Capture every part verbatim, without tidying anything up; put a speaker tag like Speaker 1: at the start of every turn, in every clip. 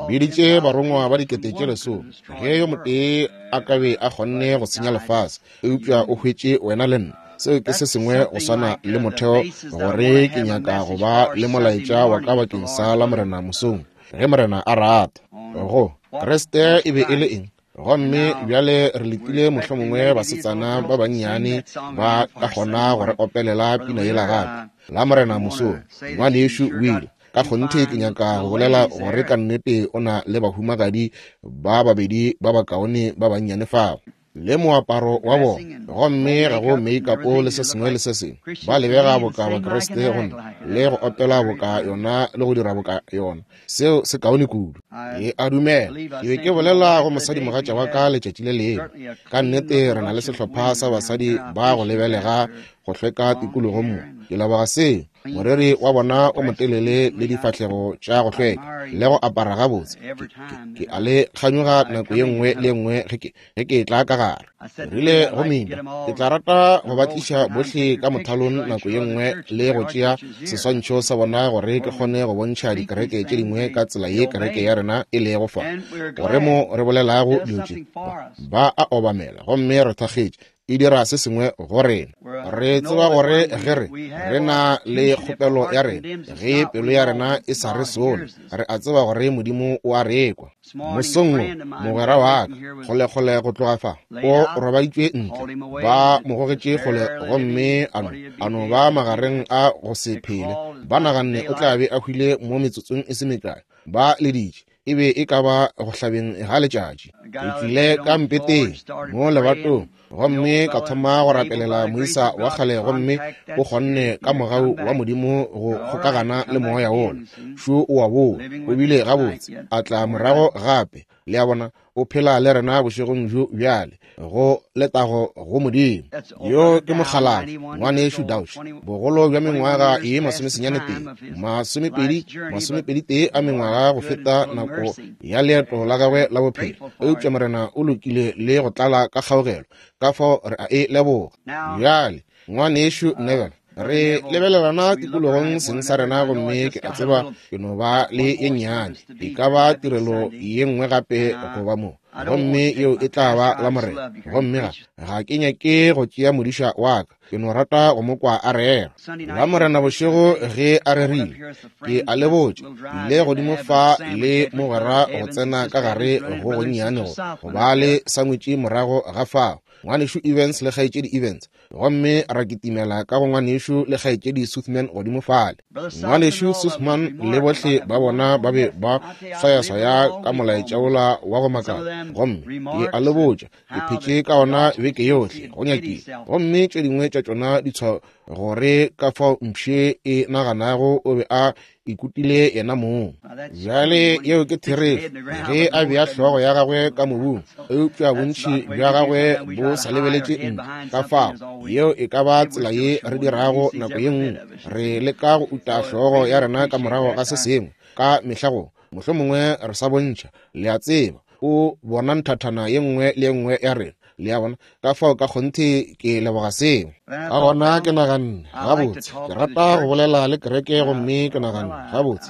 Speaker 1: Biditše barongwa ba dikete tše lesome, ge yo motee a ka be a kgonne go senya lefase, eupša o hwetše wena le nna. Seo ke se sengwe go swana le motheo gore ke nyaka go ba le molaetša wa ka bakeng sa la Morena mosong, ge Morena a rata. Go Kriste e be e le eng? Gomme bjale re letile mohlomongwe basetsana ba bannyane ba ka kgona go re opelela pina yela gape la Morena mosong. Ngwanešu Will, ka kgonthe ke nyaka go bolela gore ka nnete o na le bahumagadi ba babedi ba bakaone ba bannyane fao, le moaparo wa bona, gomme ga go make-up le se sengwe le se sengwe. Ba lebega boka Bakriste gomme le go opela boka yona le go dira boka yona. Seo se kaone kudu. Ke a dumela. Ke be ke bolela go mosadimogatša wa ka letšatši le lengwe. Ka nnete re na le sehlopha sa basadi ba go lebelega go hlweka tikologong mo. Ke leboga seo. Moreri wa bona o motelele le difahlego tša go hlweka le go apara gabotse. Ke a le kganyoga nako ye nngwe le ye nngwe ge ke ge ke tla ka gare. Ke rile go Mina, ke tla rata go ba tliša bohle ka mothalong nako ye nngwe le go tšea seswantšho sa bona gore ke kgone go bontšha dikereke tše dingwe ka tsela ye kereke ya rena e lego fa, gore mo re bolelago dilo tše ba a obamela gomme re thakgetše. E dira se sengwe go rena. Re tseba gore ge re re na le kgopelo ya rena, ge pelo ya rena e sa re sole, re a tseba gore Modimo o a re kwa. Mosong wo, mogwera wa ka, kgolekgole go tloga fa, o robaditšwe ntle, ba mo gogetše kgole gomme a no a no ba magareng a go se phele. Ba naganne o tla be a hwile mo metsotsong e se mekae. Ba leditše. E be e ka ba go hlabeng ga letšatši. Ke tlile ka mpeteng mo lebatong gomme ka thoma go rapelela moisa wa kgale, gomme o kgonne ka mogau wa Modimo go kgokagana le moya wola. Šo o a boa, o bile gabotse, a tla morago gape. Le a bona, o phela le rena bošegong bjo bjale, go letago go Modimo. Yo ke mokgalabje, ngwanešu Dauch, bogolo bja mengwaga ye masomesenyane tee, masomepedi, masomepedi tee a mengwaga go feta nako ya leeto la gagwe la bophelo. Eupša Morena o lokile le go tlala ka kgaogelo, ka fao re a e leboga. Bjale, ngwanešu Neville, re lebelelana tikologong seng sa rena, gomme ke a tseba ke no ba le ye nnyane, e ka ba tirelo ye nngwe gape go ba mo, gomme yeo e tla ba la Morena. Gomme ga ga ke nyake go tšea modiša wa ka, ke no rata go mo kwa a rera la Morena bošego ge a rerile. Ke a le botša, ile godimo fa le mogwera go tsena ka gare go gonnyane go go ba le sangwetši morago ga fao, ngwanešu Evans le kgaetšedi Evans, gomme ra kitimela ka go ngwanešu le kgaetšedi Suthman godimo fale. Ngwanešu Suthman le bohle ba bona ba be ba swayaswaya ka molaetša wola wa go makala, gomme ke a le botša, ke phetše ka ona beke yohle go nyakile, gomme tše dingwe tša tšona ditshwao gore ka fao mpšhe e naganago o be a ikutile yena mong. Bjale yeo ke therešo, ge a bea hlogo ya gagwe ka mobung, eupša bontši bja gagwe bo sa lebeletše ntle. Ka fao yeo e ka ba tsela ye re dirago nako ye nngwe, re leka go uta hlogo ya rena ka morago ga se sengwe ka mehla go mohlomongwe re sa bontšha. Le a tseba, o bona nthathana ye nngwe le ye nngwe ya rena. Le a bona? Ka fao ka kgonthe ke leboga seo. Ka gona ke naganne gabotse, ke rata go bolela le kereke, gomme ke naganne gabotse,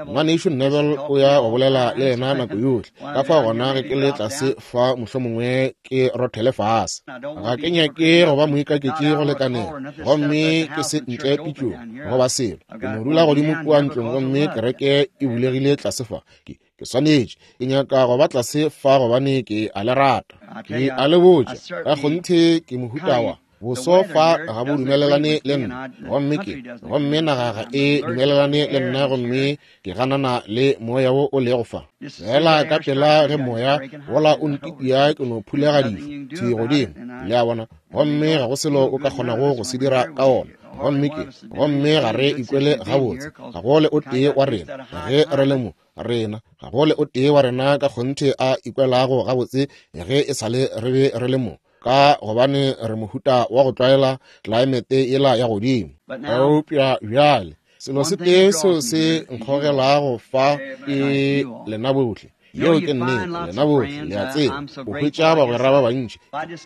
Speaker 1: ngwanešu Neville o ya go bolela le yena nako yohle. Ka fao gona ge ke le tlase fa mohlomongwe ke rothele fase. Ga ke nyake go ba moikaketši go lekanela, gomme ke se ntle pitšong goba selo. Ke no dula godimo kua ntlong, gomme kereke e bulegile tlase fa. Ke ke swanetše, ke nyaka go ba tlase fa gobane ke a le rata. Ke a le botša, ka kgonthe ke mohuta wa boso fa ga bo dumelelane le nna, gomme ke gomme naga ga e dumelelane le nna, gomme ke ganana le moya wo o lego fa. Fela ka pela ge moya wola o ntitia, ke no phulega dišo thwi godimo, le a bona, gomme ga go selo o ka kgonago go se dira ka ona. Gomme ke gomme ga re ikwele gabotse, ga go le o tee wa rena ge re le mo rena, ga go le o tee wa rena ka kgonthe a ikwelago gabotse ge e sa le re be re le mo, ka gobane re mohuta wa go tlwaela tlelaemete yela ya godimo. Eupša bjale selo se tee seo se nkgogelago fa ke lena bohle. Yeo ke nnete, lena bohle le a tseba. O hwetša bagwera ba bantši.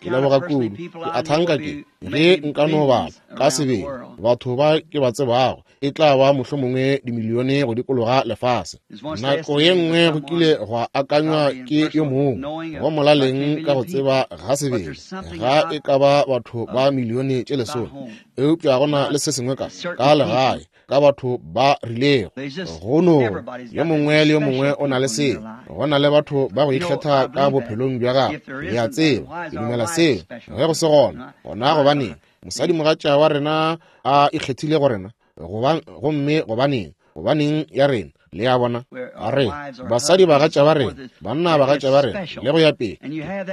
Speaker 1: Ke leboga kudu. Ke a thanka ke ge nka no bala ka sebele batho ba ke ba tsebago e tla ba mohlomongwe dimilione go dikologa lefase. Nako ye nngwe go kile gwa akanywa ke yo mongwe go molaleng ka go tseba ga sebele ga e ka ba batho ba milione tše lesome, eupša go na le se sengwe ka ka legae ka batho ba rilego. Go no yo mongwe le yo mongwe o na le seo. Go na le batho ba go ikgetha ka bophelong bja gagwe. Le a tseba, ke dumela seo. Ge go se gona, gona gobaneng mosadimogatša wa rena a ikgethile go rena? Gomme gobaneng gobaneng ya rena? Le a bona, a re basadi bagatša ba rena, banna bagatša ba rena, le go ya pele,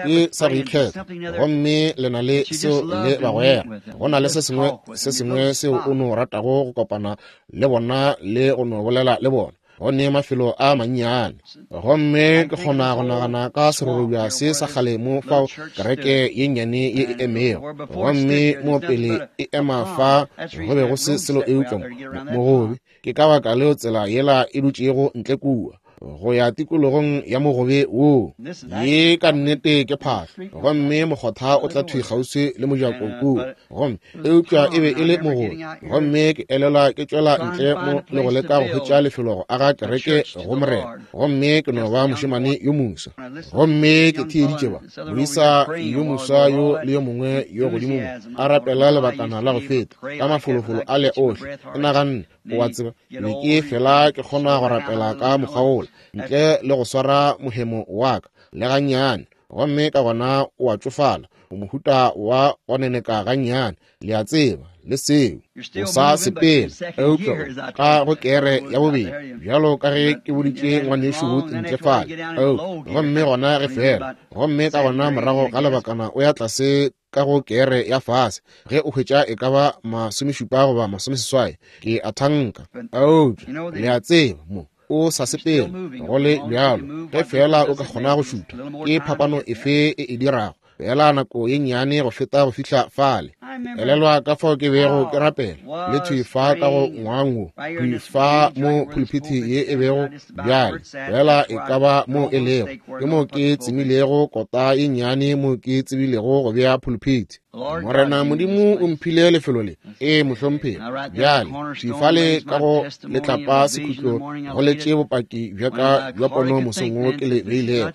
Speaker 1: ke sa go ikgetha. Gomme le na le seo le bagwera. Go na le se sengwe se sengwe seo o no ratago go kopana le bona le go no bolela le bona. Go ne mafelo a mannyane. Gomme ke kgona go nagana ka serorobja se sa kgale mo fao kereke ye nnyane ye e emego. Gomme mo pele e ema fa go be go se selo eupša mogobe. Ke ka baka leo tsela yela e dutšego ntle kua go ya tikologong ya mogobe woo. Ye ka nnete ke phahlo. Gomme mokgotha o tla thwi kgauswi le mojako kua. Gomme eupša e be e le mogobe. Gomme ke elelwa ke tšwela ntle mo le go leka go hwetša lefelo go aga kereke go Morena. Gomme ke no ba mošemane yo moswa. Gomme ke theeditše ba moisa yo moswa yo le yo mongwe yo godimo mo a rapela lebakana la go feta ka mafolofolo a le ohle. Ke naganne, o a tseba, be ke fela ke kgona go rapela ka mokgwa wola ntle le go swara mohemo wa ka le gannyane. Gomme ka gona o a tšofala, o mohuta wa go neneka gannyane, le a tseba, le seo o sa sepela eupša ka go kere ya bobedi, bjalo ka ge ke boditše ngwanešu Wood ntle fale. Gomme gona ge fela, gomme ka gona morago ga lebakana o ya tlase ka go kere ya fase ge o hwetša e ka ba masomešupa goba masomeseswai, ke a thanka. Eupša le a tseba mo o sa sepela go le bjalo, ge fela o ka kgona go šutha, ke phapano efe e e dirago? Fela nako ye nnyane go feta go fihla fale. Elelwa ka fao ke bego ke rapela le thwi fa ka go ngwang wo, thwi fa mo pulpiti ye e bego bjale, fela e ka ba mo e lego. Ke mo ke tsemilego kota ye nnyane mo ke tsebilego go bea pulpiti. Morena Modimo o mphile lefelo le. Ee, mohlomphegi. Bjale thwi fale ka go letlapa sekhutlo go letše bopaki bja ka bja pono mosong wo ke le beilego.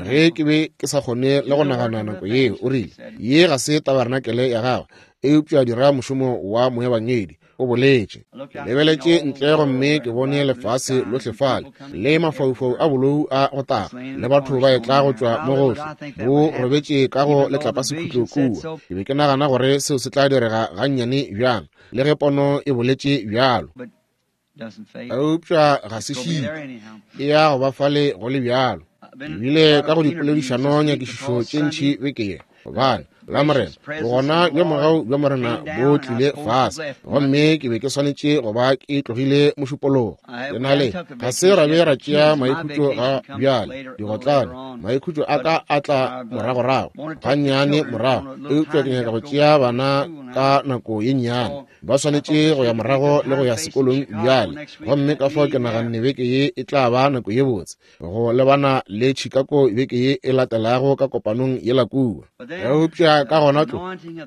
Speaker 1: Ge ke be ke sa kgone le go nagana nako yeo, o rile, ye ga se tabarenakele ya gagwe, eupša dira mošomo wa moebangedi, o boletše. Ke lebeletše ntle gomme ke bone lefase lohle fale le mafaufau a bolou a go taga le batho ba etla go tšwa mo gohle, bo robetše ka go letlapa sekhutlo kua. Ke be ke nagana gore seo se tla direga gannyane bjang, le ge pono e boletše bjalo. Eupša ga se šite, e ya go ba fale go le bjalo. Ebile ka go dipoledišano nyakišišo tše ntši beke ye, gobane la Morena bogona bja mogau bja Morena bo tlile fase, gomme ke be ke swanetše go ba ke tlogile mošupologo. Ke na le ga se ra be ra tšea maikhutšo ga bjale digotlane, maikhutšo a ka a tla moragorago gannyane morago, eupša ke nyaka go tšea bana ka nako ye nnyane. Ba swanetše go ya morago le go ya sekolong bjale, gomme ka fao ke naganne beke ye e tla ba nako ye botse go lebana le Chicago beke ye e latelago ka kopanong yela kua. Eupša ka gona tlo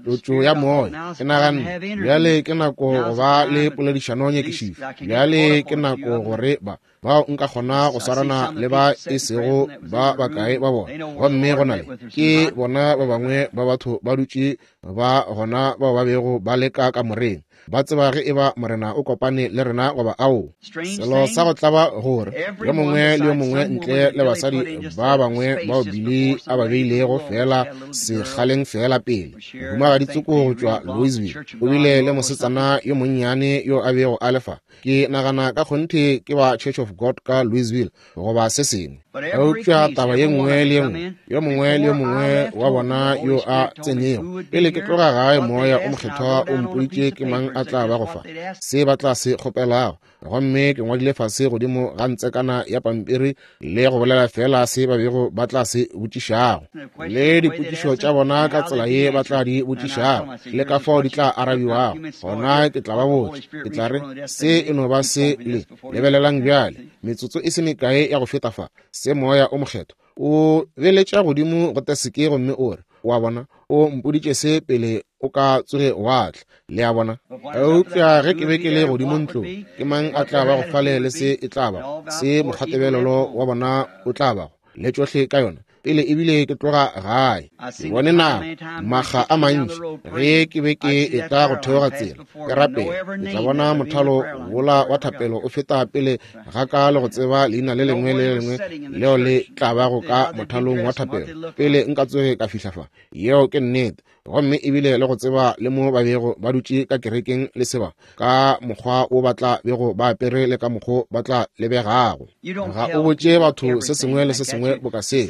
Speaker 1: tlotšo ya moya, ke naganne bjale ke nako go ba le poledišano nyakišišo. Bjale ke nako gore ba bao nka kgona go swarana le ba e sego ba bakae ba bona. Gomme go na le ke bona ba bangwe ba batho ba dutše ba gona bao ba bego ba leka ka moreng, ba tseba ge eba Morena o kopane le rena goba ao. Selo sa go tlaba gore yo mongwe le yo mongwe ntle le basadi ba bangwe bao Billy a ba beilego fela sekgaleng fela pele, mohumagadi tsoko go tšwa Louisville o bile le mosetsana yo monnyane yo a bego a le fa. Ke nagana ka kgonthe ke ba Church of God ka Louisville goba se sengwe. Eupša taba ye nngwe le ye nngwe, yo mongwe le yo mongwe wa bona yo a tsenego pele ke tloga gae, moya o mokgethwa o mpoditše ke mang a tla ba go fa se ba tla se kgopelago. Gomme ke ngwadile fase godimo ga ntsekana ya pampiri le go bolela fela se ba bego ba tla se botšišago, le dipotšišo tša bona ka tsela ye ba tla di botšišago, le ka fao di tla arabiwago. Gona ke tla ba botša, ke tla re se e no ba se le lebelelang bjale metsotso e se mekae ya go feta fa, se Moya o Mokgethwa o beletša godimo go teseke gomme o re, wa bona, o mpoditše se pele o ka tsoge wa tla. Le a bona? Eupša ge ke be ke le godimo ntlong, ke mang a tla ba go fale le se e tla bago, se mokgwatebelelo wa bona o tla bago, le tšohle ka yona, pele ebile ke tloga gae. Ke bone nako makga a mantši ge ke be ke etla go theoga tsela ke rapela, ke tla bona mothalo wola wa thapelo o feta pele ga ka le go tseba leina le lengwe le lengwe leo le tla bago ka mothalong wa thapelo pele nka tsoge ka fihla fa. Yeo ke nnete. Gomme ebile le go tseba le mo ba bego ba dutše ka kerekeng le seba, ka mokgwa o ba tla bego ba apere le ka mokgwa ba tla lebegago. Ga o botše batho se sengwe le se sengwe boka se,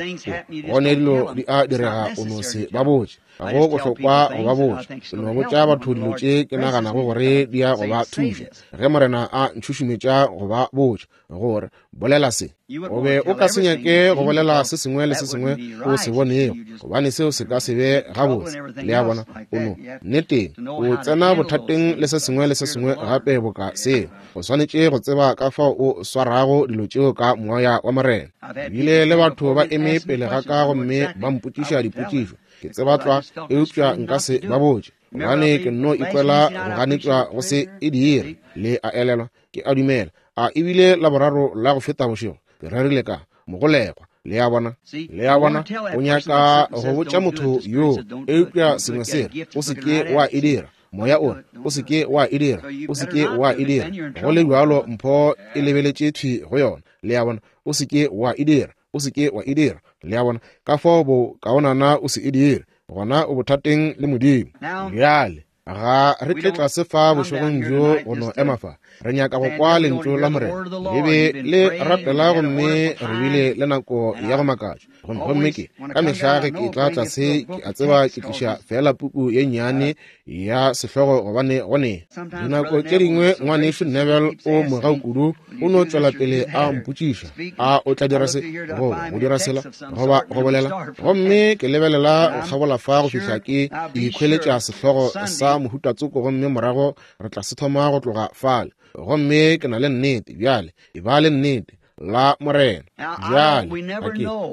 Speaker 1: gone dilo di a direga o no se ba botše. Ga go bohlokwa go ba botša, ke no botša batho dilo tše ke naganago gore di ya go ba thuša. Ge Morena a ntšhušumetša go ba botša gore bolela se, o be o ka se nyake go bolela se sengwe le se sengwe o se bonego, gobane seo se ka se be gabotse. Le a bona? O no nneteng o tsena bothateng le se sengwe le se sengwe gape boka seo. O swanetše go tseba ka fao o swarago dilo tšeo ka Moya wa Morena. Ebile le batho ba eme pele ga ka gomme ba mpotšiša dipotšišo, ke tseba tlwa, eupša nka se ba botše, gobane ke nno ikwela go ganetšwa go se e dire. Le a elelwa? Ke a dumela a ebile la boraro la go feta bošego ke rerile ka mogolegwa. Le a bona? Le a bona? O nyaka go botša motho yo, eupša sengwe se re, o se ke wa e dira. Moya o re, o se ke wa e dira, o se ke wa e dira. Go le bjalo mpho e lebeletše thwi go yona. Le a bona? O se ke wa e dira, o se ke wa e dira. Le a bona? Ka fao bo kaonana o se e dire, gona o bothateng le Modimo. Bjale ga re tle tlase fa bošegong bjo go no ema fa, re nyaka go kwa lentšu la Morena. Le be le rapela gomme re bile le nako ya go makatša. Gomme ke ka mehla ge ke tla tlase ke a tseba ke tliša fela puku ye nnyane ya sehlogo, gobane gone dinako tše dingwe ngwanešu Neville o mogau kudu, o no tšwela pele a mpotšiša, a o tla dira se goba go dira sela goba go bolela, gomme ke lebelela go kgabola fa go fihla ke ikhweletša sehlogo sa mohuta tsoko, gomme morago re tla se thoma go tloga fale. Gomme ke na le nnete bjale, e ba le nnete la Morena. Bjale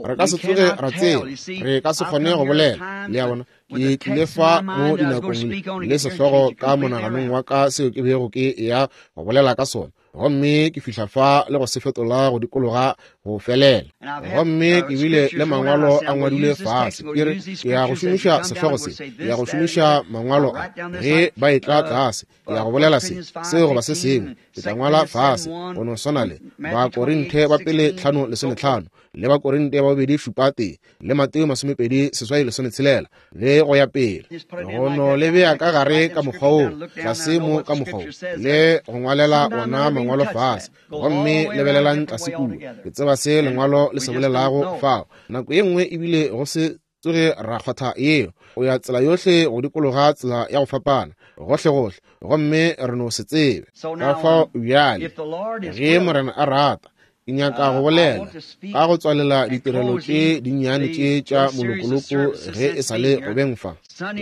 Speaker 1: re ka se tsoge ra tseba, re ka se kgone go bolela. Le a bona? Ke tlile fa mo dinakong le sehlogo ka monaganong wa ka seo ke bego ke ya go bolela ka sona, gomme ke fihla fa le go se fetola go dikologa go felela. Gomme ke bile le mangwalo a ngwadilwe fase, ke re ke ya go šomiša sehlogo se, ke ya go šomiša mangwalo a ge ba etla tlase, ke ya go bolela se seo goba se sengwe, ke tla ngwala fase go no swana le Bakorinthe ba pele tlhano lesometlhano, le Bakorinthe ba bobedi šupa tee, le Mateo masomepedi seswai lesometshelela, le go ya pele. Go no le bea ka gare ka mokgwa woo, tlase mo ka mokgwa wo, le go ngwalela ona mangwalo fase, gomme lebelelang tlase kua. Ke tseba se lengwalo le se bolelago fao. Nako ye nngwe ebile go se tsoge ra kgwatha yeo, o ya tsela yohle go dikologa tsela ya go fapana gohle-gohle, gomme re no se tsebe. Ka fao bjale ge Morena a rata, ke nyaka go bolela ka go tswalela ditirelo tše dinnyane tše tša molokoloko ge e sa le go beng fa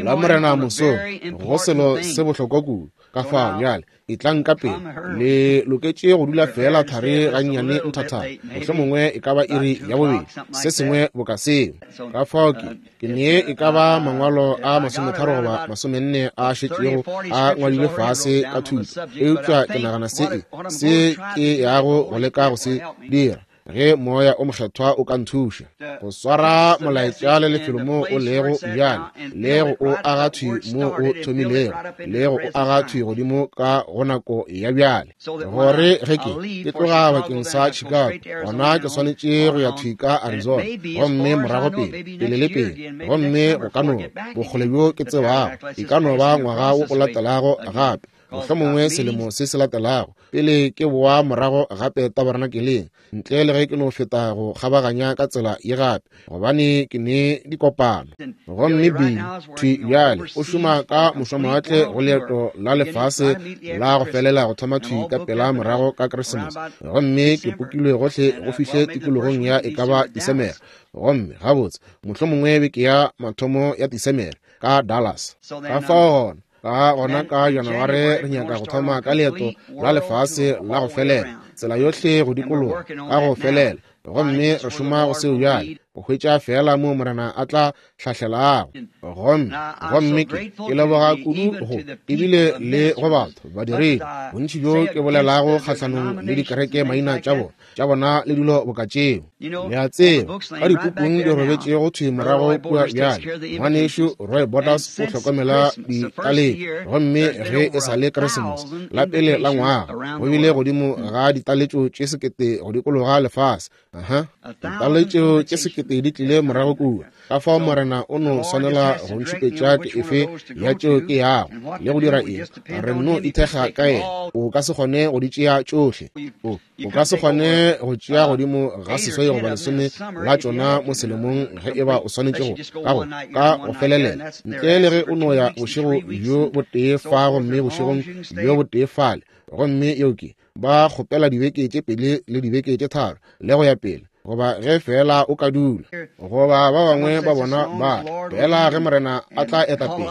Speaker 1: la Morena mosong, go selo se bohlokwa kudu. Ka fao bjale e tlang ka pele, le loketše go dula fela thari gannyane nthathana, mohlomongwe e ka ba iri ya bobedi, se sengwe boka seo. Ka fao ke ke nee e ka ba mangwalo a masometharo goba masomenne a šetšego a ngwadilwe fase ka thuto, eupša ke nagana se e se ke yago go leka go se dira ge Moya o Mokgethwa o ka nthuša go swara molaetša le lefelo mo o lego bjale, le go o aga thwi mo o thomilego, le go o aga thwi godimo ka go nako ya bjale, gore ge ke ke tloga bakeng sa Chicago, gona ke swanetše go ya thwi ka Arizona, gomme morago pele pele le pele, gomme go ka no bokgole bjo ke tsebago e ka no ba ngwaga wo o latelago gape. Mohlomongwe selemo se se latelago, pele ke boa morago gape tabernakeleng, ntle le ge ke no feta go kgabaganya ka tsela ye gape, gobane ke ne dikopano. Gomme Billy thwi bjale o šoma ka mošwamawatle go leeto la lefase la go felela go thoma thwi ka pela morago ka Keresemose. Gomme ke pokilwe gohle go fihle tikologong ya e ka ba Disemere. Gomme gabotse mohlomongwe beke ya mathomo ya Disemere ka Dallas. Ka fao gona ka gona ka Janaware re nyaka go thoma ka leeto la lefase la go felela, tsela yohle go dikologa ka go felela. Gomme re šoma go seo bjale, go hwetša fela mo Morena a tla hlahlelago. Gomme gomme ke ke leboga kudu go ebile le go batho badiredi bontši bjo ke bolelago kgahlanong le dikereke maina tša bona tša bona le dilo boka tšeo. Le a tseba ka dipukung di robetšego thwi morago kua bjale, ngwanešu Roy Borders o hlokomela ditaletšo. Gomme ge e sa le Keresemose la pele la ngwaga, go bile godimo ga ditaletšo tše sekete go dikologa lefase. Aha, ditaletšo tše sekete di tlile morago kua. Ka fao Morena o no swanela go ntšhupetša ke efe ya tšeo ke yago le go dira eng. Re nno ithekga ka yena. O ka se kgone go di tšea tšohle. O o ka se kgone go tšea godimo ga seswai goba lesome la tšona mo selemong ge e ba o swanetše go ka go ka go felelela, ntle le ge o no ya bošego bjo botee fa gomme bošegong bjo botee fale. Gomme yeo ke ba kgopela dibeke tše pedi le dibeke tše tharo le go ya pele, goba ge fela o ka dula, goba ba bangwe ba bona ba fela ge Morena a tla eta pele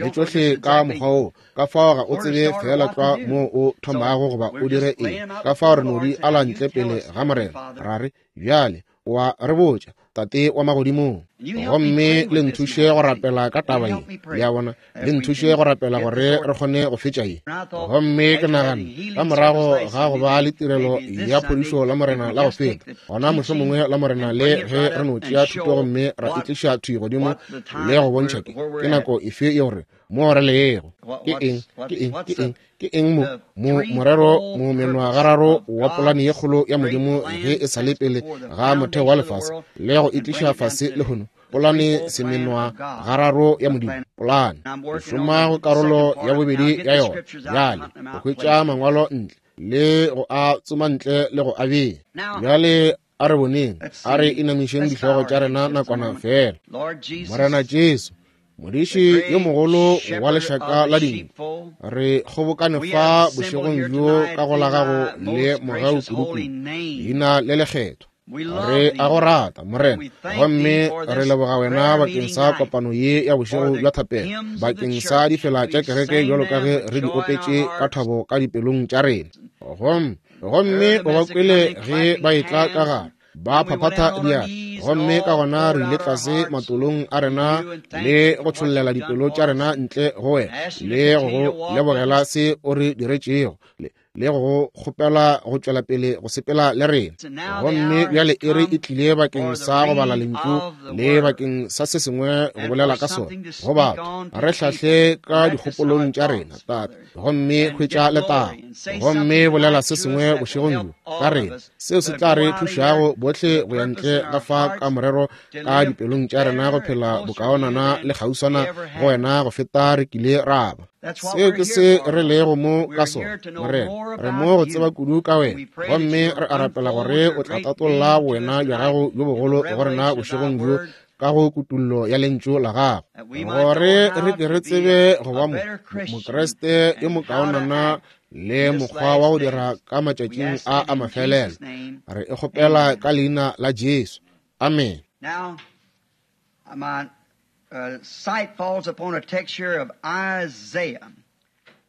Speaker 1: le tšohle ka mokgwa wo. Ka fao ga o tsebe fela tlwa mo o thomago goba o dire eng. Ka fao re no di ala ntle pele ga Morena, ra re bjale wa re botša, Tate wa magodimong. Gomme le nthuše go rapela ka taba ye, le a bona, le nthuše go rapela gore re kgone go fetša ye. Gomme ke nagana ka morago ga go ba le tirelo ya phodišo la Morena la go feta, gona mohlomongwe la Morena le ge re no tšea thuto gomme ra e tliša thwi godimo le go bontšha ke ke nako efe ye gore mo re lego ke eng ke eng ke eng ke eng mo mo morero mo menwagararo wa polane ye kgolo ya Modimo ge e sa le pele ga motheo wa lefase le go e tliša fase lehono. Polane semenwa gararo ya Modimo, polane ke šoma go karolo ya bobedi ya yona bjale, go hwetša mangwalo ntle le go a tsoma ntle le go a bea. Bjale a re boneng, a re inamišeng dihlogo tša rena nakwana fela. Morena Jesu, modiši yo mogolo wa lešaka la dinku, re kgobokane fa bošegong bjo ka go la gago le mogau kudukudu, leina le lekgethwa. Re a go rata, Morena, gomme re leboga wena bakeng sa kopano ye ya bošego bja thapelo, bakeng sa difela tša kereke bjalo ka ge re di opetše ka thabo ka dipelong tša rena. Gomme gomme o ba kwele ge ba etla ka gare ba phaphatha diatla, gomme ka gona re ile tlase matolong a rena le go tšhollela dipelo tša rena ntle go wena le go go lebogela se o re diretšego le go kgopela go tšwela pele go sepela le rena. Gomme bjale e re e tlile bakeng sa go bala lentšu le bakeng sa se sengwe go bolela ka sona go batho. Re hlahle ka dikgopolong tša rena, Tate, gomme hwetša letago, gomme bolela se sengwe bošegong bjo ka rena seo se tla re thušago bohle go ya ntle ga fa ka morero ka dipelong tša rena go phela bokaonana le kgauswana go wena go feta re kile ra ba. Seo ke se re lego mo ka sona, Morena. Re mo go tseba kudu ka wena, gomme re a rapela gore o tla tatolla wena bja gago bjo bogolo go rena bošegong bjo ka go kutullo ya lentšu la gago, gore re ke re tsebe go ba Mokriste yo mokaonana le mokgwa wa go dira ka matšatšing a a mafelelo. Re e kgopela ka leina la Jesu. Amen.
Speaker 2: Now, my uh, sight falls upon a text here of Isaiah.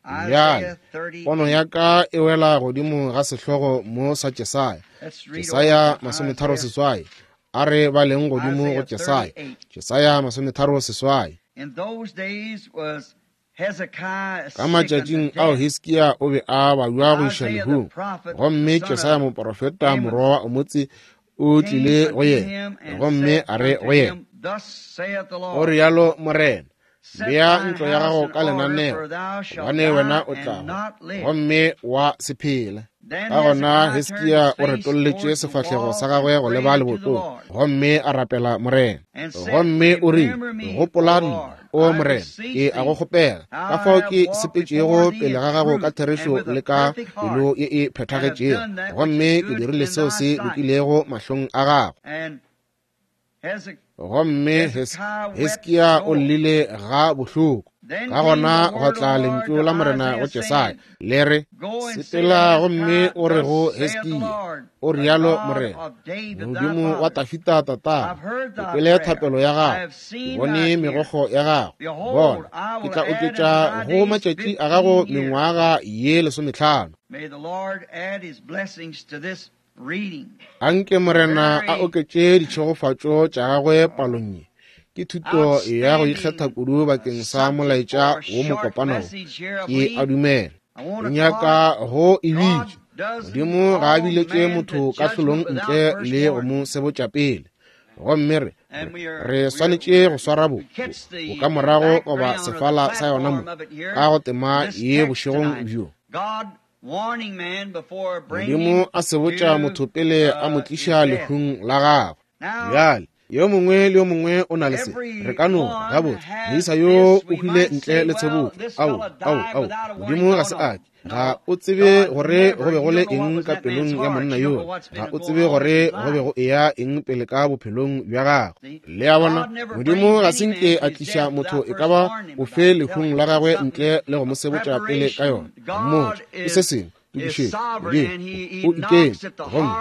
Speaker 1: Bjale pono ya ka e wela godimo ga sehlogo mo sa Jesaya. Jesaya masometharo seswai. A re baleng godimo go Jesaya. Jesaya masometharo seswai.
Speaker 2: In those days was Hezekiah
Speaker 1: Ka matšatšing ao Hiskia o be a babja go iša lehung, gomme Jesaya moprofeta morwa wa Omotse o tlile go yena, gomme a re go yena, o rialo Morena, bea ntlo ya gago ka lenaneo, gobane wena o tla hwa, gomme wa se phela. Ka gona Hiskia o retolletše sefahlego sa gagwe go leba lebotong gomme a rapela Morena. Gomme o rile, gopola nna, o Morena, ke a go kgopela, ka fao ke sepetšego pele ga gago ka therešo le ka pelo ye e phethagetšego, gomme ke dirile seo se lokilego mahlong a gago. Gomme Hiskia o llile ga bohloko. Ka gona gwa tla lentšu la Morena go Jesaya le re, sepela gomme o re go Hiskia, o rialo Morena, Modimo wa Dafida tatago, ke kwele thapelo ya gago, ke bone megokgo ya gago. Bona, ke tla oketša go matšatši a gago mengwaga ye lesomehlano. Anke Morena a oketše ditšhegofatšo tša gagwe palong ye. Ke thuto ya go ikgetha kudu bakeng sa molaetša wo mokopano, ke a dumela. Ke nyaka go e bitša, Modimo ga a biletše motho kahlolong ntle le go mo sebotša pele. Gomme re, re swanetše go swara bo, bokamorago goba sefala sa yona mo, ka go tema ye bošegong bjo. Modimo a sebotša motho pele a mo tliša lehung la gagwe. Bjale, yo mongwe le yo mongwe o na le se. Re ka no gabotse moisa yo o hwile ntle le tshebotso. Ao, ao, ao, Modimo ga se ake. Ga o tsebe gore go be go le eng ka pelong ya monna yoo. Ga o tsebe gore go be go eya eng pele ka bophelong bja gagwe. Le a bona, Modimo ga se nke a tliša motho e ka ba ofe lehung la gagwe ntle le go mo sebotša pele ka yona. Mmotša ke se sengwe. Tokišetšo, Modimo o ikeme gomme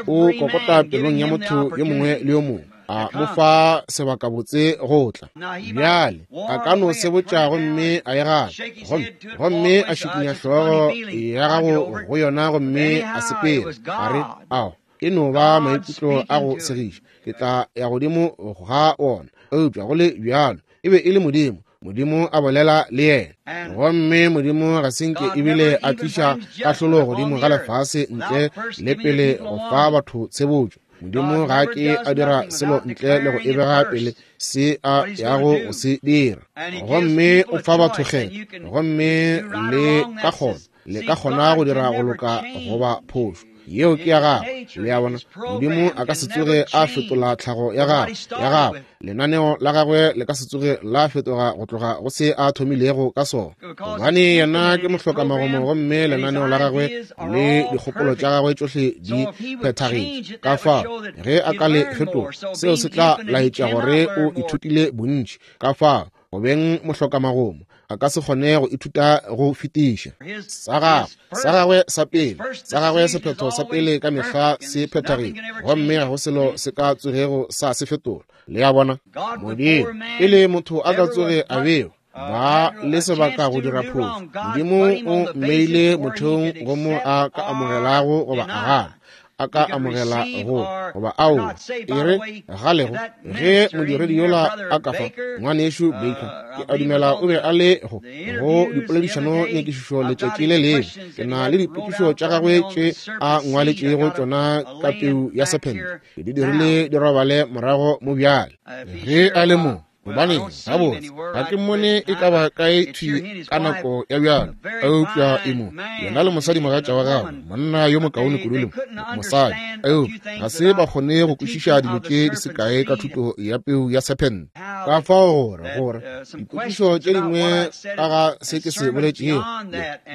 Speaker 1: o kokota pelong ya motho yo mongwe le yo mongwe, a mo fa sebakabotse go tla. Bjale a ka no sebotša gomme a e gana, gomme gomme a šikinya hlogo ya gago go yona gomme a sepela, a re, ao, e no ba maikutlo a go segiša, ke tla ya godimo ga ona. Eupša go le bjalo e be e le Modimo, Modimo a bolela le yena. Gomme Modimo ga se nke ebile a tliša kahlolo godimo ga lefase ntle le pele go fa batho tshebotšo. Modimo ga ke a dira selo ntle le go e bega pele se a yago go se dira. Gomme o fa batho kgetho, gomme le ka kgona, le ka kgona go dira go loka goba phošo. Yeo ke ya gagwe. Le a bona, Modimo a ka se tsoge a fetola tlhago ya gagwe, ya gagwe. Lenaneo la gagwe le ka se tsoge la fetoga go tloga go se a thomilego ka sona, gobane yena ke mohlokamagomo gomme lenaneo la gagwe le dikgopolo tša gagwe tšohle di phethagetše. Ka fao ge a ka le fetola, seo se tla laetša gore o ithutile bontši. Ka fao go beng mohlokamagomo a ka se kgone go ithuta go fetiša. Sa gagwe, sa gagwe sa pele, sa gagwe sephetho sa pele ka mehla se phethagetše, gomme ga go selo se ka tsogego sa se fetola. Le a bona, Modimo pele motho a ka tsoge a bewa ba le sebaka go dira phošo, Modimo o mmeile motheong go mo a ka amogelago goba a gana, a ka amogela go goba ao. E re galego ge modiredi yola a ka fa ngwanešu Baker, ke a dumela o be a le go go dipoledišano nyakišišo letšatši le lengwe. Ke na le dipotšišo tša gagwe tše a ngwaletšego tšona ka peu ya sephente, ke di dirile di robale morago mo bjale. Ge a le mo, gobane gabotse ga ke mmone e ka ba kae thwi ka nako ya bjalo, eupša e mo yena le mosadimogatša wa gagwe, monna yo mokaone kudu le mosadi, eupša ga se ba kgone go kwešiša dilo tše di se kae ka thuto ya peu ya sephente. Ka fao gore gore dipotšišo tše dingwe ka ga se ke se boletšego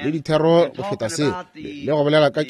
Speaker 1: le dithero go feta se le go bolela ka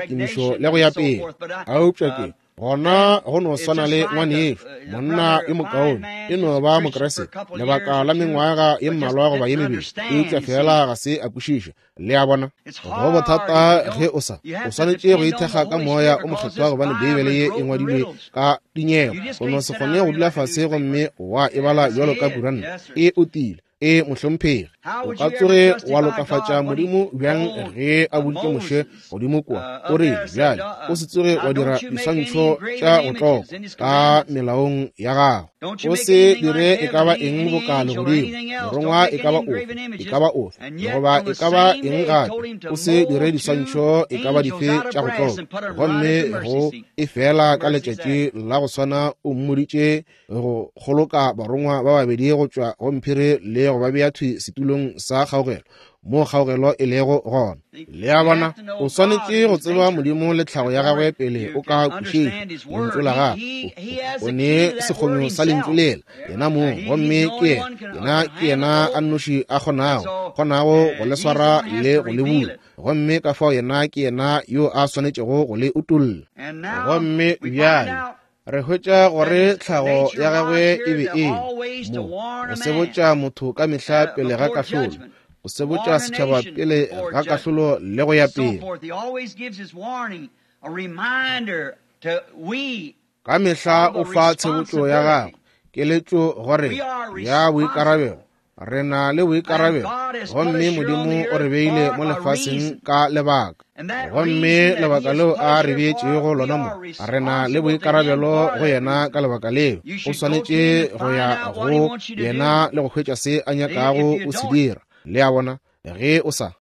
Speaker 1: kemišo le go ya pele, eupša ke gona go no swana le ngwanešu, monna yo mokaone, e no ba Mokriste lebaka la mengwaga ye mmalwa goba ye mebedi, eupša fela ga se a kwešiša. Le a bona, go bothata ge o sa, o swanetše go ithekga ka Moya o Mokgethwa, gobane Beibele ye e ngwadilwe ka dinyego. O no se kgone go dula fase gomme wa e bala bjalo ka kuranta. E otile, e mohlomphegi. O ka tsoge wa lokafatša Modimo bjang ge a boditše Moshe godimo kua, o rile, bjale o se tsoge wa dira diswantšho tša go tlokwa ka melaong ya gago, o se dire e ka ba eng boka legodimo, morongwa e ka ba ofe, e ka ba ofe, goba e ka ba eng gape, o se dire diswantšho e ka ba dife tša go tlokwa. Gomme go e fela ka letšatši la go swana o mmoditše go kgoloka barongwa ba babedi go tšwa go mphiri le go ba bea thwi setulong sa kgaogelo, mo kgaogelo e lego gona. Le a bona, o swanetše go tseba Modimo le tlhago ya gagwe pele o ka kwešiša lentšu la gagwe. O ne sekgonyo sa lentšu lela yena mong, gomme ke yena yena ke yena a nnoši a kgonago kgonago go le swara le go le bula, gomme ka fao yena ke yena yo a swanetšego go le utolla. Gomme bjale re hwetša gore tlhago ya gagwe e be e mo go sebotša motho ka mehla pele ga kahlolo, go sebotša setšhaba pele ga kahlolo le go ya pele. Ka mehla o fa tshebotšo ya gagwe keletšo gore ya boikarabelo. Re na le boikarabelo, gomme Modimo o re beile mo lefaseng ka lebaka, gomme lebaka leo a re beetšego lona mo, re na le boikarabelo go yena ka lebaka leo. O swanetše go ya go yena le go hwetša se a nyakago o se dira. Le a bona, ge o sa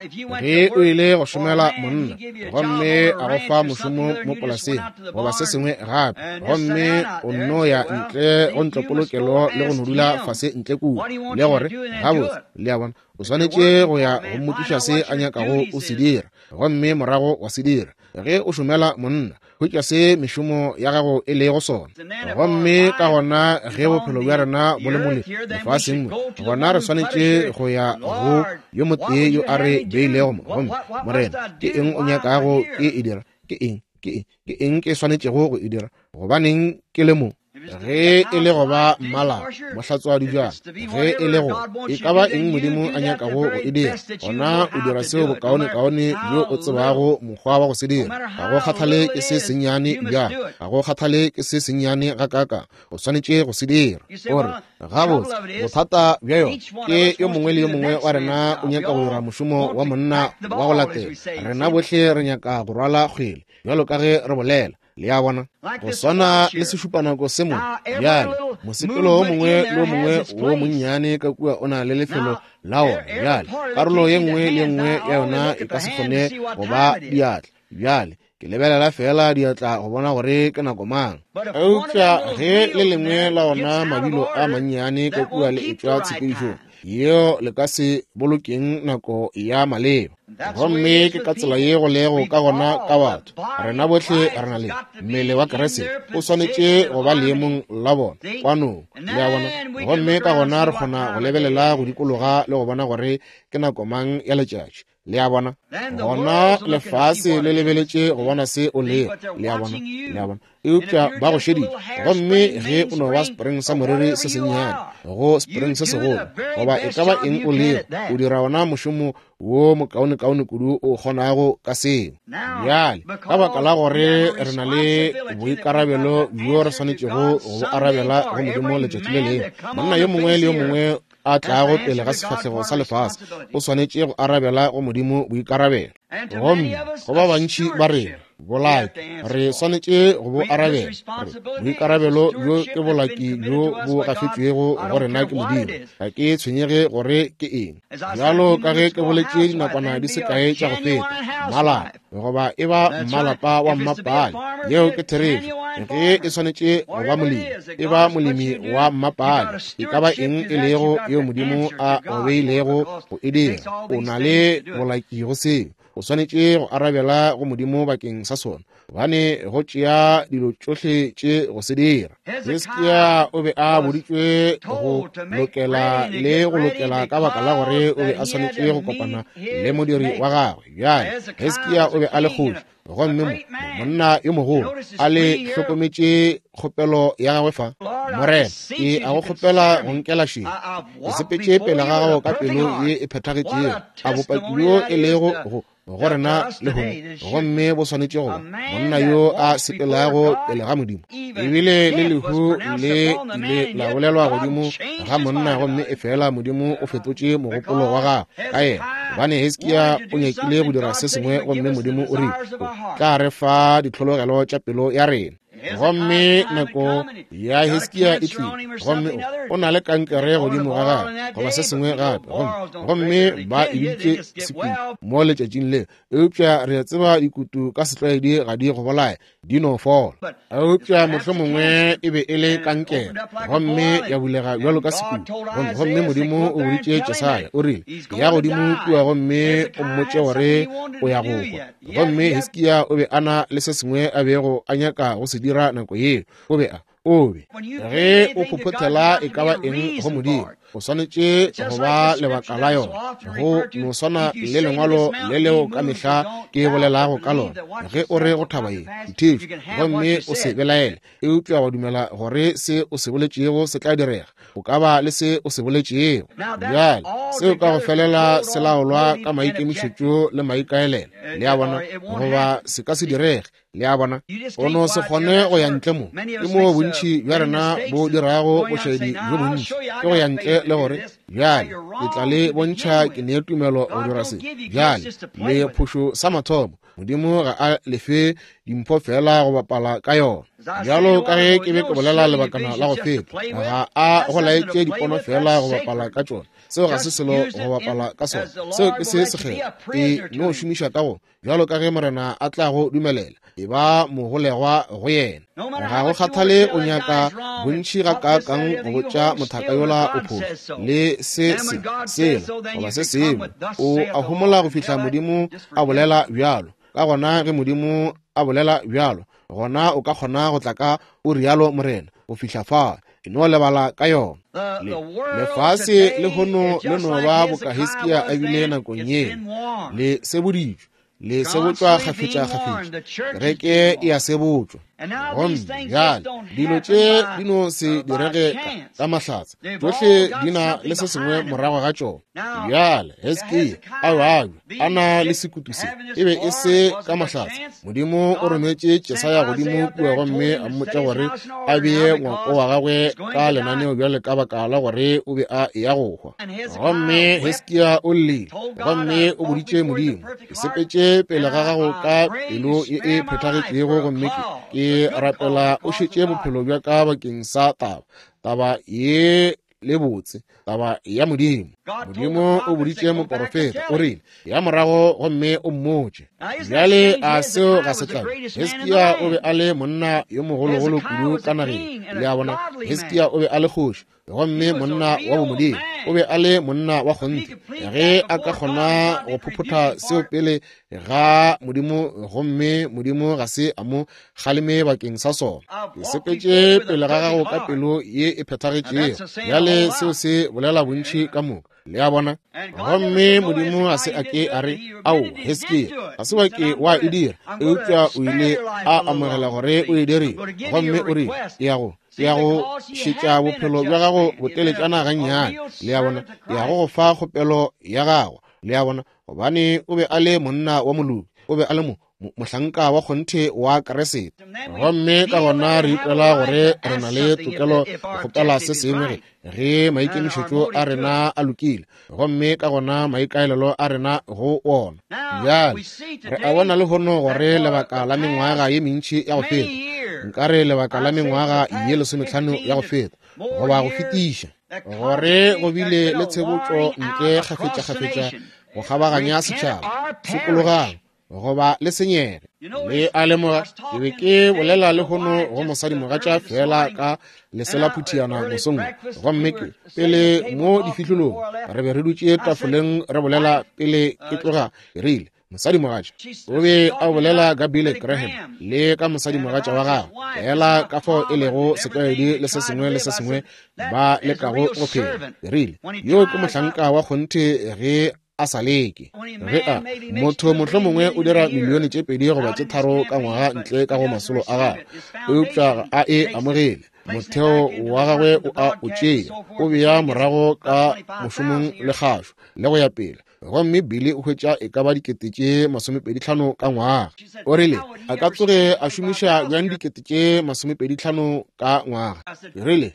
Speaker 1: ge o ile go šomela monna gomme a go fa mošomo mo polaseng goba se sengwe gape, gomme o nno ya ntle go ntlopolokelo le go no dula fase ntle kua le gore gabotse, le a bona, o swanetše go ya go mmotšiša se a nyakago o se dira, gomme morago wa se dira. Ge o šomela monna, hwetša se mešomo ya gago e lego sona. Gomme ka gona ge bophelo bja rena bo le mo lefaseng mo, gona re swanetše go ya go yo motee yo a re beilego mo. Gomme Morena, ke eng o nyakago ke e dira? Ke eng ke eng ke eng ke swanetšego go e dira? Gobaneng ke le mo? Ge e le go ba mmalapa mohlatswadi bjang, ge e le go e ka ba eng Modimo a nyakago go e dira, gona o dira seo bokaonekaone bjo o tsebago mokgwa wa go se dira. Ga go kgathale ke se sennyane bjang, ga go kgathale ke se sennyane gakaakang, o swanetše go se dira. O re, gabotse, bothata bja yona ke yo mongwe le yo mongwe wa rena o nyaka go dira mošomo wa monna wa go latela. Rena bohle re nyaka go rwala kgwele bjalo ka ge re bolela. Le a bona, go swana le sešupanako se mo bjale, mosepelo o mongwe le o mongwe wo monnyane ka kua o na le lefelo la ona. Bjale karolo ye nngwe le ye nngwe ya yona e ka se kgone go ba diatla. Bjale ke lebelela fela diatla go bona gore ke nako mang. Eupša ge le lengwe la ona mabilo a mannyane ka kua le etšwa tshepedišong yeo, le ka se bolokeng nako ya maleba. Gomme ke ka tsela ye go lego ka gona ka batho. Rena bohle re na le mmele wa Kriste, o swanetše go ba leemong la bona kwanong. Le a bona, gomme ka gona re kgona go lebelela go dikologa le go bona gore ke nako mang ya letšatši. Le a bona, gona lefase le lebeletše go bona se o lego. Le a bona, le a bona, eupša ba go šeditše. Gomme ge o no ba spring sa moriri se sennyane go spring se segolo, goba e ka ba eng o lego, o dira ona mošomo wo mokaonekaone kudu o kgonago ka seo. Bjale ka baka la gore re na le boikarabelo bjo re swanetšego go bo arabela go Modimo letšatši le lengwe, monna yo mongwe le yo mongwe a tlago pele ga sefahlego sa lefase o swanetše go arabela go Modimo boikarabelo. Gomme go ba bantši ba rena bolaki re swanetše go bo arabela. Boikarabelo bjo ke bolaki bjo bo gafetšwego go rena ke Modimo. Ga ke tshwenyege gore ke eng. Bjalo ka ge ke boletše dinakwana di se kae tša go feta, mmalapa goba e ba mmalapa wa mmapale, yeo ke therešo. Ge e swanetše go ba molemi, e ba molemi wa mmapale. E ka ba eng e lego yeo Modimo a go beilego go e dira, o na le bolaki go seo. O swanetše go arabela go Modimo bakeng sa sona, gobane go tšea dilo tšohle tše go se dira. Hiskia o be a boditšwe go lokela le go lokela ka baka la gore o be a swanetše go kopana le modiri wa gagwe. Bjale Hiskia o be a le kgoši, gomme mo monna yo mogolo a le hlokometše kgopelo ya gagwe fa. Morena, ke a go kgopela go nkela šedi. Ke sepetše pele ga gago ka pelo ye e phethagetšego, a bopaki bjo e lego go go rena lehono, gomme bo swanetše go ba monna yo a sepelago pele ga Modimo. Ebile le lehu le ile la bolelwa godimo ga monna, gomme efela Modimo o fetotše mogopolo wa gagwe ka yena, gobane Hiskia o nyakile go dira se sengwe, gomme Modimo o rile o tla re fa ditlhologelo tša pelo ya rena. Gomme nako ya Hiskia e tlile, gomme o na le kankere godimo ga gagwe goba se sengwe gape, gomme ba e biditše sekutu mo letšatšing le. Eupša re a tseba dikutu ka setlwaedi ga di go bolaya, di no fola. Eupša mohlomongwe e be e le kankere, gomme ya bulega bjalo ka sekutu. Gomme Modimo o boditše Jesaya, o rile, ya godimo kua gomme o mmotše gore o ya go hwa. Gomme Hiskia o be a na le se sengwe a bego a nyaka go se dira nako yeo. O be a o be ge o phophothela e ka ba eng go Modimo, o swanetše go ba lebaka la yona. Go no swana le lengwalo le leo ka mehla ke bolelago ka lona, ge o re go thaba ye dithetšo gomme o se belaele, eupša wa dumela gore se o se boletšego se tla direga, o ka ba le se o se boletšego. Bjale seo ka go felela se laolwa ka maikemišetšo le maikaelelo, le a bona, goba se ka se direge. Le a bona, o no se kgone go ya ntle mo. Ke moo bontši bja rena bo dirago bošaedi bjo bontši, ke go ya ntle le gore bjale ke tla le bontšha ke ne tumelo go dira se. Bjale le phošo sa mathomo, Modimo ga a lefe dimpho fela go bapala ka yona. Bjalo ka ge ke be ke bolela lebakana la go feta, ga a go laetše dipono fela go bapala ka tšona. Seo ga se selo go bapala ka sona, seo ke se sekgethwa. E no šomiša ka go bjalo ka ge Morena a tla go dumelela, e ba mogolegwa go yena. Ga go kgathale o nyaka bontši ga kaakang go botša mothaka yola o phošo le se se sela goba se sengwe, o a homola go fihla Modimo a bolela bjalo. Ka gona ge Modimo a bolela bjalo, gona o ka kgona go tla ka o rialo Morena go fihla fa. E no lebala ka yona. Lefase le hono le no ba boka Hiskia a bile nakong yeo, le seboditšwe, le sebotšwa kgafetša-kgafetša, kereke e a sebotšwa. Gomme bjale dilo tše di no se direge ka mahlatse, tšohle di na le se sengwe morago ga tšona. Bjale Hiskia a babja a na le sekutu se, e be e se ka mahlatse. Modimo o rometše Jesaya godimo kua gomme a mmotša gore a bee ngwako wa gagwe ka lenaneo bjale ka baka la gore o be a eya go hwa. Gomme Hiskia o llile, gomme o boditše Modimo, ke sepetše pele ga gago ka pelo ye e phethagetšego, gomme ke rapela o šetše bophelo bja ka bakeng sa taba taba ye le botse, taba ya Modimo. Modimo o boditše moporofeta, o rile, ya morago gomme o mmotše. Bjale a seo ga se tlabe. Hiskia o be a le monna yo mogologolo kudu ka nageng, le a bona. Hiskia o be a le kgoši, gomme monna wa bomodimo, o be a le monna wa kgonthe. Ge a ka kgona go phophotha seo pele ga Modimo, gomme Modimo ga se a mo kgaleme bakeng sa sona. Ke sepetše pele ga gago ka pelo ye e phethagetšego. Bjale seo se bolela bontši ka moka, le a bona. Gomme Modimo ga se a ke a re, ao Hiskia, ga se wa ke wa e dira, eupša o ile a amogela gore o e dirile. Gomme o rile, ke ya go ke ya go šetša bophelo bja gago boteletšana gannyane, le a bona, ke ya go go fa kgopelo ya gago, le a bona, gobane o be a le monna wa moloki, o be a le mo mohlanka wa kgonthe wa Kriste. Gomme ka gona re ikwela gore re na le tokelo go kgopela se sengwe ge maikemišetšo a rena a lokile, gomme ka gona maikaelelo a rena go ona. Bjale re a bona lehono gore lebaka la mengwaga ye mentši ya go feta, nkare lebaka la mengwaga ye lesometlhano ya go feta goba go fetiša, gore go bile le tshebotšo ntle kgafetša-kgafetša go kgabaganya setšhaba. Sokologang goba le senyege. Le a lemoga, ke be ke bolela lehono go mosadimogatša fela ka lesela phuthiana mosong, gomme ke pele mo difihlolong re be re dutše tafoleng re bolela pele ke tloga. Ke rile, mosadimogatša o be a bolela ka Billy Graham le ka mosadimogatša wa gagwe, fela ka fao e lego setlwaedi le se sengwe le se sengwe ba lekago go phela. Ke rile, yo ke mohlanka wa kgonthe ge a sa leke. Ge a motho mohlomongwe o dira milione tše pedi goba tše tharo ka ngwaga ntle ka go masolo a gagwe, eupša ga a e amogele. Motheo wa gagwe o a o tšea, o bea morago ka mošomong le kgašo le go ya pele. Gomme Billy o hwetša e ka ba dikete tše masomepedi tlhano ka ngwaga. O rile a ka tsoge a šomiša bjang dikete tše masomepedi tlhano ka ngwaga? Ke rile,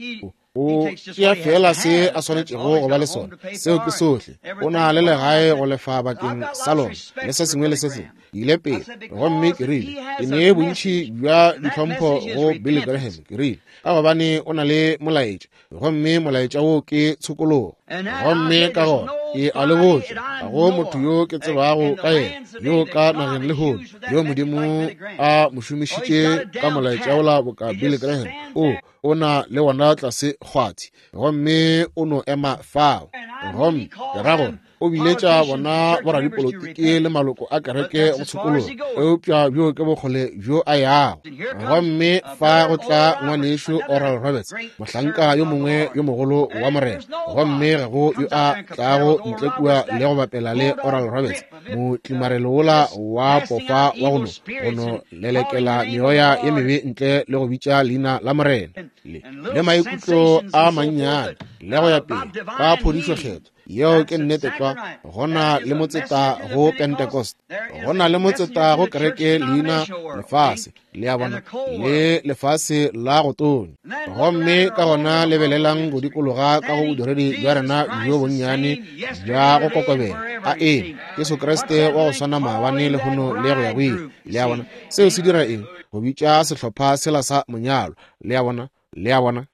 Speaker 1: o tšea fela se a swanetšego go ba le sona, seo ke sohle. O na le legae go lefa bakeng sa lona le se sengwe le se sengwe. Ile pele gomme ke rile ke ne bontši bja ditlhompho go Billy Graham, ke rile ka gobane o na le molaetša, gomme molaetša wo ke tshokologo. Gomme ka gona ke a le botša, ga go motho yo ke tsebago ka yena yo ka nageng lehono yo Modimo a mo šomišitše ka molaetša wola boka Billy Graham. O o na le wona tlase kgwathi, gomme o no ema fao. Gomme ke ra gore o biletša bona boradipolotiki le maloko a kereke go tshokologa, eupša bjo ke bokgole bjo a yago. Gomme fa go tla ngwanešu Oral Roberts, mohlanka yo mongwe yo mogolo wa Morena, gomme ga go yo a tlago ntle kua le go bapela le Oral Roberts, motlimarelo wola wa pofa wa go no go no lelekela meoya ye mebe ntle le go bitša leina la Morena, le le maikutlo a mannyane le go ya pele ka phodišo kgetho. Yeo ke nnete tlwa. Go na le motseta go Pentecost, go na le motseta go kereke leina lefase, le a bona, le lefase la go tonya. Gomme ka gona lebelelang go dikologa ka go bodiredi bja rena bjo bonnyane bja go kokobela. A eng Jesu Kriste wa go swana maabane lehono le go ya go ile. Le a bona, seo se dira eng? Go bitša sehlopha sela sa monyalo. Le a bona, le a bona,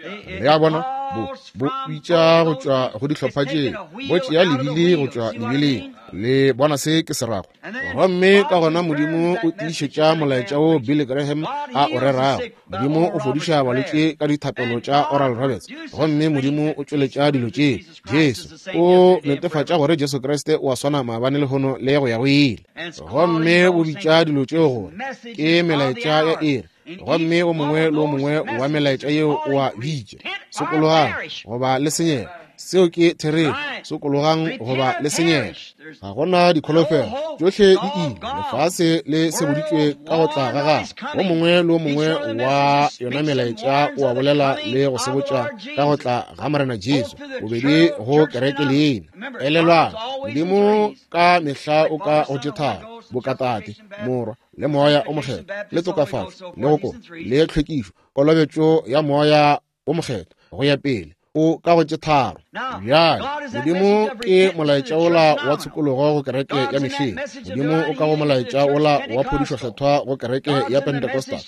Speaker 1: le a bona, bo bo bitša go tšwa go dihlopha tše, bo tšea lebili go tšwa lebileng. Le bona se ke se rago. Gomme ka gona Modimo o tiišetša molaetša wo Billy Graham a o rerago. Modimo o fodiša balwetši ka dithapelo tša Oral Roberts, gomme Modimo o tšweletša dilo tše. Jesu o netefatša gore Jesu Kriste o a swana maabane lehono le go ya go ile. Gomme o bitša dilo tšeo gore ke melaetša ya iri, gomme o mongwe le o mongwe wa melaetša yeo o a bitša sokologang goba le senyega. Seo ke therešo, sokologang goba le senyega. Ga gona dikholofelo, tšohle di ile, lefase le seboditšwe ka go tla ga gagwe. O mongwe le o mongwe wa yona melaetša o a bolela le go sebotša ka go tla ga Morena Jesu, bobedi go kereke leina. Elelwang, Modimo ka mehla o ka go tše tharo, bokatate, Morwa le Moya o Mokgethwa, le tokafatšo, le go kopa, le tlhwekišo, kolobetšo ya Moya o Mokgethwa, go ya pele, o ka go tše tharo. Bjale Modimo ke molaetša wola wa tshokologo go kereke ya mehleng. Modimo o ka go molaetša wola wa phodišo kgethwa go kereke ya Pentecostal.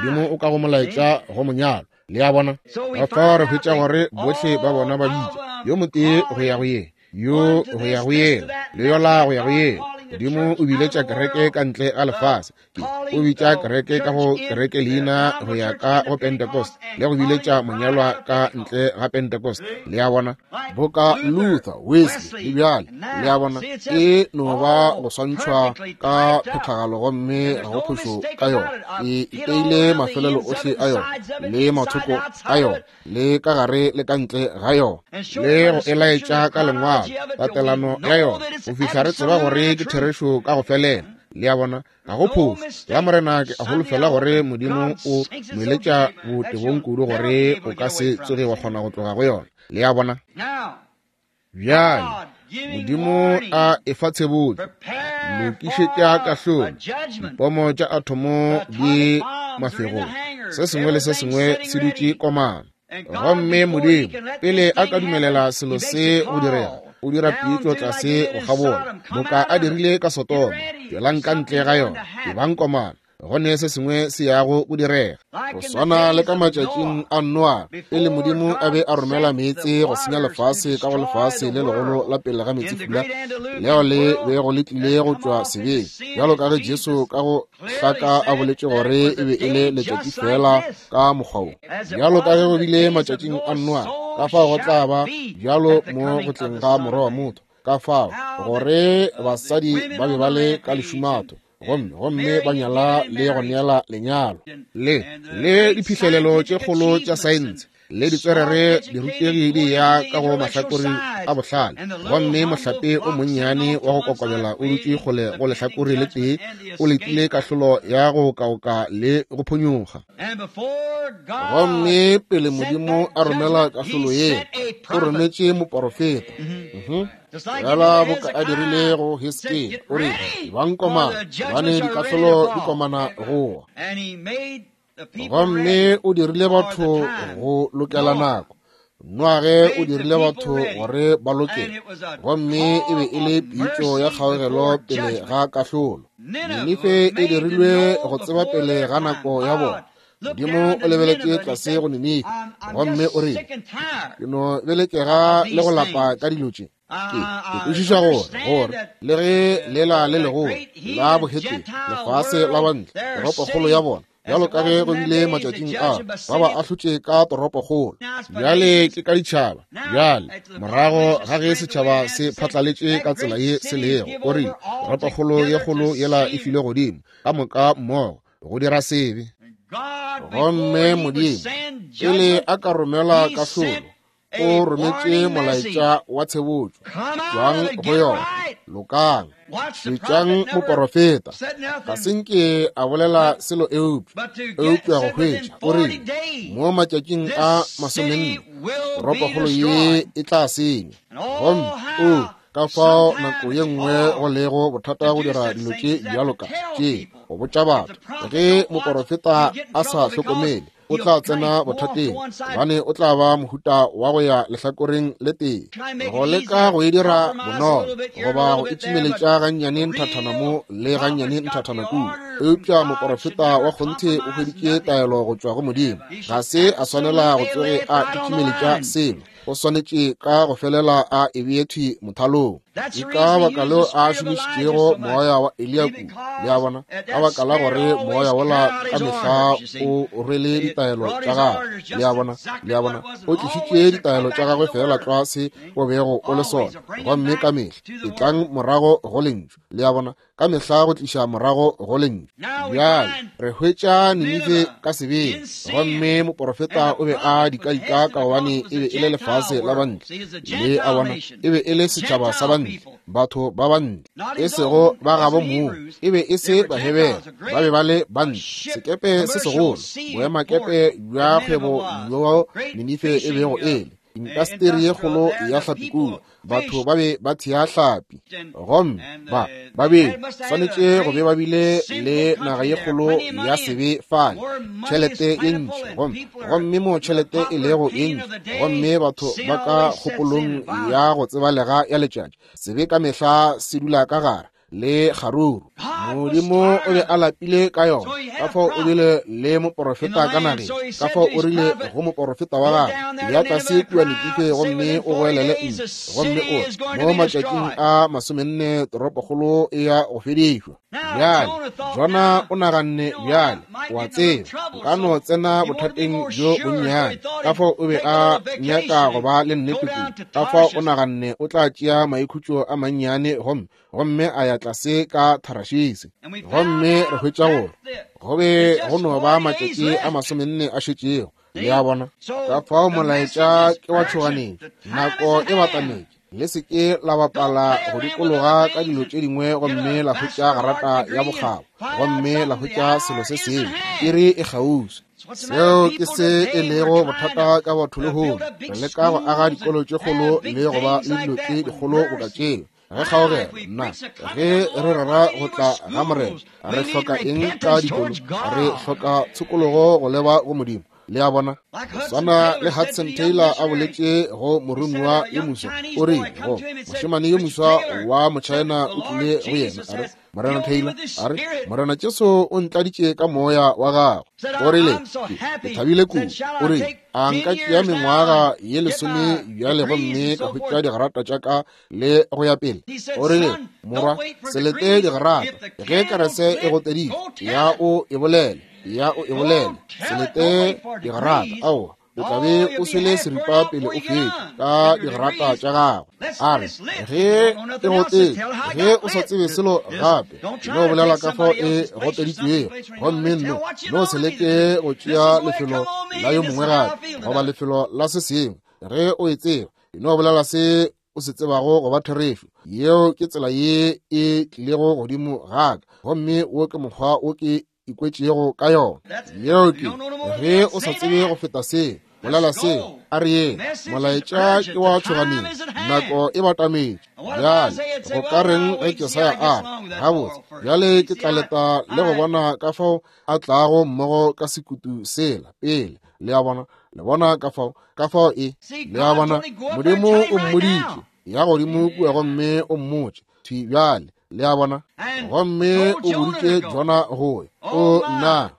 Speaker 1: Modimo o ka go molaetša go monyalo. Le a bona, ka fao re hwetša gore bohle ba bona ba bitša yo motee go ya go ye, yo go ya go yela, le yola go ya go yela. Modimo o biletša kereke ka ntle ga lefase. O bitša kereke ka go kereke leina go ya ka go Pentecost, le go biletša monyalwa ka ntle ga Pentecost. Le a bona, boka Luther, Wesley le bjale. Le a bona, e no ba go swantšhwa ka phethagalo, gomme ga go phošo ka yona. E iteile mafelelo ohle a yona, le mathoko a yona, le ka gare le ka ntle ga yona, le go e laetša ka lengwalo tatelano ya yona, go fihla re tseba gore ke therešo ka go felela. Le a bona, ga go phošo ya Morena. Ke a holofela gore Modimo o moeletša botebong kudu gore o ka se tsoge wa kgona go tloga go yona. Le a bona, bjale Modimo a efa tshebotso, lokišetša kahlolo, dipomo tša athomo di mafegong, se sengwe le se sengwe se dutše komano. Gomme Modimo pele a ka dumelela selo se go direga, o dira pitšo tlase go kgabola, boka a dirile ka Sodoma, tšwelang ka ntle ga yona, ebang komano, go ne se sengwe se yago go direga. Go swana le ka matšatšing a Noa, pele Modimo a be a romela meetse go senya lefase ka go lefase le legolo la pele ga meetsefula, leo le bego le tlile go tšwa sebeng, bjalo ka ge Jesu ka go hlaka a boletše gore e be e le letšatši fela ka mokgwa wo. Bjalo ka ge go bile matšatšing a Noa, ka fao go tla ba bjalo mo go tleng ga Morwa wa motho. Ka fao gore basadi ba be ba le ka lešumatho, gomme gomme ba nyala le go neela lenyalo, le le diphihlelelo tše kgolo tša saense, le ditswerere dirutegi di ya ka go mahlakore a bohlale, gomme mohlape o monnyane wa go kokobela o dutše kgole go lehlakore le tee, o letile kahlolo ya go kaoka le go phonyokga. Gomme pele Modimo a romela kahlolo ye, o rometše moporofeta. Bjala boka a dirile go Hiskia, o re, ebang komana, gobane dikahlolo di komana go wa. Gomme o dirile batho go lokela nako. Noage o dirile batho gore ba loke, gomme e be e le pitšo ya kgaogelo pele ga kahlolo. Ninife e dirilwe go tseba pele ga nako ya bona. Modimo o lebeletše tlase go Ninife, gomme o rile, ke no belekega le go lapa ka dilo tše. Ke ke kwešiša gore gore le ge lela le legolo la bohetene, lefase la bantle, toropokgolo ya bona, bjalo ka ge go bile matšatšing a ba ba ahlotše ka toropokgolo. Bjale ke ka ditšhaba. Bjale morago ga ge setšhaba se phatlaletše ka tsela ye se lego, o rile toropokgolo ye kgolo yela e filwe godimo ka moka mmogo go dira sebe. Gomme Modimo pele a ka romela kahlolo, o rometše molaetša wa tshebotšo. Tšwang go yona, lokang, šetšang moporofeta. Ga se nke a bolela selo eupša, eupša go hwetša, o rile, mo matšatšing a masomenne, toropokgolo ye e tla senywa. Gomme o ka fao nako ye nngwe go lego bothata go dira dilo tše bjalo ka tše, go botša batho. Ge moporofeta a sa hlokomele, o tla tsena bothateng, gobane o tla ba mohuta wa go ya lehlakoreng le tee, go leka go e dira bonolo, goba go itšimeletša gannyane nthathana mo le gannyane nthathana kua. Eupša moporofeta wa kgonthe o hweditše taelo go tšwa go Modimo. Ga se a swanela go tsoge a itšimeletša selo, o swanetše ka go felela a e bee thwi mothalong. Ke ka baka leo a šomišitšego moya wa Eliya kudu, le a bona, ka baka la gore moya wola ka mehla o rwele ditaelo tša gagwe, le a bona, le a bona, o tlišitše ditaelo tša gagwe fela tlwa se o bego o le sona, gomme ka mehla e tlang morago go lentšu, le a bona, ka mehla go tliša morago go lentšu. Bjale re hwetša Ninife ka sebeng, gomme moporofeta o be a dikaika ka gobane e be e le lefase la bantle, le a bona, e be e le setšhaba sa bantle, batho ba bantle, e sego ba gabo moo, e be e se Bahebere, ba be ba le bantle. Sekepe se segolo, boemakepe bja kgwebo bjo Ninife e bego e le, intasteri ye kgolo ya hlapi kua, batho ba be ba thea hlapi, gomme ba ba be swanetše go be ba bile le naga ye kgolo ya sebe fale, tšhelete ye ntši, gomme gomme mo tšhelete e lego ye ntši, gomme batho ba ka kgopolong ya go tsebalega ya letšatši, sebe ka mehla se dula ka gare le kgaruru. Modimo o be a lapile ka yona, ka fao o bile le moporofeta ka nageng, ka fao o rile go moporofeta wa gagwe, ya tlase kua Ninife gomme o goelele ntle, gomme o re, mo matšatšing a masomenne toropokgolo e ya go fedišwa. Bjale Jona o naganne, bjale o a tseba, nka no tsena bothateng bjo bonnyane, ka fao o be a nyaka go ba le nnete kudu, ka fao o naganne o tla tšea maikhutšo a mannyane gomme gomme a ya tlase ka Tharashise. Gomme re hwetša gore go be go no ba matšatši a masomenne a šetšego, le a bona. Ka fao molaetša ke wa tšhoganetšo, nako e batametše. Le se ke la bapala go dikologa ka dilo tše dingwe gomme la hwetša garata ya bokgabo, gomme la hwetša selo se sengwe, iri e kgauswi. Seo ke se e lego bothata ka batho lehono. Re leka go aga dikolo tše kgolo le go ba le dilo tše dikgolo boka tšeo. Ge kgaogelo, nna, ge re rera go tla ga Morena, re hloka eng ka dikolo? Re hloka tshokologo go leba go Modimo. Le a bona, swana le Hudson Taylor a boletše go moromiwa yo moswa, o rile go mošemane yo moswa wa Mochina o tlile go yena, a re, Morena Taylor, a re, Morena Jesu o ntladitše ka moya wa gagwe. O rile, ke thabile kudu. O rile, a nka tšea mengwaga ye lesome bjale gomme ka hwetša digarata tša ka le go ya pele. O rile, morwa, se lete digarata, ge kerese e goteditše, ya o e bolele, ya o e bolele, se lete digarata, aowa, o tla be o swele seripa pele o fetša ka digarata tša gagwe. A re, ge e gotetše, ge o sa tsebe selo gape, no bolela ka fao e goteditšwego, gomme nno no se leke go tšea lefelo la yo mongwe gape goba lefelo la se sengwe. Ge o e tseba, no bolela se o se tsebago go ba therešo. Yeo ke tsela ye e tlilego godimo ga ka, gomme wo ke mokgwa wo ke ikwetšego ka yona. Yeo ke ge o sa tsebe go feta seo, bolela seo, a re yeng, molaetša ke wa tšhoganetšo, nako e batametše. Bjale go ka reng ge Jesaya a re, gabotse, bjale ke tla leta le go bona ka fao a tlago mmogo ka sekutu sela pele Le a bona, le bona ka fao, ka fao e. Le a bona, Modimo o mmoditše, ya godimo kua gomme o mmotše thwi bjale. Le a bona, gomme o boditše Jona go ya. O nna,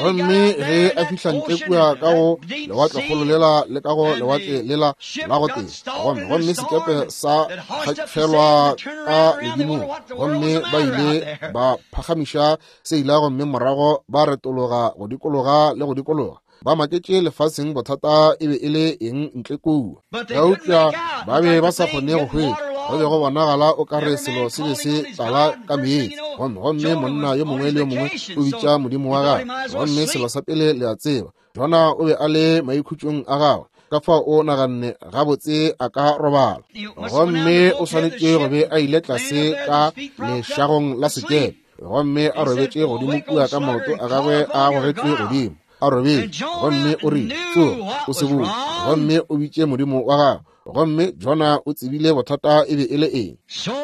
Speaker 1: gomme ge a fihla ntle kua ka go lewatlekgolo lela le ka go lewatle lela la go tee, gomme gomme sekepe sa kgafelwa ka ledimong, gomme ba ile ba phagamiša seila gomme morago ba retologa go dikologa le go dikologa. Ba maketše lefaseng bothata e be e le eng ntle kua. Eupša ba be ba sa kgone go hwetša. Go be go bonagala o ka re selo se be se tlala ka meetse. Gomme gomme monna yo mongwe le yo mongwe o bitša modimo wa gagwe. Gomme selo sa pele le a tseba, Jona o be a le maikhutšong a gagwe. Ka fao o naganne gabotse a ka robala. Gomme o swanetše go be a ile tlase ka lešagong la sekepe. Gomme a robetše godimo kua ka maoto a gagwe a gogetšwe godimo. A robetše, gomme o rile, tsoga, o se botse. Gomme o bitše modimo wa gagwe. Gomme Jona o tsebile bothata e be e le eng.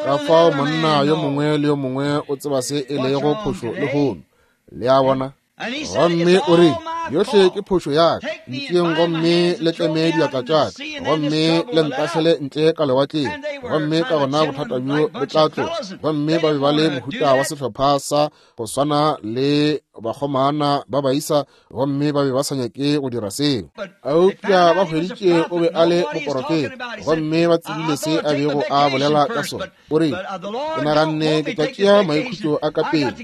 Speaker 1: Ka fao monna yo mongwe le yo mongwe o tseba se e lego phošo lehono. Le a bona. Gomme o re, yohle ke phošo ya ka. Ntšeeng gomme le tleme diatla tša ka, gomme le ntahlele ntle ka lewatleng, gomme ka gona bothata bjo bo tla tloga. Gomme ba be ba le mohuta wa sehlopha sa go swana le bakgomana ba baisa, gomme ba be ba sa nyake go dira seo. Eupša ba hweditše o be a le moporofeta, gomme ba tsebile se a bego a bolela ka sona. O re, ke naganne ke tla tšea maikhutšo a ka pele,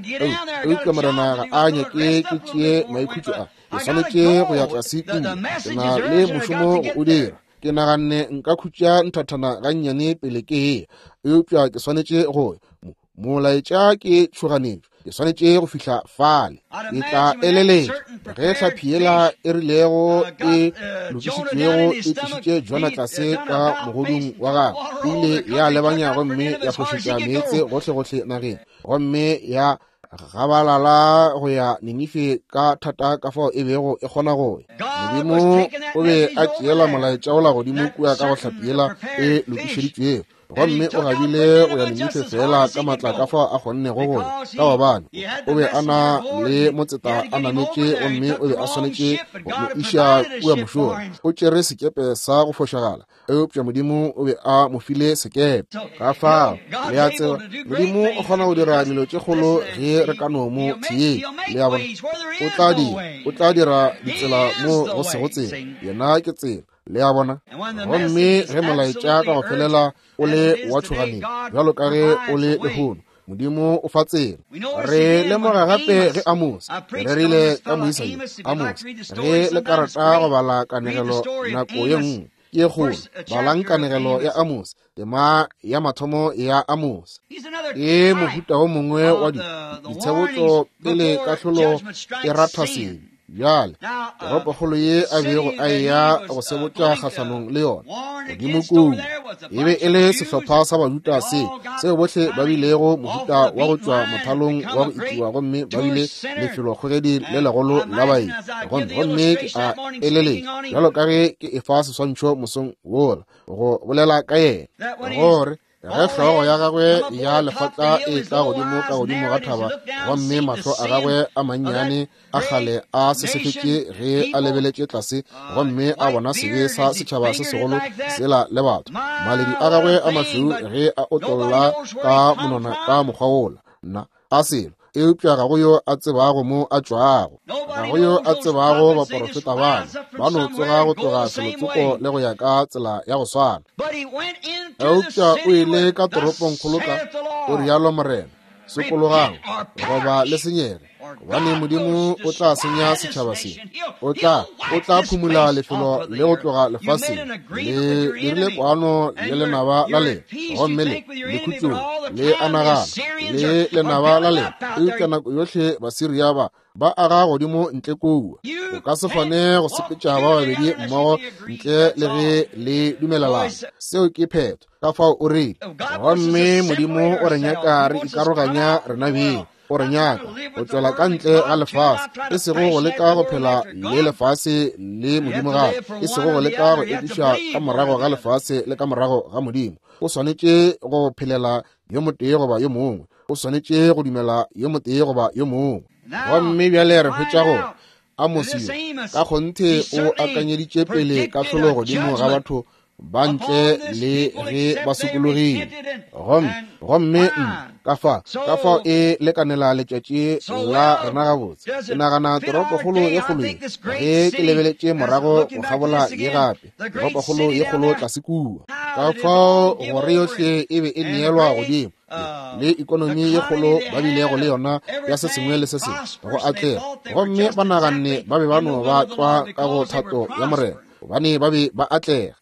Speaker 1: eupša Morena ga a nyake ke tšee maikhutšo a. Ke swanetše go ya tlase kua, ke na le mošomo go o dira. Ke naganne nka khutša nthathana gannyane pele ke eya, eupša ke swanetše go ya. Molaetša ke tšhoganetšo, ke swanetše go fihla fale. Ke tla eleletša ge tlhapi yela e rilego e lokišitšwego e tlišitše Jona tlase ka mogodung wa gagwe, e ile ya lebanya gomme ya fošetša meetse gohlegohle nageng, gomme ya gabalala go ya Ninife ka thata ka fao e bego e kgona go ya. Modimo o be a tšeela molaetša ola godimo kua ka go hlapi yela e lokišeditšwego, gomme o gabile go ya Ninife fela ka matla ka fao a kgonnego go ya, ka gobane o be a na le motseta a nametše, gomme o be a swanetše go mo iša kua mošola. O tšere sekepe sa go fošagala, eupša Modimo o be a mo file sekepe. Ka fao, le a tseba, Modimo o kgona go dira dilo tše kgolo ge re ka no mo theetša. Le a bona, o tla dira, o tla dira ditsela mo go sego tsela. Yena ke tsela. Le a bona. Gomme ge molaetša ka go felela o le wa tšhoganetšo, bjalo ka ge o le lehono, Modimo o fa tsela. Re lemoga gape ge Amos, re rerile ka moisa yo, Amos, ge le ka rata go bala kanegelo nako ye nngwe, ke kgolo, balang kanegelo ya Amos, tema ya mathomo ya Amos. Ke mohuta o mongwe wa ditshebotso pele kahlolo e ratha sebe. Bjale, toropokgolo ye a bego a eya go sebotša kgahlanong le yona godimo kua, e be e le sehlopha sa Bajuda se seo bohle ba bilego mohuta wa go tšwa mothalong wa go itiwa, gomme ba bile lefelokgogedi le legolo la baeti. Gomme gomme ke a eleletša, bjalo ka ge ke efa seswantšho mosong wola go bolela ka yena, gore ge hlogo ya gagwe ya lefatla e tla godimo ka godimo ga thaba, gomme mahlo a gagwe a mannyane a kgale a sesefetše ge a lebeletše tlase, gomme a bona sebe sa setšhaba se segolo sela le batho, maledi a gagwe a mašweu ge a otlolla ka monwana ka mokgwa wola, nna a selo, eupša ga go yo a tsebago mo a tšwago, ga go yo a tsebago baporofeta bana, ba no tsoga go tloga felotsoko le go ya ka tsela ya go swana. Eupša o ile ka toropongkgolo ka, o rialo Morena, sokologang goba le senyege, gobane Modimo o tla senya setšhaba se. O tla, o tla phumula lefelo le go tloga lefaseng. Le dirile kwano le lenaba la lena, gomme le le khutšong, le a nagana le lenaba la lena, eupša nako yohle Basiria ba ba aga godimo ntle kua. O ka se kgone go sepetša ba babedi mmogo ntle le ge le dumelelana. Seo ke phetho. Ka fao o rile, gomme Modimo o re nyaka re ikaroganya rena beng. O re nyaka go tšwela ka ntle ga lefase, e sego go leka go phela le lefase le Modimo gape, e sego go leka go ekiša ka morago ga lefase le ka morago ga Modimo. O swanetše go phelela yo motee goba yo mongwe, o swanetše go dumela yo motee goba yo mongwe. Gomme bjale re hwetša gore Amosi ka kgonthe o akanyeditše pele kahlolo godimo ga batho ba ntle le ge ba sokologile. Gomme gomme ka fa ka fao e lekanela letšatši la rena gabotse. Ke nagana toropokgolo ye kgolo ye, ge ke lebeletše morago go kgabola ye gape, toropokgolo ye kgolo tlase kua, ka fao gore yohle e be e neelwa godimo le ikonomi ye kgolo ba bilego le yona ya se sengwe le se sengwe go atlega, gomme ba naganne ba be ba no ba tlwa ka go thato ya Morena, gobane ba be ba atlega.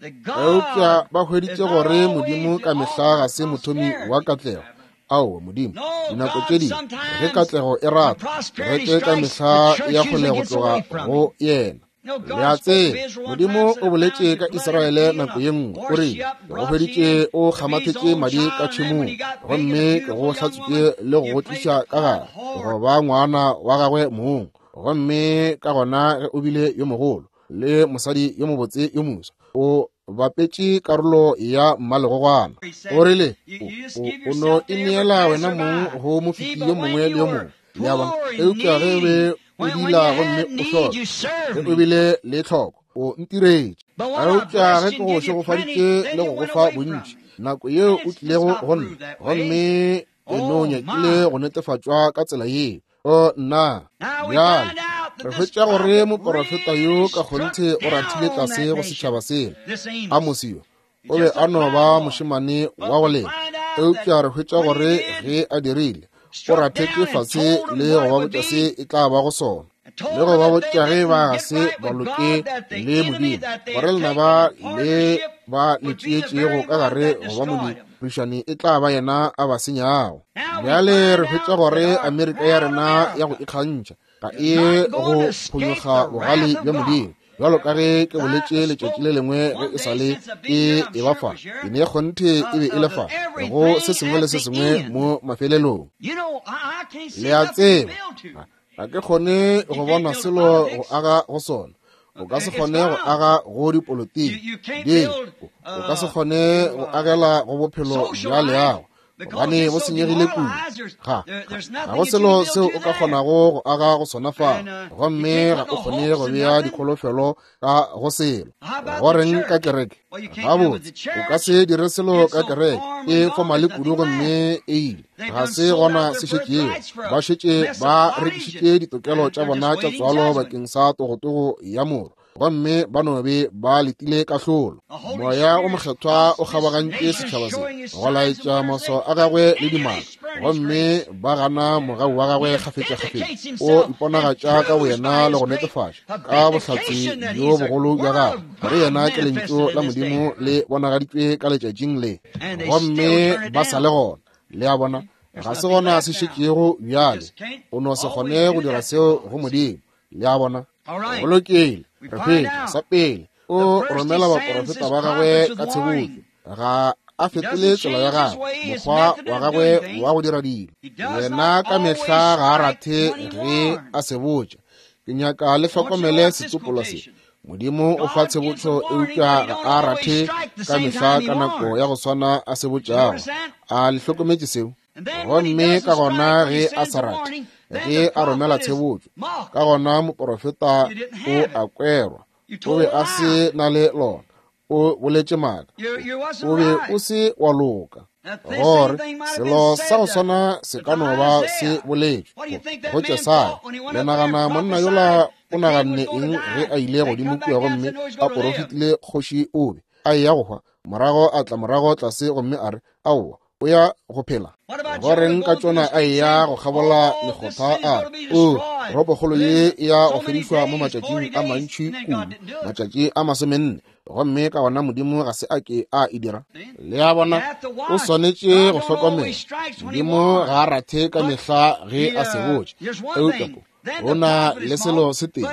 Speaker 1: Eupša ba hweditše gore Modimo ka mehla ga se mothomi wa katlego. Aowa, Modimo dinako tše dingwe ge katlego e rata, kereke ka mehla ya kgole go tloga go yena. Le a tseba, Modimo o boletše ka Israele nako ye nngwe, o rile, ke go hweditše o kgamathetše madi ka tšhemong, gomme ke go hlatswitše le go go tliša ka gare go ba ngwana wa gagwe mong. Gomme ka gona ge o bile yo mogolo le mosadi yo mobotse yo moswa, o bapetše karolo ya mmalegogwana. O rile, o no ineela wena mong go mofeti yo mongwe le yo mongwe. Le a bona? Eupša ge o be o dila gomme o hloka, ge o bile le tlhoko, o ntiretše. Eupša ge ke go šegofaditše le go go fa bontši, nako yeo o tlilego go nna, gomme e no nyakile go netefatšwa ka tsela yeo. O nna, bjale re hwetša gore moporofeta yo ka kgonthe o rathile tlase go setšhaba sela. Amosi yo o be a no ba mošemane wa go lema, eupša re hwetša gore ge a dirile, o rathetše fase le go ba botša se e tla ba go sona, le go ba botša ge ba ga se ba loke le Modimo, gore lenaba le ba le tšeetšego ka gare go ba modirišani e tla ba yena a ba senyago. Bjale re hwetša gore Amerika ya rena ya go ikgantšha ga e go phonyokga bogale bja Modimo, bjalo ka ge ke boletše letšatši le lengwe ge e sa le e e ba fa, e ne kgonthe e be e le fa go se sengwe le se sengwe mo mafelelong. Le a tseba, ga ke kgone go bona selo go aga go sona. O ka se kgone go aga go dipolotiki, o ka se kgone go agela go bophelo bja leago, gobane bo senyegile kudu. Ga ga go selo seo o ka kgonago go aga go sona fa, gomme ga o kgone go bea dikholofelo ka go selo. Go reng ka kereke? Gabotse, o ka se dire selo ka kereke, e fomale kudu gomme e ile. Ga se gona se šetšego. Ba šetše ba rekišitše ditokelo tša bona tša tswalo bakeng sa togotogo ya moro, gomme ba no be ba letile kahlolo. Moya o mokgethwa o kgabagantše setšhaba se go laetša maswao a gagwe le dimaka, gomme ba gana mogau wa gagwe kgafetšakgafetša. O iponagatša ka boyena le go netefatša ka bohlatse bjo bogolo bja gagwe gore yena ke lentšu la Modimo le bonagaditšwe ka letšatšing le, gomme ba sa le gona. Le a bona, ga se gona se šetšego bjale. O no se kgone go dira seo go Modimo. Le a bona? Go lokile. Re hwetša sa pele o romela baporofeta ba gagwe ka tshebotso. Ga a fetole tsela ya gagwe, mokgwa wa gagwe wa go dira dilo. Yena ka mehla ga a rathe ge a se botša. Ke nyaka le hlokomele setsopolo se. Modimo o fa tshebotso, eupša ga a rathe ka mehla ka nako ya go swana a se botšago. A le hlokometše seo? Gomme ka gona ge a sa rate, ge a romela tshebotso, ka gona moporofeta o a kwerwa. O be a se na le lona, o boletše maaka, o be o se wa loka. Gore selo sa go swana se ka no ba se boletšwe go Jesaya. Le nagana monna yola o naganne eng ge a ile godimo kua gomme a porofetile kgoši o be a eya go hwa, morago a tla morago tlase gomme a re, aowa, o ya go phela? Go reng ka tšona a eya go kgabola mekgotha a o toropokgolo ye e ya go fedišwa mo matšatšing a mantši kudu, matšatši a masomenne, gomme ka gona Modimo ga se a ke a e dira. Le a bona, o swanetše go hlokomela. Modimo ga a rathe ka mehla ge a se botše, eupša go na le selo se tee,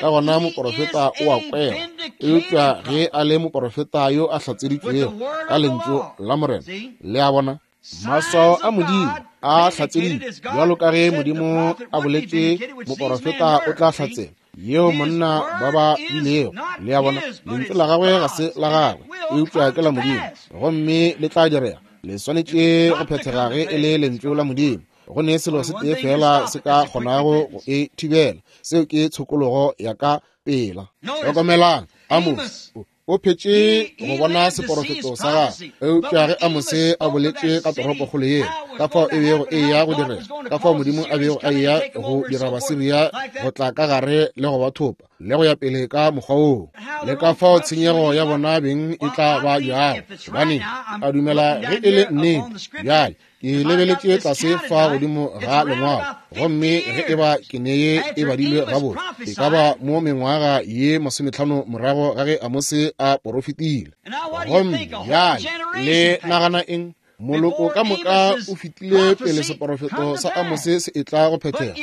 Speaker 1: ka gona moporofeta o a kwela. Eupša ge a le moporofeta yo a hlatseditšwego ka lentšu la Morena, le a bona, maswao a Modimo a hlatseditšwe, bjalo ka ge Modimo a boletše moporofeta o tla hlatsela yeo monna ba ba bilego. Le a bona, lentšu la gagwe ga se la gagwe, eupša ke la Modimo, gomme le tla direga. Le swanetše go phethega ge e le lentšu la Modimo. Go ne selo se tee fela se ka kgonago go e thibela, seo ke tshokologo ya ka pela. Hlokomelang, Amos o phetše go bona seporofeto sa gagwe. Eupša ge Amose a boletše ka toropokgolo yeo, ka fao e bego e ya go direga, ka fao Modimo a bego a eya go dira Basiria go tla ka gare le go ba thopa, le go ya pele ka mokgwa woo, le ka fao tshenyego ya bona beng e tla ba bjago. Gobane a dumela ge e le nnete. Bjale ke lebeletše tlase fa godimo ga lengwalo, gomme ge e ba ke neye e badilwe gabotse, e ka ba mo mengwaga ye masometlhano morago ga ge Amose a porofetile. Gomme bjale le nagana eng? Moloko ka moka o fetile pele seporofeto sa Amose se etla go phethega.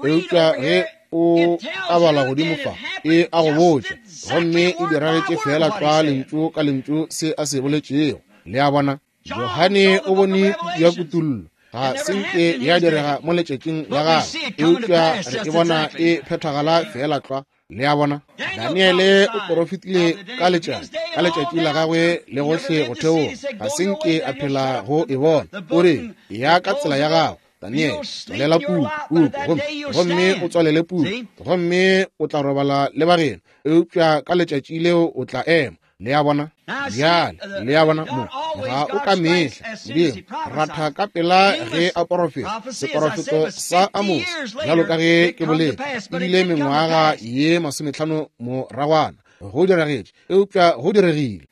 Speaker 1: Eupša ge o a bala godimo fa, e a go botša, gomme e diragetše fela tlwa lentšu ka lentšu se a se boletšego. Le a bona? Johane o bone ya kutullo, ga se nke ya direga mo letšatšing la gagwe, eupša re e bona e phethagala fela tlwa. Le a bona? Daniele o porofetile ka letšatši, ka letšatši la gagwe le gohle go theoga, ga se nke a phela go e bona. O re, ya ka tsela ya gago, Daniele, tswalela puku, puku, gomme, gomme o tswalele puku, gomme o tla robala le bageno, eupša ka letšatši leo o tla ema. Le a bona? Bjale, le a bona mo, ga o ka mehla Modimo ratha ka pela ge a porofeta. Seporofeto sa Amose, bjalo ka ge ke boletše, ebile mengwaga ye masometlhano moragwana go diragetše, eupša go diregile.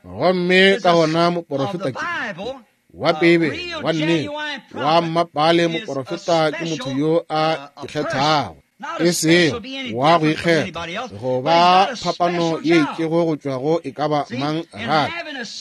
Speaker 1: Gomme ka gona moporofeta ke wa Bibele, wa nnete, wa mmapale. Moporofeta ke motho yo a ikgethago, e sego wa go ikgetha go ba phapano ye itšego go tšwa go e ka ba mang gape,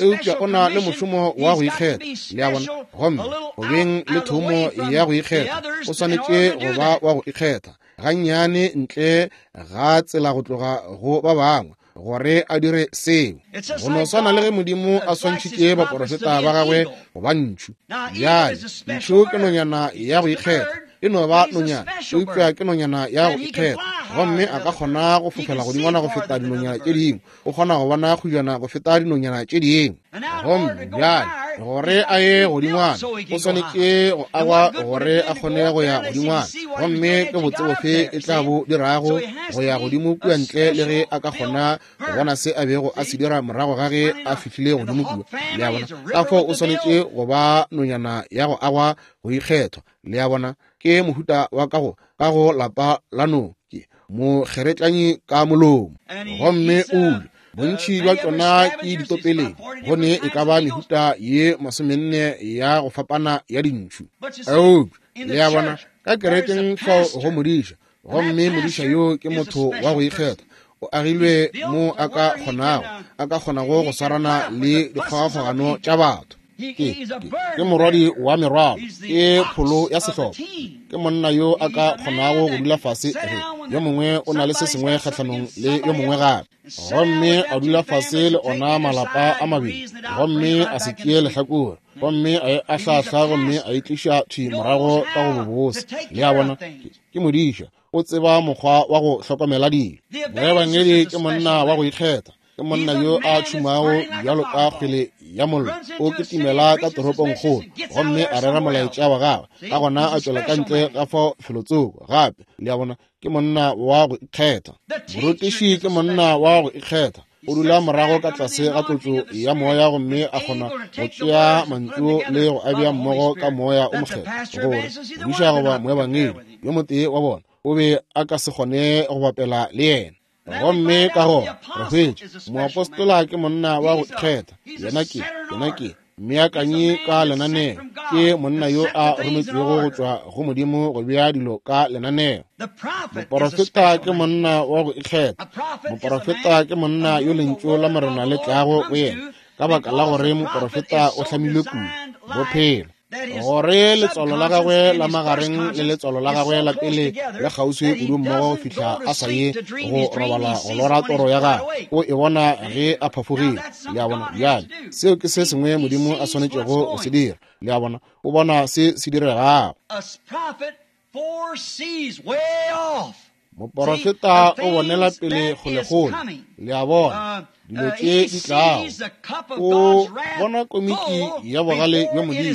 Speaker 1: eupša o na le mošomo wa go ikgetha. Le a bona? Gomme go beng le thomo ya go ikgetha, o swanetše go ba wa go ikgetha gannyane ntle ga tsela go tloga go ba bangwe gore a dire seo. Go no swana le ge Modimo a swantšhitše baporofeta ba gagwe go ba ntšhu. Bjale, ntšhu ke nonyana ya go ikgetha, e no ba nonyana, eupša ke nonyana ya go ikgetha, gomme a ka kgona go fofela godingwana go feta dinonyana tše dingwe, o kgona go bona kgujana go feta dinonyana tše dingwe. Gomme bjale gore a ye godingwana, o swanetše go agwa gore a kgone go ya godingwana, gomme ke botse bofe e tla bo dirago go ya godimo kua ntle le ge a ka kgona go bona se a bego a se dira morago ga ge a fihlile godimo kua. Le a bona? Ka fao o swanetše go ba nonyana ya go agwa go ikgethwa. Le a bona? Ke mohuta wa ka go ka go lapa la no ke mokgeretlanyi ka molomo, gomme o ja. Bontši bja tšona ke ditopeleng, go ne e ka ba mehuta ye masomenne ya go fapana ya dintšhu. Eupša le a bona, ka kerekeng fao go modiša, gomme modiša yo ke motho wa go ikgetha, o agilwe mo a ka kgonago, a ka kgonago go swarana le dikgogakgogano tša batho. Ke, ke, ke morwadi wa merwalo, ke pholo ya sehlopha, ke monna yo a ka kgonago go dula fase ge yo mongwe o na le se sengwe kgahlanong le yo mongwe gape, gomme a dula fase le ona malapa a mabedi, gomme a se tšee lehlakore, gomme a e ahlahla, gomme a e tliša thwi morago ka go bobose. Le a bona? Ke modiša, o tseba mokgwa wa go hlokomela dilo. Moebangedi ke monna wa go ikgetha, ke monna yo a tšhumago bjalo ka kgwele ya mollo, o kitimela ka toropongkgolo gomme a rera molaetša wa gagwe, ka gona a tšwela ka ntle ga fao felotsoko gape. Le a bona? Ke monna wa go ikgetha. Morutiši ke monna wa go ikgetha, o dula morago ka tlase ga tlotšo ya moya, gomme a kgona go tšea mantšu le go a bea mmogo ka moya o mokgethwa, gore modiša goba moebangedi yo motee wa bona o be a ka se kgone go bapela le yena. Gomme ka gona re hwetša moapostola ke monna wa go ikgetha, yena ke yena ke mmeakanyi ka lenaneo, ke monna yo a rometšwego go tšwa go Modimo go bea dilo ka lenaneo. Moporofeta ke monna wa go ikgetha. Moporofeta ke monna yo lentšu la Morena le tlago go yena, ka baka la gore moporofeta o hlamilwe kudu bophelo, gore letswalo la gagwe la magareng le letswalo la gagwe la pele le kgauswi kudu mmogo go fihla a sa ye go robala go lora toro ya gagwe, o e bona ge a phafogile. Le a bona? Bjale seo ke se sengwe Modimo a swanetšego go se dira. Le a bona? O bona se se diregago. Moporofeta o bonela pele kgolekgole. Le a bona, dilo tše di tlago. O bona komiki ya bogale bja Modimo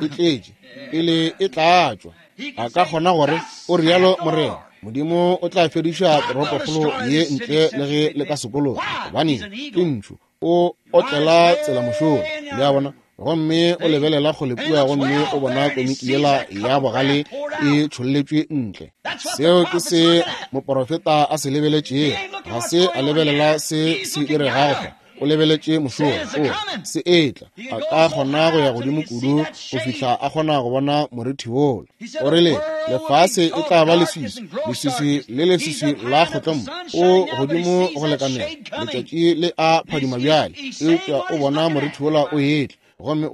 Speaker 1: e tletše pele e tlatšwa. A ka kgona gore o rialo Morena, Modimo o tla fediša toropokgolo ye ntle le ge le ka sekologa, gobane ke ntšhu. O otlela tsela mošola. Le a bona? Gomme o lebelela kgole kua gomme o bona komiki yela ya bogale e tšholletšwe ntle. Seo ke se moporofeta a se lebeletšego. Ga se a lebelela se se diregago fa, o lebeletše mošola. O se etla. A ka kgona go ya godimo kudu go fihla a kgona go bona morithi wola. O rile lefase e tla ba leswiswi, leswiswi le leswiswi la kgotlombo. O godimo go lekanela, letšatši le a phadima bjale, eupša o bona morithi wola o etla, gomme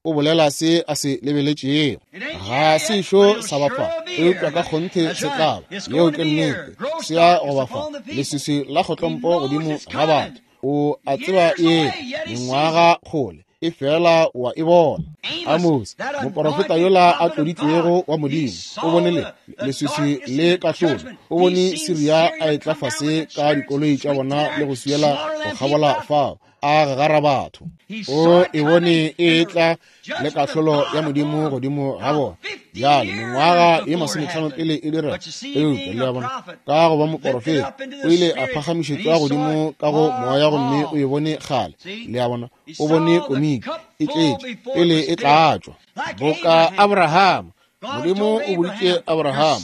Speaker 1: o bolela se a se lebeletšego. Ga se šo sa ba fa, eupša ka kgonthe se tla ba. Yeo ke nnete, se ya go ba fa leswiswi la kgotlompo godimo ga batho. O a tseba e mengwaga kgole, e fela wa e bona. Amos, moporofeta yola a tloditšwego wa Modimo, o bone le leswiswi le kahlolo. O bone Siria a etla fase ka dikoloi tša bona le go swiela go kgabola fao, a gagara batho. O e bone e etla le kahlolo ya Modimo godimo ga bona. Bjale mengwaga ye masometlhano pele e direga, eupša le a bona, ka go ba moporofeta o ile a phagamišetšwa godimo ka go moya gomme o e bone kgale. Le a bona, o bone komiki e tletše pele e tlatšwa. Boka Abraham, Modimo o boditše Abraham,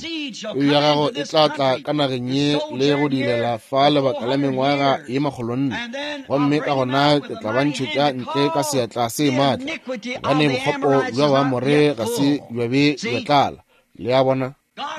Speaker 1: peu ya gago e tla tla ka nageng ye le go dilela fa lebaka la mengwaga ye makgolonne, gomme ka gona ke tla ba ntšhetša ntle ka seatla se maatla, gobane bokgopo bja Baamore ga se bja be bja tlala. Le a bona?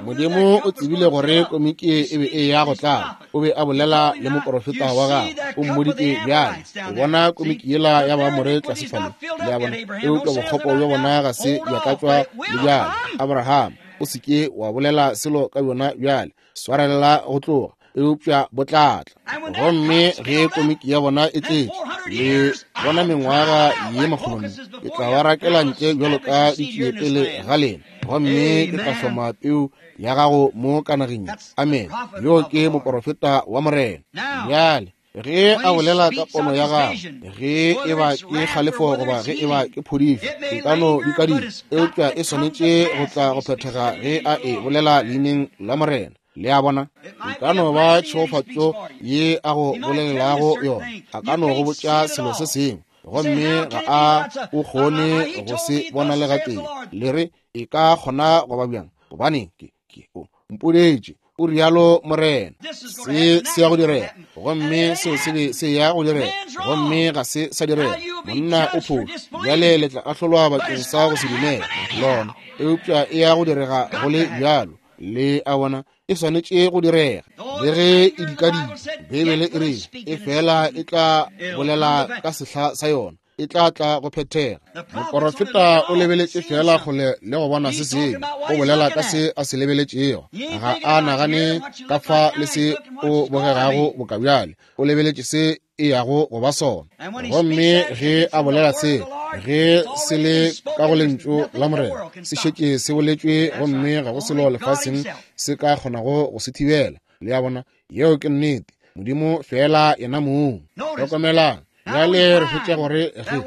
Speaker 1: Modimo o tsebile gore komiki e be e ya go tlala. O be a bolela le moporofeta wa gagwe, o mmoditše bjale, o bona komiki yela ya Baamore tlase fale. Le a bona? Eupša bokgopo bja bona ga se bja tlatšwa le bjale. Abraham, o se ke wa bolela selo ka bjona bjale, swarelela go tloga, eupša bo tla tla. Gomme ge komiki ya bona e tletše, le bona mengwaga ye makgolonne, ke tla ba rakela ntle bjalo ka ditšie pele ga lena, gomme ke tla hloma peu ya gago mo ka nageng. Amen. Yo ke moporofeta wa Morena. Bjale ge a bolela ka pono ya gagwe, ge e ba ke kgalefo goba ge e ba ke phodišo, e ka no dikadika, eupša e swanetše go tla go phethega ge a e bolela leineng la Morena. Le a bona? E ka no ba tšhegofatšo ye a go bolelelago yona. A ka no go botša selo se sengwe, gomme ga a o kgone go se bona le gatee. Le re e ka kgona go ba bjang? Gobane ke ke o mpodetše, o rialo Morena, se se ya go direga, gomme seo se be se ya go direga, gomme ga se sa direga. Monna o phošo. Bjale le tla ahlolwa bakeng sa go se dumele lona, eupša e ya go direga go le bjalo. Le a bona? E swanetše go direga. Le ge e dikadika, Beibele e re e fela e tla bolela ka sehla sa yona, e tla tla go phethega. Moporofeta o lebeletše fela kgole le go bona se sengwe, o bolela ka se a se lebeletšego. Ga a nagane ka fa le se o bogegago boka bjale, o lebeletše se e yago go ba sona. Gomme ge a bolela se, ge se le ka go lentšu la Morena, se šetše se boletšwe, gomme ga go selo lefaseng se ka kgonago go se thibela. Le a bona? Yeo ke nnete. Modimo fela yena mong. Hlokomelang. Bjale re hwetša gore ge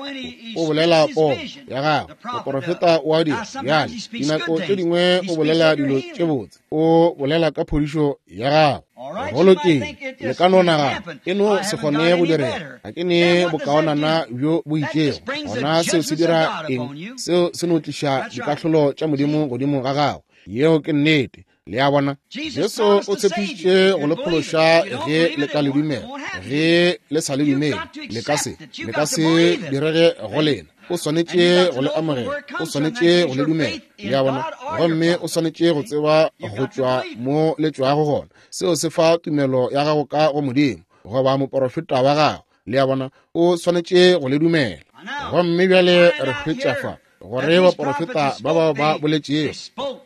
Speaker 1: o bolela pono ya gagwe, moporofeta o a dira. Bjale dinako tše dingwe o bolela dilo tše botse, o bolela ka phodišo ya gagwe. Go lokile, le ka no nagana e no se kgone go direga, ga ke ne bokaonana bjo bo itšego. Gona seo se dira eng? Seo se no tliša dikahlolo tša Modimo godimo ga gago. Yeo ke nnete. Le a bona? Jesu o tshepišitše go le phološa ge le ka le dumela. Ge le sa le dumele, le ka se, le ka se direge go lena. O swanetše go le amogela, o swanetše go le dumela. Le a bona? Gomme o swanetše go tseba go tšwa mo le tšwago gona. Seo se fa tumelo ya gago ka go Modimo goba moporofeta wa gago. Le a bona? O swanetše go le dumela. Gomme bjale re hwetša fa gore baporofeta ba bao ba boletšego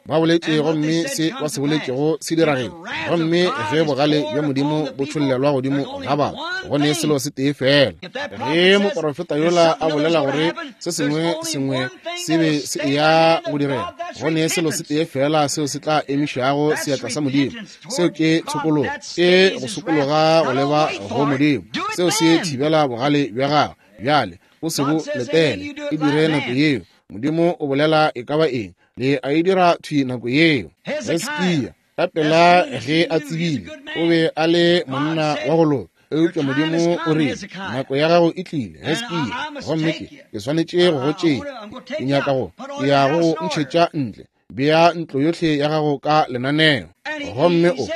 Speaker 1: ba boletše, gomme se ba se boletšego se dirageng. Gomme ge bogale bja Modimo bo tšhollelwa godimo ga batho, Go ne selo se tee fela. Ge moporofeta yola a bolela gore se sengwe sengwe se be se eya go direga, go ne selo se tee fela seo se tla emišago seatla sa Modimo. Seo ke tshokologo, ke go sokologa go leba go Modimo. Seo se thibela bogale bja gagwe. Bjale o se bo letele, e dire nako yeo. Modimo o bolela e ka ba eng, le a e dira thwi nako yeo. Hesekia ka pela ge a tsebile, o be a le monna wa go loka. Eupša Modimo o rile, nako ya gago e tlile, Hesekia, gomme ke ke swanetše go go tšea. Ke nyaka go, ke ya go go ntšhetša ntle. Bea ntlo yohle ya gago ka lenaneo. Gomme o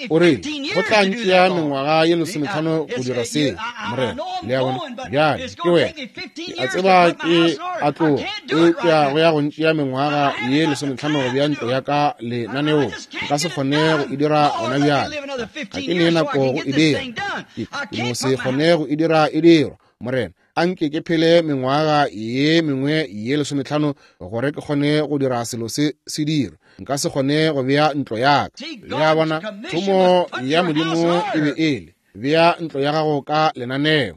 Speaker 1: o rile, go tla ntšea mengwaga ye lesometlhano go dira seo, Morena. Le a bona? Bjale ke wena. Ke a tseba ke a tloga, eupša go ya go ntšea mengwaga ye lesometlhano go bea ntlo ya ka lenaneong. Nka se kgone go e dira gona bjale. Ga ke ne nako go e dira. Ke no se kgone go e dira e dirwa, Morena. Anke ke phele mengwaga ye mengwe ye lesometlhano gore ke kgone go dira selo se se dirwe. Nka se kgone go bea ntlo ya ka. Le a bona, thomo ya Modimo e be e le bea ntlo ya gago ka lenaneo.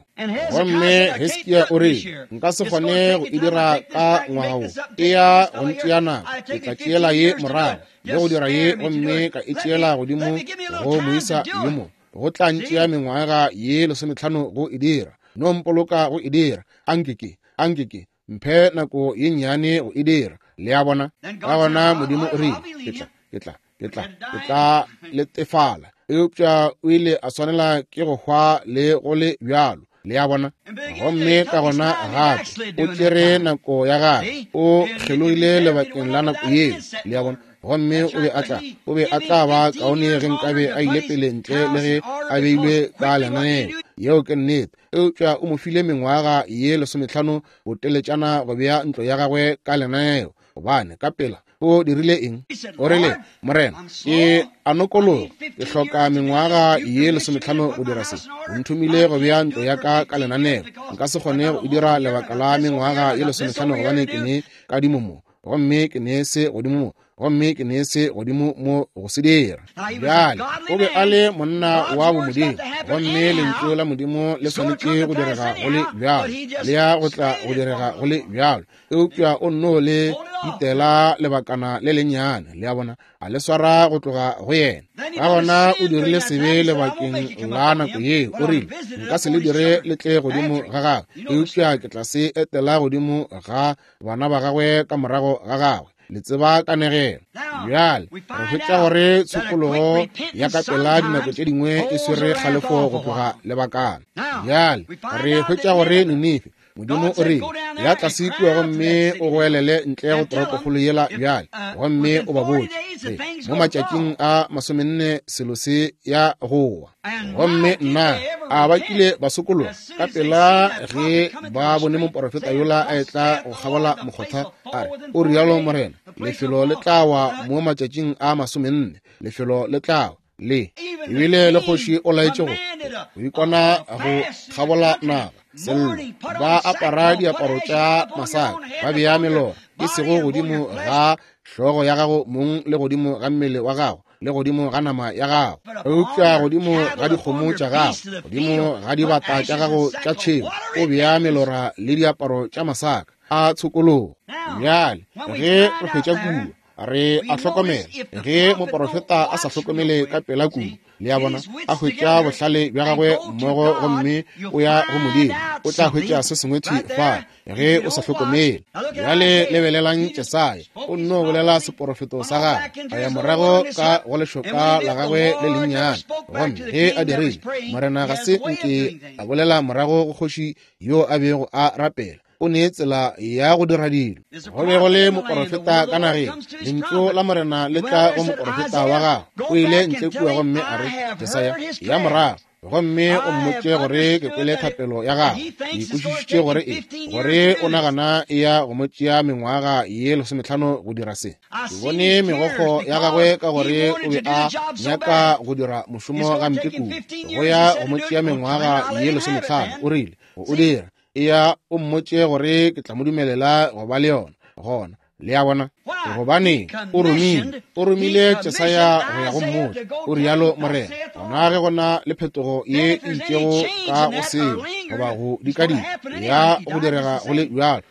Speaker 1: Gomme Hesekia o rile, nka se kgone go e dira ka ngwaga wo. E ya go ntšea nako. Ke tla tšeela ye morago le go dira ye, gomme ka e tšeela godimo go moisa yo mo. Go tla ntšea mengwaga ye lesometlhano go e dira. No mpoloka go e dira. Anke ke, anke ke mphe nako ye nnyane go e dira. Le a bona? Ka gona Modimo o rile, ke tla, ke tla, ke tla, ke tla letefala. Eupša o ile a swanela ke go hwa le go le bjalo. Le a bona? Gomme ka gona gape o tšere nako ya gagwe, o kgelogile lebakeng la nako yeo. Le a bona? Gomme o be a tla, o be a tla ba kaone ge nkabe a ile pele ntle le ge a beilwe ka lenaneo. Yeo ke nnete. Eupša o mo file mengwaga ye lesometlhano boteletšana go bea ntlo ya gagwe ka lenaneo. Gobane ka pela o dirile eng? O rile, Morena, ke a nokologa, ke hloka mengwaga ye lesometlhano go dira se. O nthomile go bea ntlo ya ka ka lenaneo. Nka se kgone go e dira lebaka la mengwaga ye lesometlhano gobane ke ne kadimo mo, gomme ke ne se godimo mo, gomme ke ne se godimo mo go se dira. Bjale o be a le monna wa bomodimo, gomme lentšu la Modimo le swanetše go direga go le bjalo, le ya go tla go direga go le bjalo. Eupša o nno le itela lebakana le lennyane. Le a bona? A le swara go tloga go yena. Ka gona o dirile sebe lebakeng la nako yeo. O rile, nka se le dire le tle godimo ga gagwe, eupša ke tla se etela godimo ga bana ba gagwe ka morago ga gagwe. Le tseba kanegelo. Bjale re hwetša gore tshokologo ya ka pela dinako tše dingwe e swere kgalefo go tloga lebakana. Bjale re hwetša gore Ninife, Modimo o rile, ya tlase kua gomme o goelele ntle go toropokgolo yela bjale, gomme o ba botše mo matšatšing a masomenne selo se ya go wa. Gomme nna a ba kile ba sokologa ka pela ge ba bone moporofeta yola a etla go kgabola mokgotha, a re, o rialo Morena, lefelo le tla wa mo matšatšing a masomenne, lefelo le tla wa. Le ebile le kgoši o laetše go go ikona go kgabola naga sello, ba apara diaparo tša masaka, ba bea melora e sego godimo ga hlogo ya gago mong le godimo ga mmele wa gago le godimo ga nama ya gago, eupša godimo ga dikgomo tša gago, godimo ga dibata tša gago tša tšhemo, o bea melora le diaparo tša masaka a tshokologo. Bjale ge re hwetša kua, re a hlokomela ge moporofeta a sa hlokomele ka pela kudu, le a bona, a hwetša bohlale bja gagwe mmogo gomme o ya go Modimo, o tla hwetša se sengwe thwi fa ge o sa hlokomele. Bjale lebelelang Jesaya, o nno bolela seporofeto sa gagwe, a ya morago ka go lešoka la gagwe le lennyane. Gomme ge a dirile, Morena ga se nke a bolela morago go kgoši yo a bego a rapela. O ne tsela ya go dira dilo. Go be go le moporofeta ka nageng, lentšu la Morena le tla go moporofeta wa gagwe. O ile ntle kua gomme a re, Jesaya, ya morago gomme o mmotše gore ke kwele thapelo ya gagwe. Ke ikwešišitše gore e gore o nagana e ya go mo tšea mengwaga ye lesometlhano go dira se. Ke bone megokgo ya gagwe ka gore o be a nyaka go dira mošomo gampe kudu. Go ya go mo tšea mengwaga ye lesometlhano, o rile go o dira. Eya o mmotše gore ke tla mo dumelela go ba le yona. Gona Le a bona? Gobane o romile, o romile Jesaya go ya go mmotša, o rialo Morena. Gona ge gona le phetogo ye e itšego ka go seo, goba go dikadika ya go direga go le bjalo,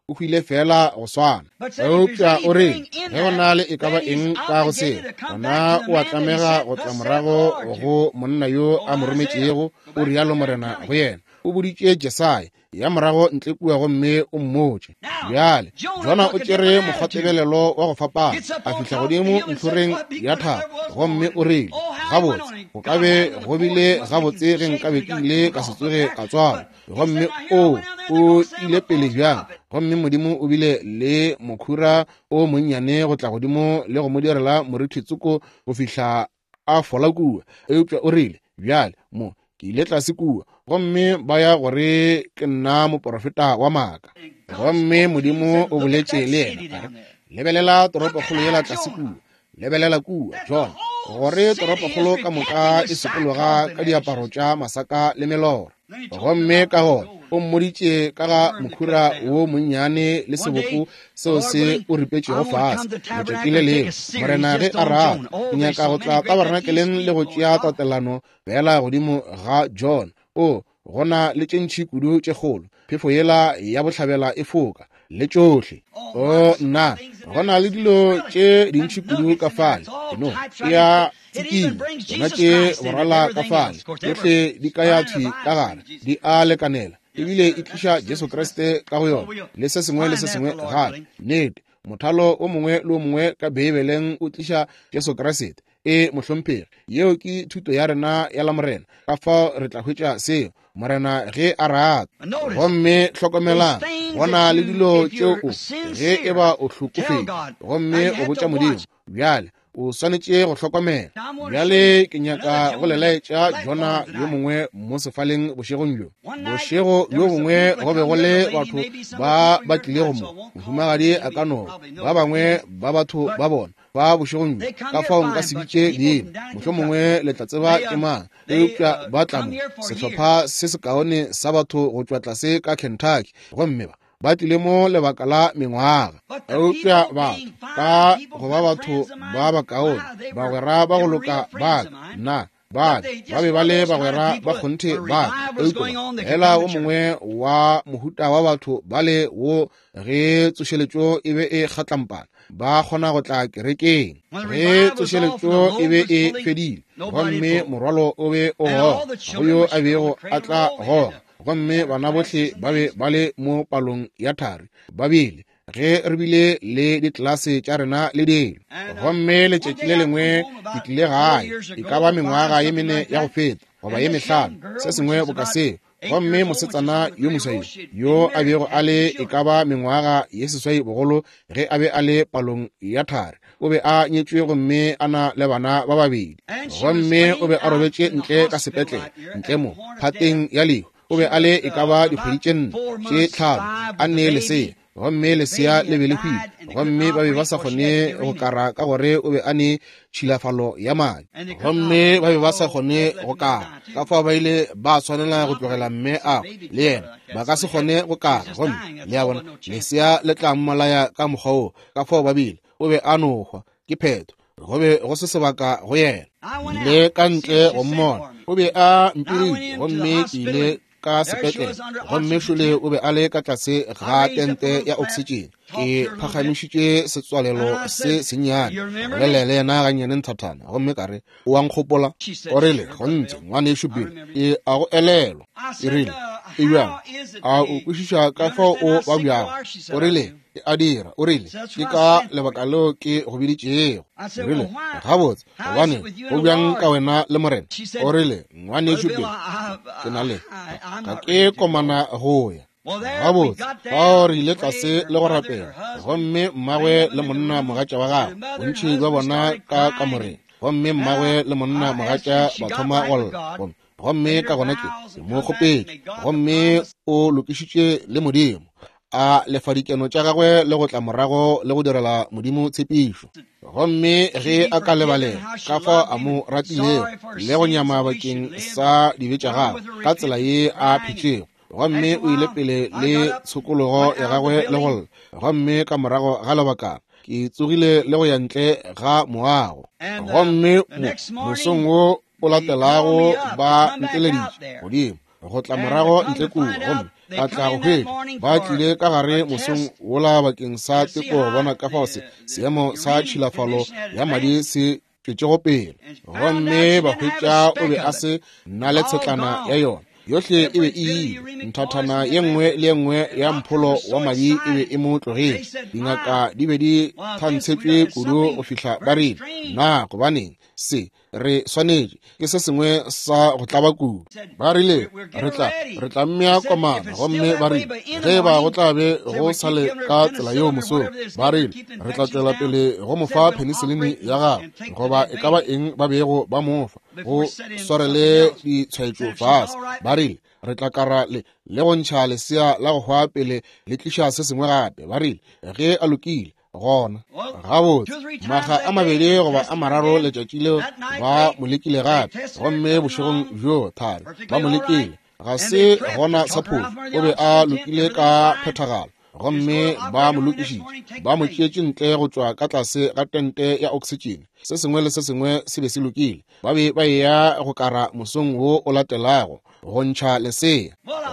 Speaker 1: o hwile fela go swana. Eupša o re ge go na le e ka ba eng ka go seo, gona o a tlamega go tla morago go monna yo a mo rometšego, o rialo Morena go yena. O boditše Jesaya ya morago ntle kua gomme o mmotše. Bjale Jona o tšere mokgwatebelelo wa go fapana, a fihla godimo ntlhoreng ya thaba gomme o rile, gabotse go ka be go bile gabotse ge nkabe ke ile ka se tsoge ka tswalwa. Gomme o o ile pele bjang, gomme Modimo o bile le mokhura o monnyane go tla godimo le go mo direla morithi tsoko go fihla a fola kua. Eupša o rile, bjale mo ke ile tlase kua gomme ba ya gore ke nna moporofeta wa maaka. Gomme Modimo o boletše le yena, a re, lebelela toropokgolo yela tlase kua, lebelela kua Jona, gore toropokgolo ka moka e sokologa ka diaparo tša masaka le melora. Gomme ka gona o mmoditše ka ga mokhura wo monnyane le seboko seo se o ripetšego fase. Letšatši le lengwe Morena ge a rata, ke nyaka go tla tabernakeleng le go tšea tatelano fela godimo ga Jona. O gona le tše ntši kudu tše kgolo, phefo yela ya bohlabela e foka le tšohle. O nna, gona le dilo tše dintši kudu ka fale, no ya tsikinya tsona tše borala ka fale, tšohle di ka ya thwi ka gare, di a lekanela, ebile e tliša Jesu Kriste ka go yona le se sengwe le se sengwe gape. Nnete, mothalo o mongwe le o mongwe ka Beibeleng o tliša Jesu Kriste. E mohlomphegi, yeo ke thuto ya rena ya la Morena. Ka fao re tla hwetša seo Morena ge a rata. Gomme hlokomelang, gona le dilo tšeo o ge e ba o hlokofetše gomme o botša Modimo, bjale o swanetše go hlokomela. Bjale ke nyaka go le laetša Jona yo mongwe mo sefaleng bošegong bjo. Bošego bjo bongwe go be go le batho ba ba tlilego mo, mohumagadi a ka no ba bangwe ba batho ba bona ba bošegong bjo, ka fao nka se bitše leina, mohlomongwe le tla tseba ke mang. Eupša ba tla mo, sehlopha se sekaone sa batho go tšwa tlase ka Kentucky, gomme ba ba tlile mo lebaka la mengwaga. Eupša batho ka go ba batho ba bakaone, bagwera ba go loka ba nna ba ba be ba le bagwera ba kgonthe ba. Eupša hela o mongwe wa mohuta wa batho ba le wo ge tsošeletšo e be e kgatlampana, ba kgona go tla kerekeng. Ge tsošeletšo e be e fedile gomme morwalo o be o goga, go yo a bego a tla goga, gomme bana bohle ba be ba le mo palong ya thari ba bile ge re bile le ditlelase tša rena le dilo. Gomme letšatši le lengwe ke tlile gae, e ka ba mengwaga ye mene ya go feta goba ye mehlano, se sengwe boka seo. Gomme mosetsana yo moswai yo a bego a le e ka ba mengwaga ye seswai bogolo ge a be a le palong ya thari, o be a nyetšwe gomme a na le bana ba babedi. Gomme o be a robetše ntle ka sepetlele, ntle mo phateng ya lehu. O be a le e ka ba dikgwedi tše nne tše tlhano a nne lesea, gomme lesea le be le hwile, gomme ba be ba sa kgone go kara ka gore o be a ne tšhilafalo ya madi, gomme ba be ba sa kgone go kara. Ka fao ba ile ba tshwanela go tlogela mme ao le yena, ba ka se kgone go kara, gomme le a bona lesea le tla mmolaya ka mokgwa wo. Ka fao ba bile o be a no hwa, ke phetho, go be go se sebaka go yena. Ile ka ntle go mmona, o be a mpirile, gomme ke ile ka sepetlele, gomme šole o be a le ka tlase ga tente ya oxygen. Ke phagamišitše setswalelo se sennyane, bolela le yena gannyane nthathana, gomme ka re, o a nkgopola? O rile, kgonthe ngwanešu Bill, ke a go elelwa. Ke rile, e bjang? A o kwešiša ka fao o babjago? O rile, e a dira. O rile, ke ka lebaka leo ke go biditšego. Ke rile, gabotse, gobane go bjang ka wena le Morena? O rile, ngwanešu Bill, ke na le ga ke komana go ya. Gabotse, fao re ile tlase le go rapela, gomme mmagwe le monna mogatša wa gagwe, bontši bja bona ka kamoreng, gomme mmagwe le monna mogatša ba thoma go lla. Gomme ka gona ke mo kgopetše, gomme o lokišitše le Modimo, a lefa dikeno tša gagwe le go tla morago le go direla Modimo tshepišo. Gomme ge a ka lebalela ka fao a mo ratilego le go nyama bakeng sa dibe tša gagwe ka tsela ye a phetšego, Gomme o ile pele le tshokologo ya gagwe le go lla. Gomme ka morago ga lebakana ke tsogile le go ya ntle ga moago. Gomme mosong wo o latelago ba nteleditše godimo go tla morago ntle kua, gomme ka tla go hwetša ba tlile ka gare mosong wola bakeng sa teko go bona ka fao se seemo sa tšhilafalo ya madi se tšwetšego pele. Gomme ba hwetša o be a se na le tshetlana ya yona yohle e be e ile. Nthathana ye nngwe le ye nngwe ya mpholo wa madi e be e mo tlogetše. Dingaka di be di thantshetšwe kudu go fihla ba rile, na gobaneng se re swanetše ke se sengwe sa go tlaba kudu. Ba rile re tla re tla mmea komana. Gomme ba rile ge ba go tla be go sa le ka tsela yeo mosong, ba rile re tla tšwela pele go mo fa penicillin ya gagwe goba e ka ba eng ba bego ba mo fa go swarele ditshwaetšo fase. Ba rile re tla kara le le go ntšha lesea la go hwa pele le tliša se sengwe gape. Ba rile ge a lokile gona gabotse maga a mabedi goba a mararo letšatši leo ba mo lekile gape, gomme bošegong bjo thari ba mo lekile, ga se gona sa phošo, o be a lokile ka phethagalo. Gomme ba mo lokišitše, ba mo tšeetše ntle go tšwa ka tlase ga tente ya oxygen. Se sengwe le se sengwe se be se lokile. Ba be ba eya go kara mosong wo o latelago go ntšha lesea.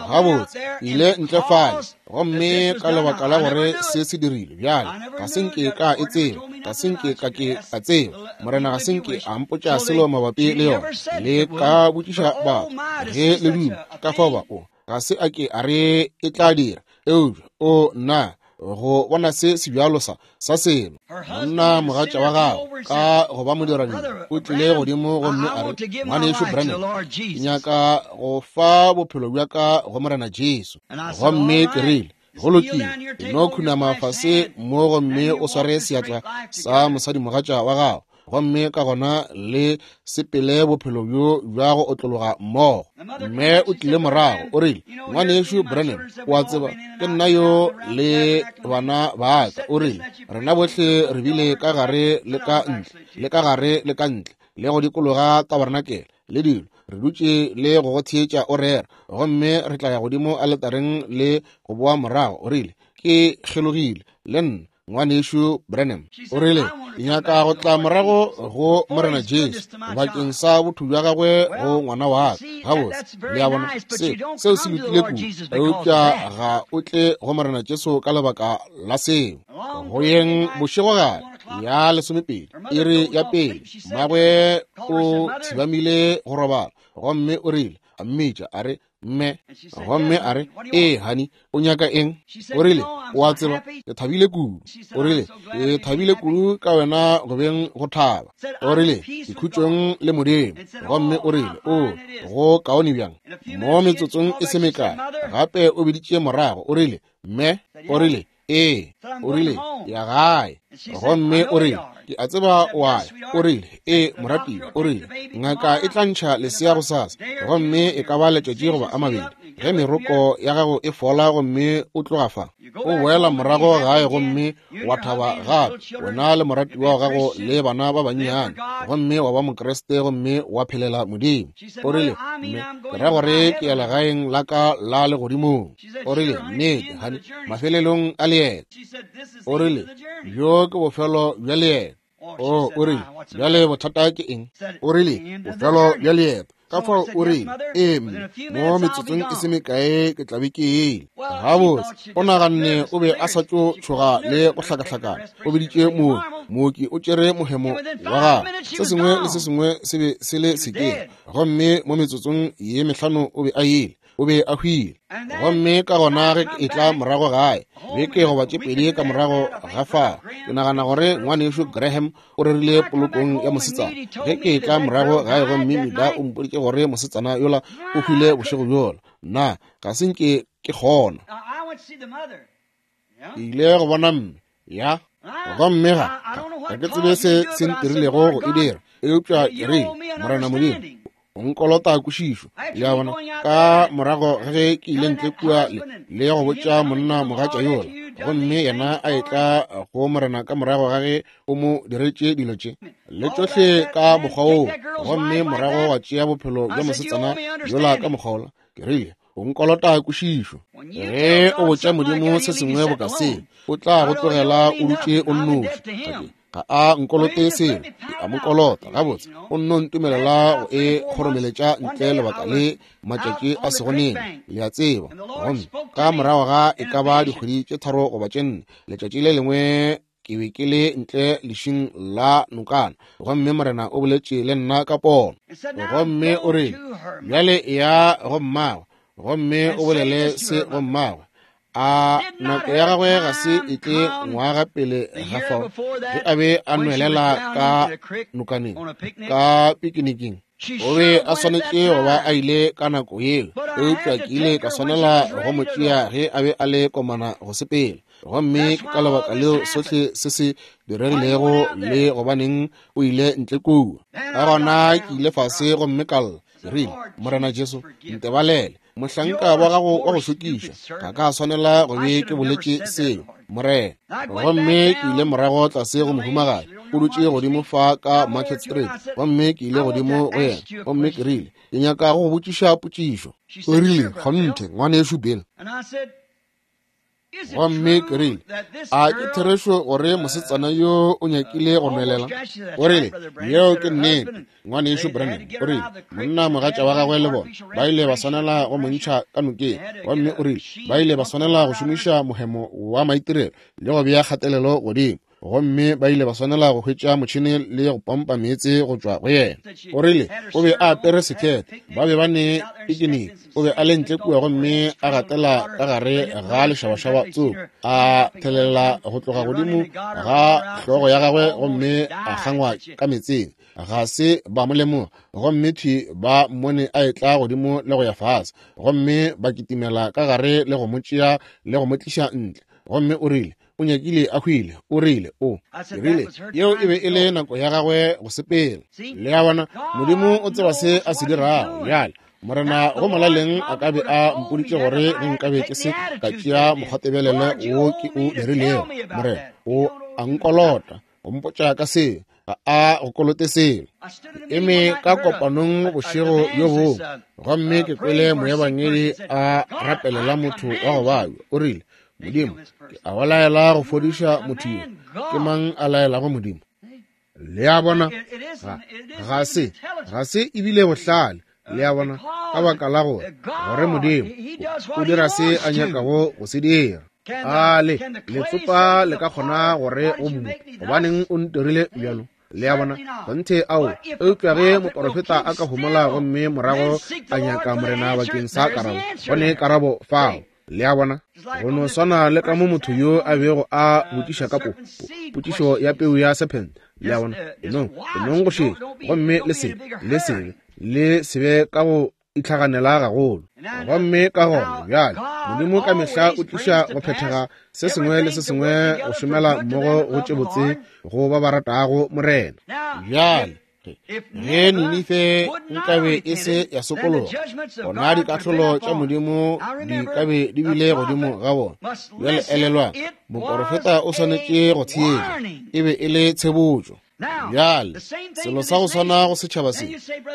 Speaker 1: Gabotse ile ntle fale, gomme ka lebaka la gore se se dirile bjale ga se nke ka e tseba, ga se nke ka ke ka tseba. Morena ga se nke a mpotša selo mabapi le yona. Le ka botšiša batho ge le duma ka fao ba o ga se a ke a re e tla dira, eupša o nna go bona se se bjalo sa sa selo. Monna mogatša wa gagwe ka go ba modiradibe o tlile godimo gomme a re, ngwanešu Branham, ke nyaka go fa bophelo bja ka go Morena Jesu. Gomme ke rile, go lokile, no khunama fase mo gomme o sware seatla sa mosadimogatša wa gago, gomme ka gona le sepele bophelo bjo bja go otlologa mmogo. Mme o tlile morago o rile, ngwanešu Branham, o a tseba ke nna yo le bana ba ka. O rile rena bohle re bile ka gare le ka ntle, le ka gare le ka ntle, le go dikologa tabernakel le dilo, re dutše le go go theetša o rera, gomme re tla ya godimo aletareng le go boa morago. O rile ke kgelogile le nna, ngwanešu Branham. O rile ke nyaka go tla morago go Morena Jesu bakeng sa botho bja gagwe go ngwana wa ka. Gabotse, le a bona, se seo se lokile kudu, eupša ga o tle go Morena Jesu ka lebaka la seo. Go yeng bošegogare ya lesomepedi, iri ya pele, mmagwe o thibamile go robala, gomme o rile a mmitša a re, mme. Gomme a re, ee honey, o nyaka eng? O rile o a tseba ke thabile kudu. O rile ke thabile kudu ka wena go beng go thaba. O rile ke khutšong le Modimo. Gomme o rile o go kaone bjang. Mo metsotsong e se mekae gape o biditše morago. O rile mme. O rile ee. O rile ya gae. Gomme o rile ke a tseba o a ya. O rile ee moratiwa. O rile ngaka e tla ntšha lesea gosasa, gomme e ka ba letšatši goba a mabedi ge meroko ya gago e fola, gomme o tloga fa o boela morago gae gomme wa thaba gape, wena le moratiwa wa gago le bana ba bannyane, gomme wa ba Mokriste gomme wa phelela Modimo. O rile mme ke ra gore ke ya legaeng la ka la legodimong. O rile nnete honey, mafelelong a leeto. O rile bjo ke bofelo bja leeto. O o rile bjale bothata ke eng? O rile bofelo bja leeto. Ka fao o rile ee mme, mo metsotsong e se mekae ke tla be ke ile. Gabotse o naganne o be a sa tšo tšhoga le go hlakahlakana. O biditše mooki, mooki o tšere mohemo wa gagwe, se sengwe le se sengwe se be se le sekeng, gomme mo metsotsong ye mehlano o be a ile, o be a hwile. Gomme ka gona ge ke etla morago gae beke goba tše pedi ka morago ga fao, ke nagana gore ngwanešu Graham o rerile polokong ya mosetsana. Ge ke etla morago gae gomme Mida o mpoditše gore mosetsana yola o hwile bošego bjola, nna ga se nke ke kgona. Ke ile go bona mme ya, gomme ga ga ke tsebe se se ntirilego go e dira, eupša ke rile Morena Modimo o nkolota kwešišo. Le a bona, ka morago ge ke ile ntle kua le, le go botša monna mogatša yola, gomme yena a etla go Morena ka morago ga ge o mo diretše dilo tše le tšohle ka mokgwa woo, gomme morago wa tšea bophelo bja mosetsana yola ka mokgwa wola, ke rile O nkolota kwešišo. Ge o botša Modimo se sengwe boka se, o tla go tlogela o dutše o nnoši. Ga a nkolote selo, ke a mo kolota. Gabotse, o nno ntumelela go e kgoromeletša ntle lebaka le matšatši a sego nene, le a tseba. Gomme ka morago ga e ka ba dikgwedi tše tharo goba tše nne, letšatši le lengwe ke be ke le ntle lešing la nokana, gomme Morena o boletše le nna ka pono. Gomme o rile, bjale ya go mmagwe, gomme o bolele se go mmagwe. A nako ya gagwe ga se e tle ngwaga pele ga fao, ge a be a nwelela ka nokaneng ka pikiniking. O be a swanetše go ba a ile ka nako yeo, eupša ke ile ka swanela go mo tšea ge a be a le komana go sepela. Gomme ke ka lebaka leo sohle se se diregilego le gobaneng o ile ntle kua. Ka gona ke ile fase gomme ka lla, ke rile, Morena Jesu, ntebalele, mohlanka wa gago wa go šokiša, ga ka swanela go be ke boletše seo, Morena. Gomme ke ile morago tlase go mohumagadi, o dutše godimo fa ka Market Street, gomme ke ile godimo go yena, gomme ke rile, ke nyaka go go botšiša potšišo. O rile, kgonthe, ngwanešu Bill. Gomme ke rile, a ke therešo gore mosetsana yo o nyakile go nwelela? O rile, yeo ke nnete, ngwanešu Branham. O rile, monna mogatša wa gagwe le bona ba ile ba swanela go mo ntšha ka nokeng. Gomme o rile, ba ile ba swanela go šomiša mohemo wa maitirelo le go bea kgatelelo godimo, gomme ba ile ba swanela go hwetša motšhene le go pompa meetse go tšwa go yena. O rile, o be a apere sekete, ba be ba ne pikiniki, o be a le ntle kua gomme a gatela ka gare ga lešabašaba tsoko, a thelela go tloga godimo ga hlogo ya gagwe gomme a kgangwa ka meetseng. Ga se ba mo lemoga, gomme thwi ba mmone a etla godimo le go ya fase, gomme ba kitimela ka gare le go mo tšea le go mo tliša ntle. Gomme o rile, o nyakile a hwile. O rile, o rile, yeo e be e le nako ya gagwe go sepela. Le a bona, Modimo o tseba se a se dirago. Bjale, Morena go molaleng a ka be a mpoditše gore ge nkabe ke se ka tšea mokgwatebelelo wo ke o dirilego, Morena o a nkolota go mpotša ka seo, ga a go kolote selo. Ke eme ka kopanong bošego bjo bongwe, gomme ke kwele moebangedi a rapelela motho wa go babja. O rile, Modimo, ke a go laela go fodiša motho yo. Ke mang a laelago Modimo? Le a bona, ga, ga se, ga se ebile bohlale. Le a bona, ka baka la gore, gore Modimo o dira se a nyakago go se dira. A le letsopa le ka kgona gore o mmope, gobaneng o ntirile bjalo? Le a bona, kgonthe ao. Eupša ge moporofeta a ka homola gomme morago a nyaka Morena bakeng sa karabo, go ne karabo fao. Le a bona, go no swana le ka mo motho yo a bego a botšiša ka po, potšišo ya peu ya serpent. Le a bona, enong, enong go šetša, gomme le se, le se, le se be ka go itlhaganela gagolo. Gomme ka gona bjale, Modimo ka mehla o tliša go phethega se sengwe le se sengwe go šomela mmogo go tše botse go ba ba ratago Morena. Bjale, ge Ninife nkabe e se ya sokologa, gona dikahlolo tša Modimo di ka be di bile godimo ga bona. Bjale elelwang, moporofeta o swanetše go theetša, e be e le tshebotšo. Bjale, selo sa go swana go setšhaba se.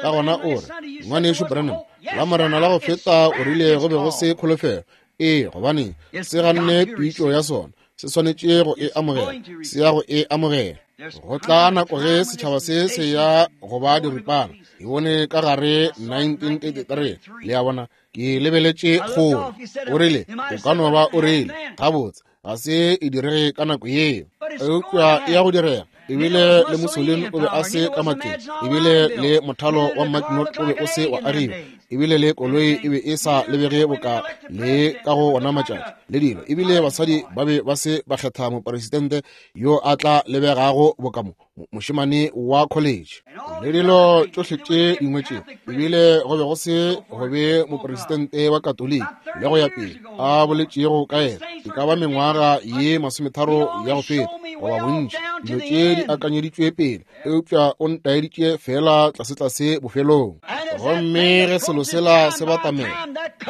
Speaker 1: Ka gona o re, ngwanešu Branham, la Morena la go feta o rile go be go se kholofelo. Ee, gobane se ganne pitšo ya sona, se swanetše go e amogela, se ya go e amogela. Go tla nako ge setšhaba se se ya go ba diripana. Ke bone ka gare nineteen thirty-three. Le a bona, ke lebeletše kgole. O rile, o ka no ba o rile, gabotse, ga se e direge ka nako yeo, eupša e ya go direga. Ebile le Mussolini o be a se ka matleng, ebile le mothalo wa Maginot o be o se wa agiwa, ebile le koloi e be e sa lebege boka le ka go ona matšatši le dilo, ebile basadi ba be ba se ba kgetha mopresidente yo a tla lebegago boka mo mošemane wa college le dilo tšohle tše dingwe tše, ebile go be go se go be mopresidente wa Katoliki le go ya pele a boletšego ka yena e ka ba mengwaga ye masometharo ya go feta goba bontši. Dilo tše di akanyeditšwe pele, eupša o ntaeditše fela tlasetlase bofelong. Gomme ge selo sela se batamela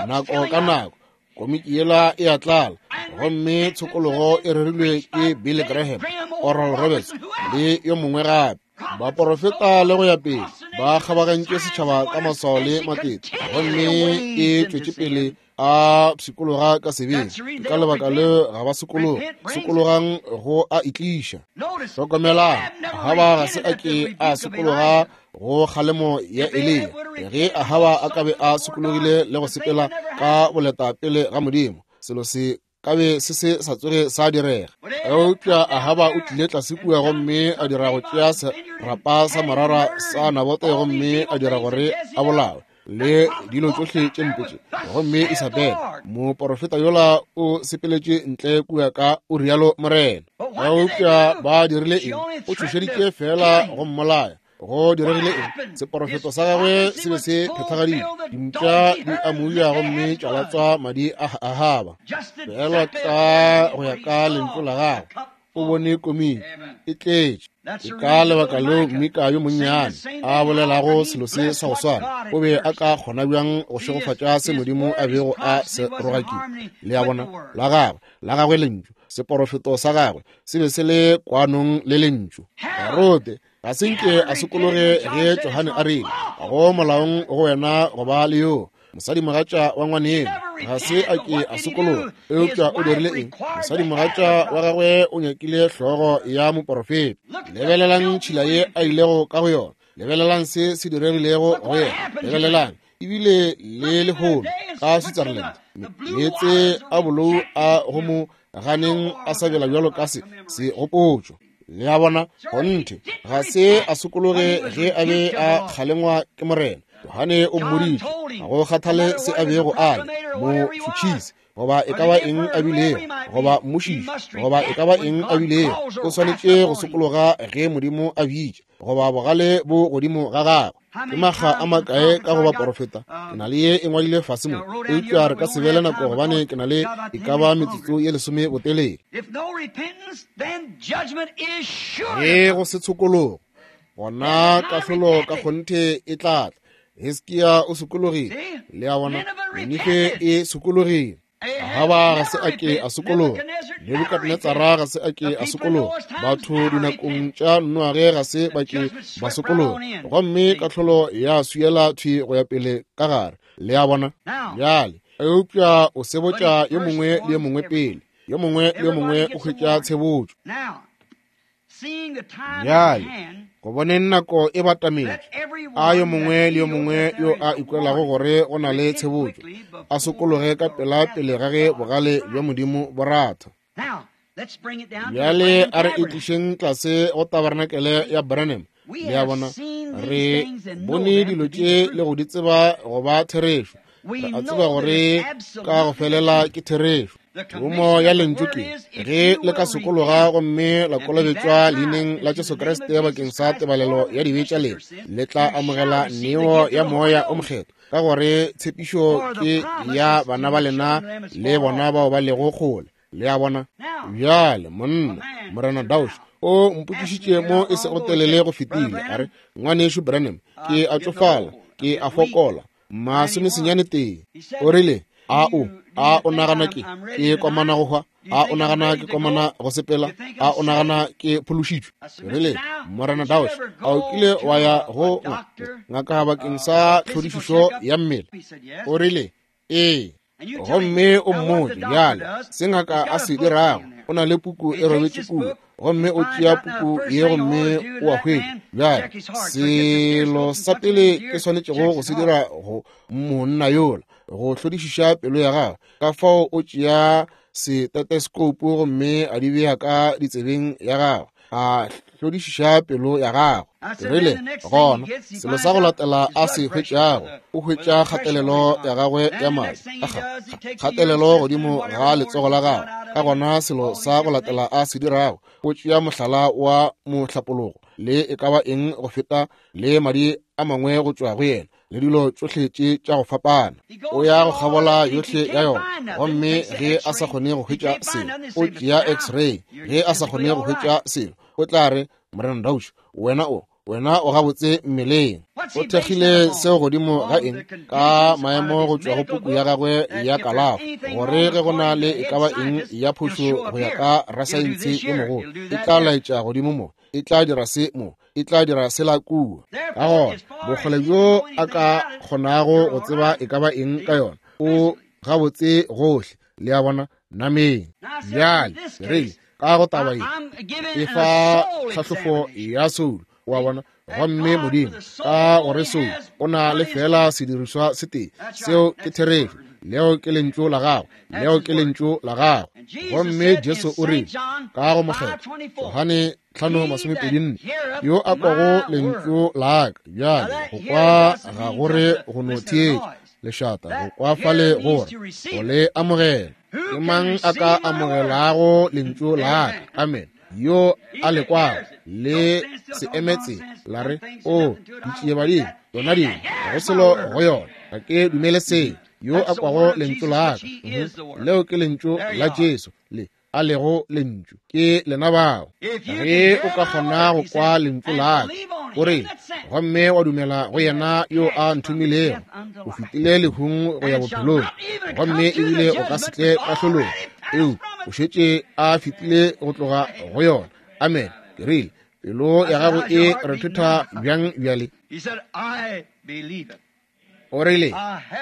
Speaker 1: nako ka nako, komiki yela e a tlala, gomme tshokologo e rerilwe ke Billy Graham, Oral Roberts le yo mongwe gape, baporofeta le go ya pele, Ba kgabagantše setšhaba ka maswao le matete, gomme e tšwetše pele a pshikologa ka sebeng. Ka lebaka leo ga ba sokologa. Sokologang go a itliša. Hlokomelang, Ahaba ga se a ke a sokologa go kgalemo ya Eliya. Ge Ahaba a ka be a sokologile le go sepela ka boleta pele ga Modimo, selo se ka be se se sa tsoge sa direga. Eupša Ahaba o tlile tlase kua gomme a dira go tšea serapa sa morara sa Nabote gomme a dira gore a bolawe le dilo tšohle tše mpe tše. Gomme Isabel moporofeta yola o sepeletše ntle kua ka o rialo Morena. Eupša ba dirile eng? O tšhošeditše fela go mmolaya. Go diregile eng? Seporofeto sa gagwe se be se phethagaditšwe. Dimpša di amuja gomme tša latswa madi a Ahaba. Fela ka go ya ka lentšu la gagwe, o bone komiki e tletše. Ke ka lebaka leo Mika yo monnyane a bolelago selo se sa go swana. O be a ka kgona bjang go šegofatša se Modimo a bego a se rogakile? Le a bona, la gagwe, la gagwe lentšu, seporofeto sa gagwe se be se le kwanong le lentšu. Herode ga se nke a sokologe ge Johane a rile, go molaong go wena go ba le yo mosadimogatša wa ngwaneno. Ga se a ke a sokologa, eupša o dirile eng? Mosadimogatša wa gagwe o nyakile hlogo ya moporofeta. Lebelelang tšhila ye a ilego ka go yona. Lebelelang se se diregilego go yena. Lebelelang ebile le lehono ka Switzerland, meetse a bolou a go mo ganeng a sabela bjalo ka se segopotšo. Le a bona, kgonthe ga se a sokologe ge a be a kgalengwa ke Morena. Johane o mmoditše, ga go kgathale se a bego a le, mo tšhutšhise goba e ka ba eng a bilego, goba mmušiši goba e ka ba eng a bilego, o swanetše go sokologa ge Modimo a bitša, goba bogale bo godimo ga gagwe. Ke makga a makae ka go baporofeta? Ke na le ye e ngwadile fase mo, eupša re ka se be le nako gobane ke na le e ka ba metsotso ye lesome botelele. Ge go se tshokologo, gona kahlolo ka kgonthe e tla tla. Hiskia o sokologile. Le a bona, Ninife e sokologile. Ahaba ga se a ke a sokologa. Nebukadnetsara ga se a ke a sokologa. Batho dinakong tša Noage ga se ba ke ba sokologa. Gomme kahlolo ya swiela thwi go ya pele ka gare. Le a bona? Bjale, eupša o sebotša yo mongwe le yo mongwe pele. Yo mongwe le yo mongwe o hwetša tshebotšo. Bjale, go boneng nako e batametše, a yo mongwe le yo mongwe yo a ikwelago gore go na le tshebotšo a sokologe ka pela pele ga ge bogale bja Modimo bo ratha. Bjale a re e tlišeng tlase go tabernakelé ya Branham. Le a bona, re bone dilo tše le go di tseba go ba therešo. Re a tseba gore ka go felela ke therešo. Thomo ya lentšu ke ge le ka sokologa gomme la kolobetšwa leineng la Jesu Kriste bakeng sa tebalelo ya dibe tša lena, le tla amogela neo ya Moya o Mokgethwa, ka gore tshepišo ke ya bana ba lena le bona bao ba lego kgole. Le a bona? Bjale monna, Morena Daush o mpotšišitše mo e sego telele go fetile, a re, ngwanešu Branham, ke a tšofala, ke a fokola, masomesenyane tee. O rile, a o a o nagana ke ke komana go hwa? A o nagana ke komana go sepela? A o nagana ke phološitšwe? Rile, Morena Daush, a o kile wa ya go ngaka bakeng sa tlhodišišo ya mmele? O rile, ee. Gomme o mmotše bjale se ngaka a se dirago. O na le puku e robetše kua, gomme o tšea puku ye gomme o a hwetša. Bjale selo sa pele ke swanetšego go se dira go monna yola, go hlodišiša pelo ya gagwe. Ka fao o tšea stethoscope gomme a di bea ka ditsebeng ya gagwe, a hlodišiša pelo ya gagwe. Rile, gona selo sa go latela a se hwetšago, o hwetša kgatelelo ya gagwe ya madi, kgatelelo godimo ga letsogo la gagwe. Ka gona selo sa go latela a se dirago, o tšea mohlala wa mohlapologo le e ka ba eng go feta le madi a mangwe go tšwa go yena, le dilo tšohle tše tša go fapana. O ya go kgabola yohle ya yona, gomme ge a sa kgone go hwetša selo, o tšea x-ray. Ge a sa kgone go hwetša selo, o tla re, Morena Daush, wena o wena o gabotse mmeleng. O thekgile seo godimo ga eng? Ka maemo go tšwa go puku ya gagwe ya kalafo, gore ge go na le e ka ba eng ya phošo go ya ka rasaense yo mogolo, e tla laetša godimo mo, e tla dira se mo, e tla dira sela kua. Ka gona bokgole bjo a ka kgonago go tseba e ka ba eng ka yona, o gabotse gohle, le a bona, nameng. Bjale re ka go taba ye e fa tlhahlofo ya soulo, wa bona. Gomme Modimo ka gore soulo o na le fela sedirišwa se tee, seo ke therešo, leo ke lentšu la gagwe, leo ke lentšu la gagwe. Gomme Jesu o rile ka go Mokgethwa Johane tlhano masomepedi nne, yo a kwago lentšu la ka. Bjale go kwa ga gore go no theetša lešata, go kwa fale gore go le amogela. Ke mang a ka amogelago lentšu la ka? Amen. Yo a le kwago le se emetse la re, o ditšiebadimo yona dingwe go selo go yona, ga ke dumele seo. Yo a kwago lentšu la ka, leo ke lentšu la Jesu, le a lego lentšu, ke lena bao. Ge o ka kgona go kwa lentšu la ka, o rile, gomme wa dumela go yena yo a nthomilego, o fetile lehung go ya bophelong, gomme ebile o ka se tle kahlolong, eo o šetše a fetile go tloga go yona. Amen. Ke rile, pelo ya gago e rethetha bjang bjale? O rile,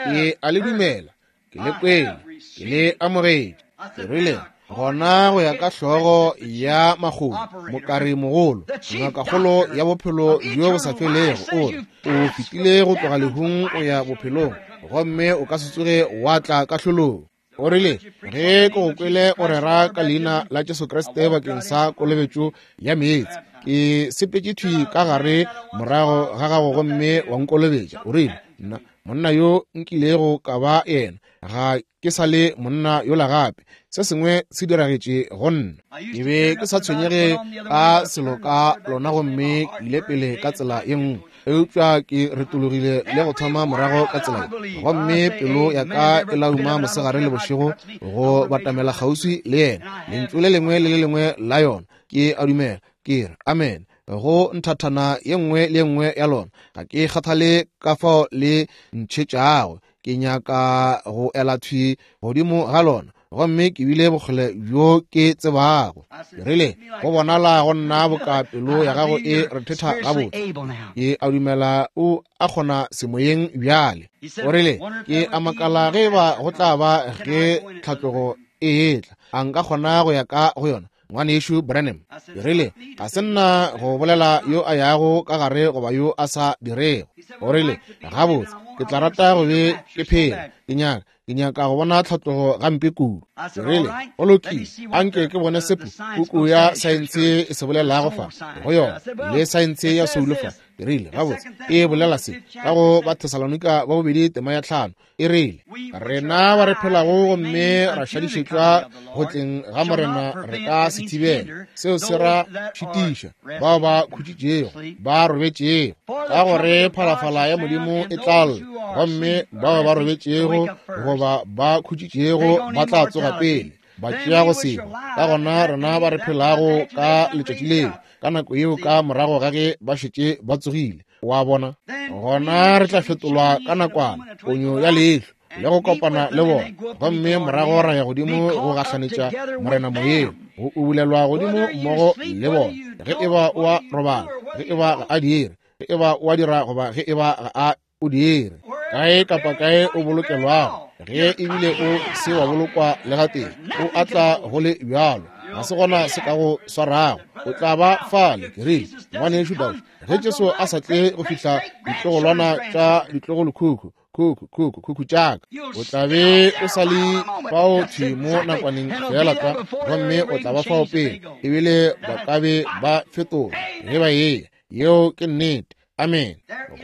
Speaker 1: ke a le dumela, ke le kwele, ke le amogetše. Ke rile, gona go ya ka hlogo ya makgomo, mokare mogolo, ngakakgolo ya bophelo bjo bo sa felego, o re o fetile go tloga lehung go ya bophelong, gomme o ka se tsoge wa tla kahlolong. O rile, ge ke go kwele o rera ka leina la Jesu Kriste bakeng sa kolobetšo ya meetse, ke sepetše thwi ka gare morago ga gago gomme wa nkolobetša. O rile, nna monna yo nkilego ka ba yena, ga ke sa le monna yola gape. Se sengwe se diragetše go nna. Ke be ke sa tshwenyege ka selo ka lona, gomme ke ile pele ka tsela ye nngwe, eupša ke retologile le go thoma morago ka tsela ye, gomme pelo ya ka e lauma mosegare le bošego go batamela kgauswi le yena. Lentšu le lengwe le le lengwe la yona ke a dumela, ke re amen go nthathana ye nngwe le ye nngwe ya lona. Ga ke kgathale ka fao le ntšhetšago, ke nyaka go ela thwi godimo ga lona, gomme ke bile bokgole bjo ke tsebago. Ke rile, go bonala go nna boka pelo ya gago e rethetha gabotse. Ke a dumela o a kgona semoyeng bjale. O rile, ke a makala ge ba go tla ba ge tlhatlogo e etla, a nka kgona go ya ka go yona, ngwanešu Branham? Ke rile, ga se nna go bolela yo a yago ka gare goba yo a sa dirego. O rile, gabotse, ke tla rata go be ke phela, ke nyaka ke nyaka go bona tlhatlogo gampe kudu. Ke rile, go lokile, anke ke bone se puku ya saense e se bolelago fa go yona, le saense ya soulo fa. Ke rile, gabotse, e bolela se ka go Bathesalonika ba bobedi tema ya tlhano, e rile, rena ba re phelago gomme ra šadišetšwa go tleng ga Morena re ka se thibela. Seo se ra šitiša bao ba khutšitšego, ba robetšego, ka gore phalafala ya Modimo e tla lla, gomme bao ba robetšego goba ba khutšitšego ba tla tsoga pele ba tšea go seba. Ka gona rena ba re phelago ka letšatši leo, ka nako yeo ka morago ga ge ba šetše ba tsogile, wa bona, gona re tla fetolwa ka nakwana, ponyo ya leihlo, le go kopana le bona, gomme morago ra ya godimo go gahlanetša Morena moyeng, go ubulelwa godimo mmogo le bona. Ge e ba o a robala, ge e ba ga a dire, ge e ba o a dira goba ge e ba ga a o dire, kae kapa kae o bolokelwago, ge ebile o se wa bolokwa le gatee, o atla go le bjalo, ga se gona se ka go swarago, o tla ba fale. Ke rile, ngwanešu Dauch, ge Jesu a sa tle go fihla ditlogolwana tša ditlogolokhukhu, khukhu khukhu khukhu tšaka, o tla be o sa le fao thwi mo nakwaneng fela tlwa, gomme o tla ba fao pele ebile ba ka be ba fetola ge ba eya. Yeo ke nnete. Amen.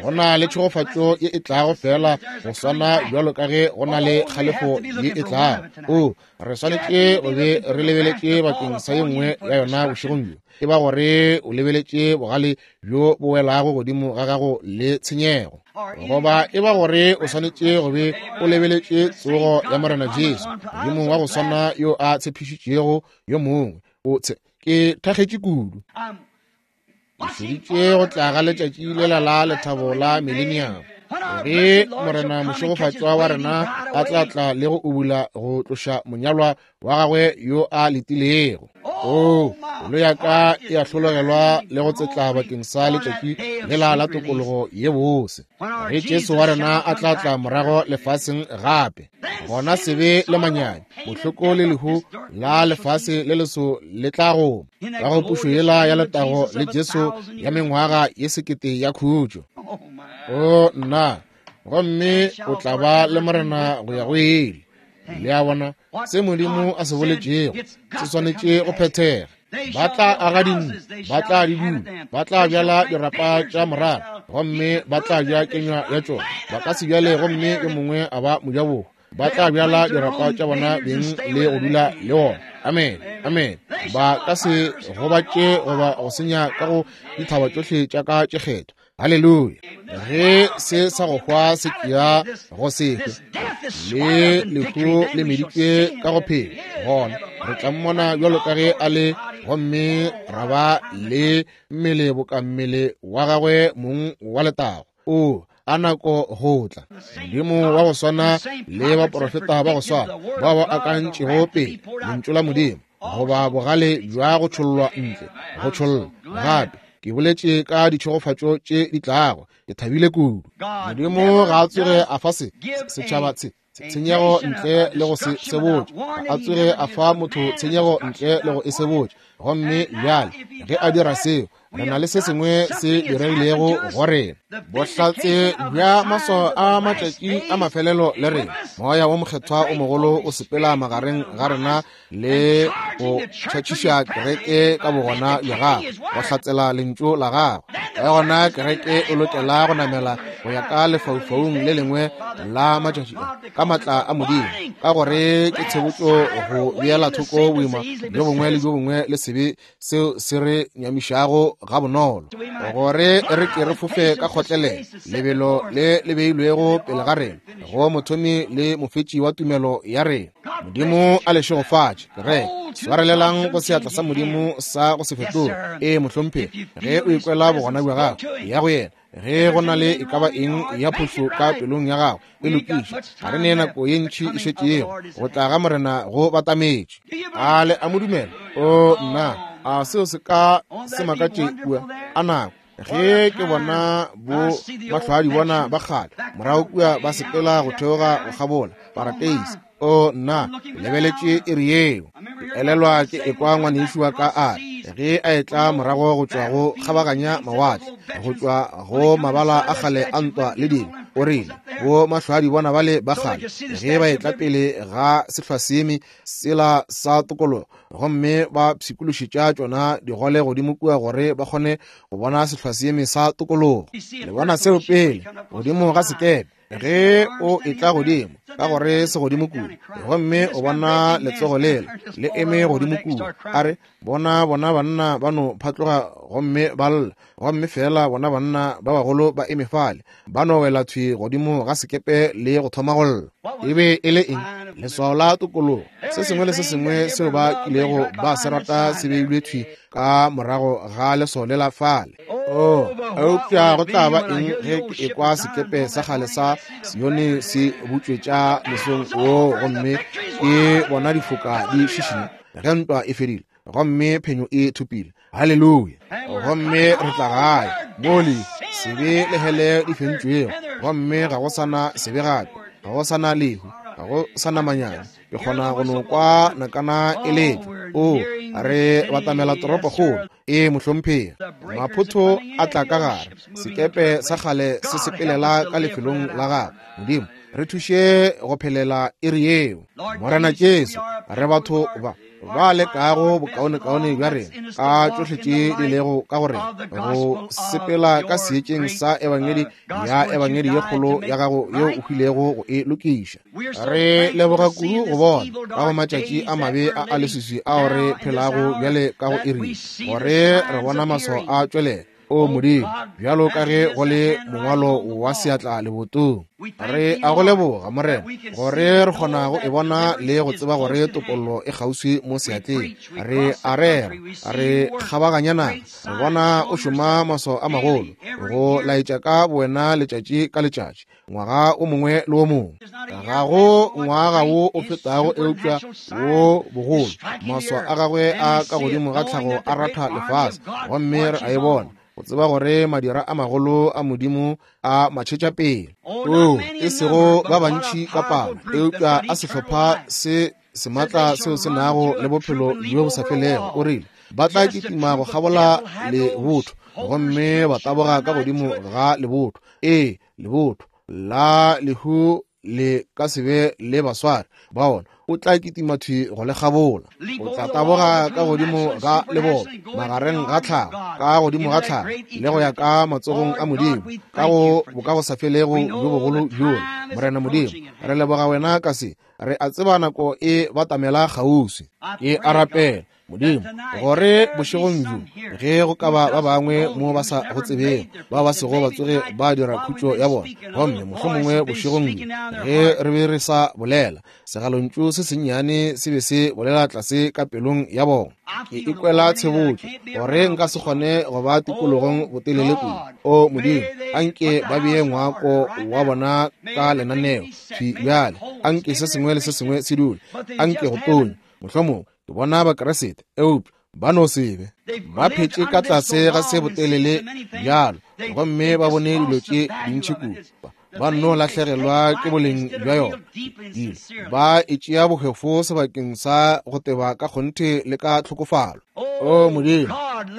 Speaker 1: Go na le tšhegofatšo ye e tlago fela go swana bjalo ka ge go na le kgalefo ye e tlago. O re swanetše go be re lebeletše bakeng sa ye nngwe ya yona bošegong bjo. E ba gore o lebeletše bogale bjo bo welago godimo ga gago le tshenyego, goba e ba gore o swanetše go be o lebeletše tsogo ya Morena Jesu, Modimo wa go swana yo a tshepišitšego yo mongwe. O tshe ke thakgetše kudu. Ke šeditše go tla ga letšatši lela la lethabo la millennium. Ge Morena mošegofatšwa wa rena a tla tla le go ubula go tloša monyalwa wa gagwe yo a letilego. O, pelo ya ka e a hlologelwa le go tsetla bakeng sa letšatši lela la tokologo ye bose. Ge Jesu wa rena a tla tla morago lefaseng gape, gona sebe le manyami, bohloko le lehu la lefase le leso le tla goma ka go pušo yela ya letago le Jesu ya mengwaga ye sekete ya khutšo. O nna, gomme o tla ba le Morena go ya go ile. Le a bona, se Modimo a se boletšego se swanetše go phethega. Ba tla aga dintlo, ba tla di dula, ba tla bjala dirapa tša morara, gomme ba tla ja kenywa ya tšona. Ba ka se bjale gomme yo mongwe a ba mojabohwa. Ba tla bjala dirapa tša bona beng le go dula le ona. Amen, amen. Ba ka se gobatše goba go senya ka go dithaba tšohle tša ka tše kgethwa. Haleluya. Ge se sa go hwa se tšea go se hwe, le lehu le meditšwe ka go phela, gona re tla mmona bjalo ka ge a le, gomme ra ba le mmele boka mmele wa gagwe mong wa letago. O a nako go tla. Modimo wa go swana le baprofeta ba go swana bao ba akantšego pele lentšu la Modimo, goba bogale bja go tšhollwa ntle, go tšhollwa gape. Ke boletše ka ditšhegofatšo tše di tlago. Ke thabile kudu. Modimo ga a tsoge a fa se setšhaba se tshenyego ntle le go se sebotše. Ga a tsoge a fa motho tshenyego ntle le go e sebotše. Gomme bjale ge a dira seo, re na le se sengwe se diregilego go rena. Bohlatse bja maswao a matšatši a mafelelo le rena. Moya wo Mokgethwa o mogolo o sepela magareng ga rena le go tšhatšiša kereke ka bogona bja gagwe, go hlatsela lentšu la gagwe. Ka gona kereke e lokela go namela go ya ka lefaufaung le lengwe la matšatši a, ka matla a Modimo, ka gore ke tshebotšo go beela thoko boima bjo bongwe le bjo bongwe le sebe seo se re nyamišago gabonolo, gore re ke re fofe ka kgotlelelo lebelo le le beilwego pele ga rena go mothomi le mofetši wa tumelo ya rena. Modimo a le šegofatše. Kereke, swarelelang go seatla sa Modimo sa go se fetoge. Ee, mohlomphegi, ge o ikwela bogona bja gago, ya go yena. Ge go na le e ka ba eng ya phošo ka pelong ya gago, e lokiše. Ga re ne nako ye ntši e šetšego. Go tla ga Morena go batametše. A le a mo dumela? O nna, a seo se ka se makatše kua a nako ge ke bona bo mahlwadi bona ba kgale morago kua ba sepela go theoga go kgabola parateisi. O nna, lebeletše iri yeo. Ke elelwa ke ekwa ngwanešu wa ka a re ge a etla morago go tšwa go kgabaganya mawatle, go tšwa go mabala a kgale a ntwa le dilo, o rile bo mahlwadi bona bale ba kgale ge ba etla pele ga sehlwaseeme sela sa tokologo, gomme ba pshikološetša tšona digole godimo kua gore ba kgone go bona sehlwaseeme sa tokologo. Le bona seo pele godimo ga sekepe ge o etla godimo, ka gore se godimo kudu, gomme o bona letsogo lela le eme godimo kudu. A re bona bona banna ba no phatloga gomme ba lla, gomme fela bona banna ba bagolo ba eme fale, ba no wela thwi godimo ga sekepe le go thoma go lla. E be e le eng? Leswao la tokologo. Se sengwe le se sengwe seo ba kilego ba se rata se beilwe thwi ka morago ga leswao lela fale. O, eupša go tla ba eng ge ke ekwa sekepe sa kgale sa Sione se butšwetša mesong wo, gomme ke bona difoka di šišinya ge ntwa e fedile gomme phenyo e thopile? Haleluya. Gomme re tla gae mole sebe le hele di fentšwego, gomme ga go sana sebe gape, ga go sana lehu, ga go sana manyami. Ke kgona go no kwa nakana e letšwa. O, re batamela toropokgolo. Ee, mohlomphegi. Maphotho a tla ka gare, sekepe sa kgale se sepelela ka lefelong la gagwe. Modimo, re thuše go phelela iri yeo. Morena Jesu, re batho ba ba lekago bokaonekaone bja rena ka tšohle tše di lego ka go rena go sepela ka seetšeng sa ebangedi ya ebangedi ye kgolo ya gago yeo o hwilego go e lokiša. Re leboga kudu go bona ka go matšatši a mabe a a leswiswi ao re phelago bjale ka go iri, gore re bona maswao a tšwelela. O Modimo, bjalo ka ge go le mongwalo wa seatla lebotong. Re a go leboga, Morena, gore re kgona go e bona le go tseba gore topollo e kgauswi mo seatleng. Re a rera, re kgabaganya naga, re bona o šoma maswao a magolo, go laetša ka bowena letšatši ka letšatši, ngwaga o mongwe le o mongwe. Ga go ngwaga wo o fetago eupša wo bogolo. Maswao a gagwe a ka godimo ga tlhago a ratha lefase, gomme re a e bona, go tseba gore madira a magolo a Modimo a matšhetša pele. O, e sego ba bantši ka palo, eupša a sehlopha se sematla seo se nago le bophelo bjo bo sa felego. O rile ba tla kitima go kgabola lebotho, gomme ba taboga ka godimo ga lebotho. Ee, lebotho la lehu le ka se be le baswari ba ona. O tla kitima thwi go le kgabola. O tla taboga ka godimo ga leboto, magareng ga tlhago, ka godimo ga tlhago, le go ya ka matsogong a Modimo, ka go bokagosafelego bjo bogolo bjola. Morena Modimo, re leboga wena ka se. Re a tseba nako e batamela kgauswi. Ke a rapela, Modimo, gore bošegong bjo, ge go ka ba ba bangwe mo ba sa go tsebeng, ba ba sego ba tsoge ba dira khutšo ya bona, gomme mohlomongwe bošegong bjo, ge re be re sa bolela, segalontšu se sennyane se be se bolela tlase ka pelong ya bona. Ke ikwela tshebotšo gore nka se kgone go ba tikologong botelele kudu. O Modimo, anke ba bee ngwako wa bona ka lenaneo thwi bjale. Anke se sengwe le se sengwe se dule, anke go tonye. Mohlomongwe ke bona Bakeresete, eupša ba no se be. Ba phetše ka tlase ga se botelele bjalo, gomme ba bone dilo tše dintši kudu. Ba nno lahlegelwa ke boleng bja yona. Dilo ba e tšea bohwefo sebakeng sa go teba ka kgonthe le ka tlhokofalo. O Modimo,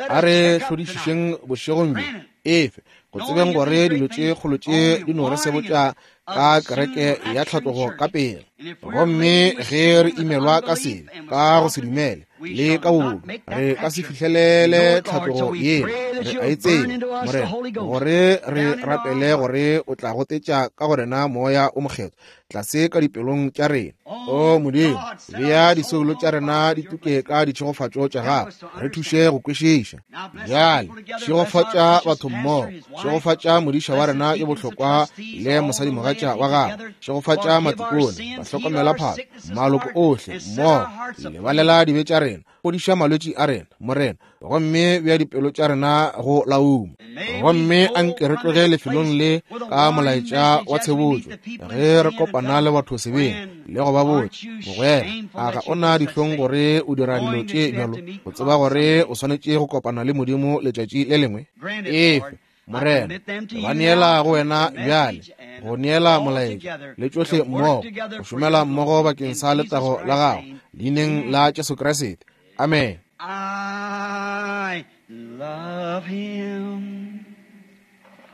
Speaker 1: a re hlodišišeng bošegong bjo, efe go tsebeng gore dilo tše kgolo tše di no re sebotša ka kereke ya tlhatlogo ka pele. Gomme ge re imelwa ka sebe, ka go se dumele le ka bobodu, re ka se fihlelele tlhatlogo yela. Re a e tseba, Morena, gore re rapele gore o tla gotetša ka go rena moya o mokgethwa tlase ka dipelong tša rena. O Modimo, bea disoulo tša rena di tuke ka ditšhegofatšo tša gago, re thuše go kwešiša. Bjale šegofatša batho mmogo, šegofatša modiša wa rena yo bohlokwa le mosadimogatša wa gagwe, šegofatša matikone, bahlokomela phahlo, maloko ohle mmogo. Lebalela dibe tša rena, fodiša malwetši a rena, Morena, gomme bea dipelo tša rena go lauma. Gomme anke re tloge lefelong le ka molaetša wa tshebotšo, ge re kopana le batho sebeng le go ba botša, mogwera, a ga o na dihlong gore o dira dilo tše bjalo, go tseba gore o swanetše go kopana le Modimo letšatši le lengwe? Efe, Morena, ba neela go wena bjale, go neela molaetša le tšohle mmogo, go šomela mmogo bakeng sa letago la gago, leineng la Jesu Kriste. Amen.
Speaker 2: I love him.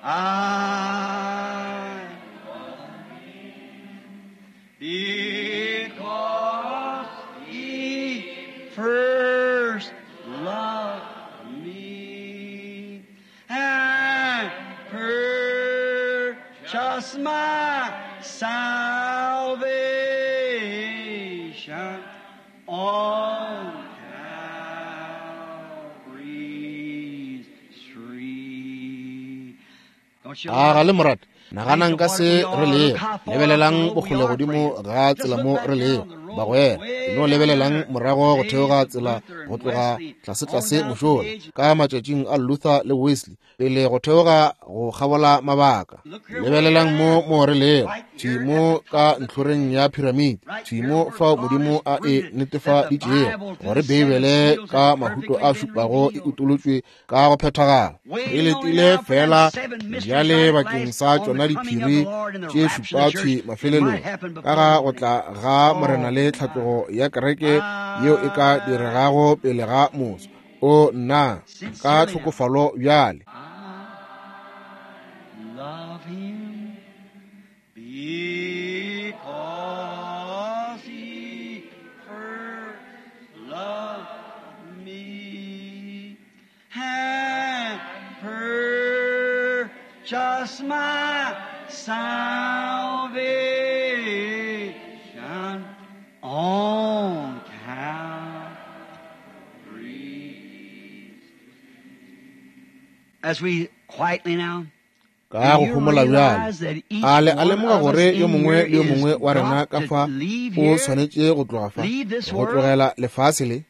Speaker 2: I love him because he first loved me and purchased my salvation on Calvary's tree.
Speaker 1: A ga le morata, naganang ka se re lego, lebelelang bokgole godimo ga tsela mo re lego, bagwera. No lebelelang morago go theoga tsela go tloga tlase-tlase mošola ka matšatšing a Luther le Wesley, pele go theoga go kgabola mabaka. Lebelelang mo mo re lego, thwi mo ka ntlhoreng ya piramidi, thwi mo fao Modimo a e netefaditšego gore Beibele ka mahuto a šupago e utolotšwe ka go phethagala. E letile fela bjale bakeng sa tšona diphiri tše šupa thwi mafelelong, ka ga go tla ga Morena le tlhatlogo ya kereke yeo e ka diregago pele ga moso. O nna, ka tlhokofalo bjale.
Speaker 2: I love him because he first loved me and purchased my salvation on Calvary.
Speaker 1: Ka go homola bjale, a le a lemoga gore yo mongwe le yo mongwe wa rena ka fa o swanetše go tloga fa, go tlogela lefase le?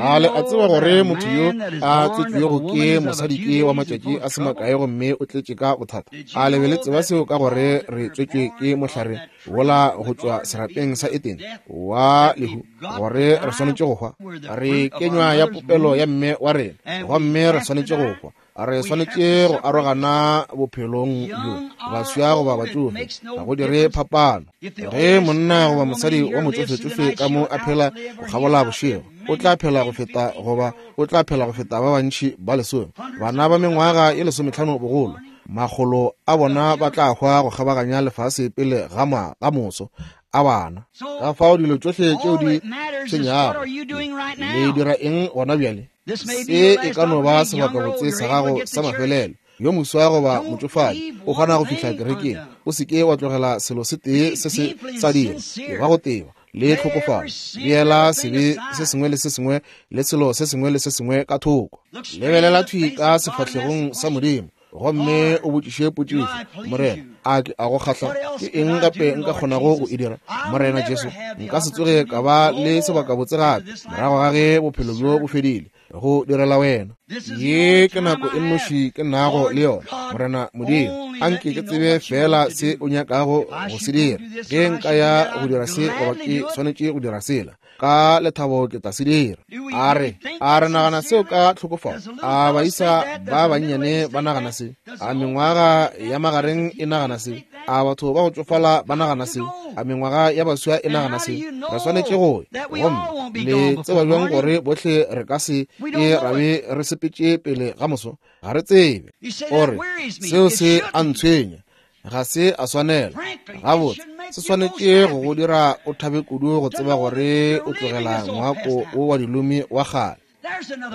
Speaker 1: A le a tseba gore motho yo a tswetšwego ke mosadi ke wa matšatši a se makae gomme o tletše ka bothata? A le be le tseba seo ka gore re tswetšwe ke mohlare wola go tšwa serapeng sa Edene wa lehu, gore re swanetše go hwa? Re kenywa ya popelo ya mme wa rena gomme re swanetše go hwa. Re swanetše go arogana bophelong bjo, baswa goba batšofe, ga go dire phapano. Ge monna goba mosadi wa motšofetšofe ka mo a phela go kgabola bošego, o tla phela go feta goba o tla phela go feta ba bantši ba lesome. Bana ba mengwaga ye lesometlhano bogolo, makgolo a bona ba tla hwa go kgabaganya lefase pele ga ma ga moso a bana. Ka fao dilo tšohle tšeo di tshwenyago, le dira eng gona bjale? Se e ka no ba sebakabotse sa gago sa mafelelo. Yo moswa goba motšofadi o kgona go fihla kerekeng, o se ke wa tlogela selo se tee se se sa dira, e ba go teba le tlhokofalo. Beela sebe se sengwe le se sengwe le selo se sengwe le se sengwe ka thoko. Lebelela thwi ka sefahlegong sa Modimo gomme o botšiše potšišo, Morena, a ke a go kgahla? Ke eng gape nka kgonago go e dira? Morena Jesu, nka se tsoge ka ba le sebakabotse gape morago ga ge bophelo bjo bo fedile go direla wena. Ye ke nako e nnoši ke nago le yona. Morena Modimo, anke ke tsebe fela se o nyakago go se dira. Ge nka ya go dira se goba ke swanetše go dira sela, ka lethabo ke tla se dira. A re a re nagana seo ka tlhokofalo? A baisa ba bannyane ba nagana se? A mengwaga ya magareng e nagana se? A batho ba go tšofala ba nagana se? A mengwaga ya baswa e nagana se? Re swanetše go ya, gomme le tseba bjang gore bohle re ka se ke ra be re sepetše pele ga moso? Ga re tsebe. O re seo se a ntshwenya, ga se a swanela. Gabotse, se swanetše go go dira o thabe kudu go tseba gore o tlogela ngwako wo wa dilomi wa kgale.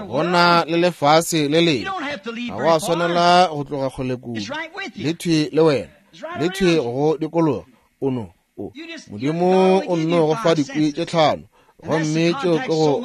Speaker 1: Go na le lefase le lengwe, ga go a swanela go tloga kgole kudu. Le thwi le wena, le thwi go dikologa. O no o Modimo o nno go fa dikwi tše tlhano, gomme tšeo ke go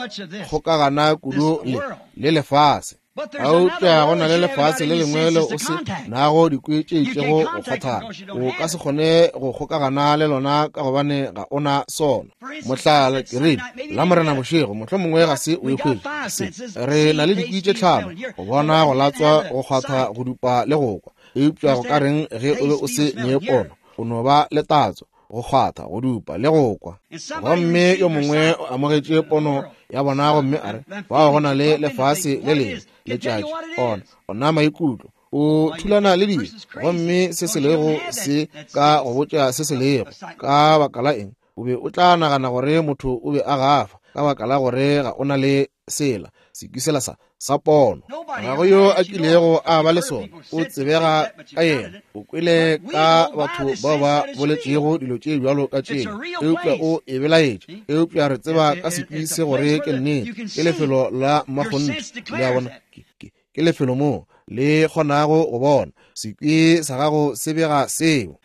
Speaker 1: kgokagana kudu le le lefase. Eupša go na le lefase le lengwe le o se nago dikwi tše itšego go kgwathana. O ka se kgone go kgokagana le lona ka gobane ga o na sona. Mohlala, ke rile la Morena bošego, mohlomongwe ga se o e hwetše se. Re na le dikwi tše tlhano, go bona, go latswa, go kgwatha, go dupa le go kwa. Eupša go ka reng ge o be o se ne pono? O no ba le tatso, go kgwatha, go dupa le go kwa. Gomme yo mongwe o amogetše pono ya bona gomme a re, fao go na le lefase le lengwe, letšatši, ona ona maikutlo, o thulana le dilo, gomme se se lego se ka go botša se se lego. Ka baka la eng o be o tla nagana gore motho o be a gafa? Ka baka la gore ga o na le sela sekwi sela sa sa pono. Ga go yo a kilego a ba le sona, o tsebega ka yena. O kwele ka batho bao ba boletšego dilo tše bjalo ka tšeo, eupša o e belaetše. Eupša re tseba ka sekwi se gore ke nnete, ke lefelo la mmakgonthe. Le a bona, ke lefelo moo le kgonago go bona. Sekwi sa gago se bega seo.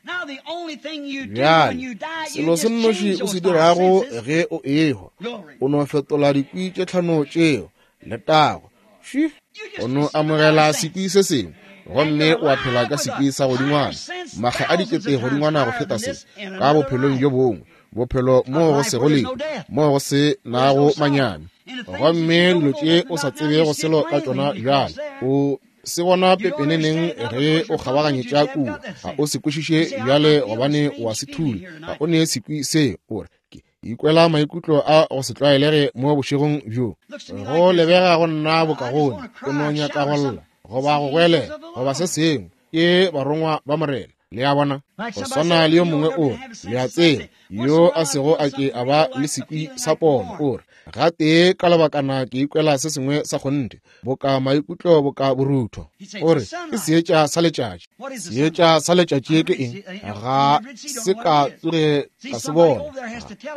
Speaker 1: Bjale selo se nnoši o se dirago ge o ehwa, o no fetola dikwi tše tlhano tšeo. Letago. O no amogela sekwi se sengwe, gomme o a phela ka sekwi sa godingwana, makga a dikete godingwana go feta se, ka bophelong bjo bongwe, bophelo moo go sego lehu, moo go se nago manyami. Gomme dilo tše o sa tsebego selo ka tšona bjale, o se bona pepeneneng ge o kgabaganyetša kua. Ga o se kwešiše bjale gobane o a se thula, ga o ne sekwi se. O re, ke ikwela maikutlo a go se tlwaelege mo bošegong bjo, go lebega go nna bokagone, o no nyaka go lla goba go goelela goba se sengwe. Ke barongwa ba Morena. Le a bona, go swana le yo mongwe o re, le a tseba, yo a sego a ke a ba le sekwi sa pono, o re, gatee ka lebakana ke ikwela se sengwe sa kgonthe, boka maikutlo boka borutho. O re, ke seetša sa letšatši. Seetša sa letšatši ke eng? Ga se ka tsoge ka se bona.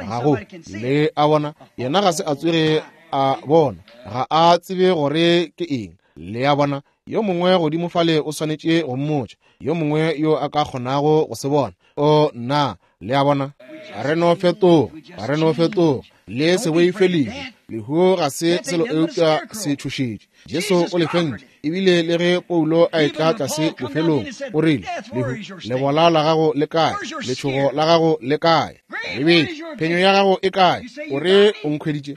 Speaker 1: Ga go. Le a bona, yena ga se a tsoge a bona, ga a tsebe gore ke eng. Le a bona, yo mongwe godimo fale o swanetše go mmotša, yo mongwe yo a ka kgonago go se bona. O nna, le a bona, re no fetoga, re no fetoga. Le se boife lehu. Lehu ga se selo eupša se tšhošetše. Jesu o le fentše. Ebile le ge Paulo a etla tlase bofelong, o rile, lehu, lebola la gago le kae? Letšhogo la gago le kae? Lebetše, phenyo ya gago e kae? O re o nkhweditše.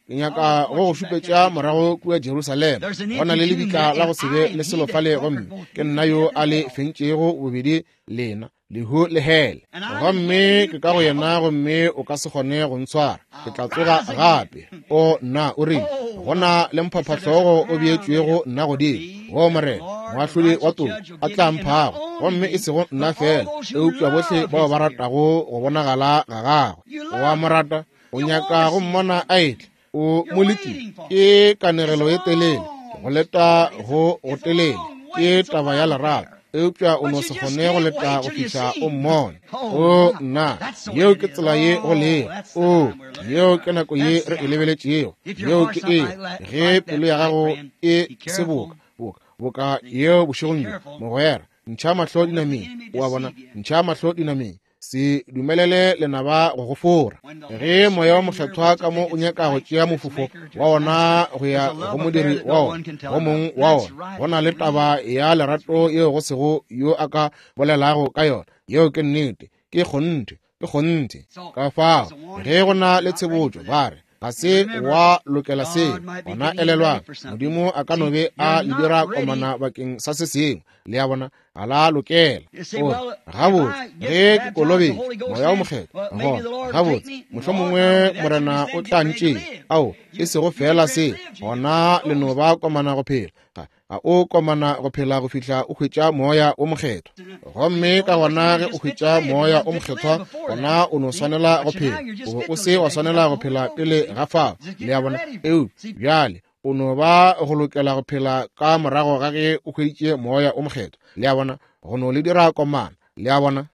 Speaker 1: Ke nyaka go go šupetša morago kua Jerusalema. Go na le lebitla la go se be le selo fale, gomme ke nna yo a le fentšego bobedi lena, lehu le hele. Gomme ke ka go yena, gomme o ka se kgone go ntshwara. Ke tla tsoga gape. O nna, o rile, go na le mphaphahlogo o beetšwego nna godimo, wo Morena moahlodi wa toka a tla mphago, gomme e sego nna fela, eupša bohle bao ba ratago go bonagala ga gagwe. O a mo rata, o nyaka go mmona a etla, o mo letile. Ke kanegelo e telele, ke go leta go go telele, ke taba ya lerato, eupša o no se kgone go leta go fihla o mmone. O nna, yeo ke tsela ye go lego. O, yeo ke nako ye re e lebeletšego. Yeo ke e, ge pelo ya gago e se boka, boka, boka yeo bošegong bjo, mogwera, ntšha mahlo dinameng. O a bona, ntšha mahlo dinameng. Se dumelele lenaba go go fora. Ge moya wa mokgethwa ka mo o nyaka go tšea mofofo wa ona go ya go modiri wa ona, go mong wa ona, go na le taba ya lerato yeo go sego yo a ka bolelago ka yona. Yeo ke nnete, ke kgonthe, ke kgonthe. Ka fao, ge go na le tshebotšo, ba re, ga se wa lokela seo, gona elelwang, Modimo a ka no be a le dira komana bakeng sa se sengwe. Le a bona, ga la lokela. O re, gabotse, ge ke kolobetše moya o mokgethwa, gona gabotse, mohlomongwe Morena o tla ntšea. Ao, e sego fela se, gona le no ba komana go phela. Ga ga o komana go phela go fihla o hwetša moya o mokgethwa. Gomme ka gona ge o hwetša moya o mokgethwa, gona o no swanela go phela. O be o se wa swanela go phela pele ga fao. Le a bona? Eupša bjale o no ba go lokela go phela ka morago ga ge o hweditše moya o mokgethwa. Le a bona? Go no le dira komana. Le a bona?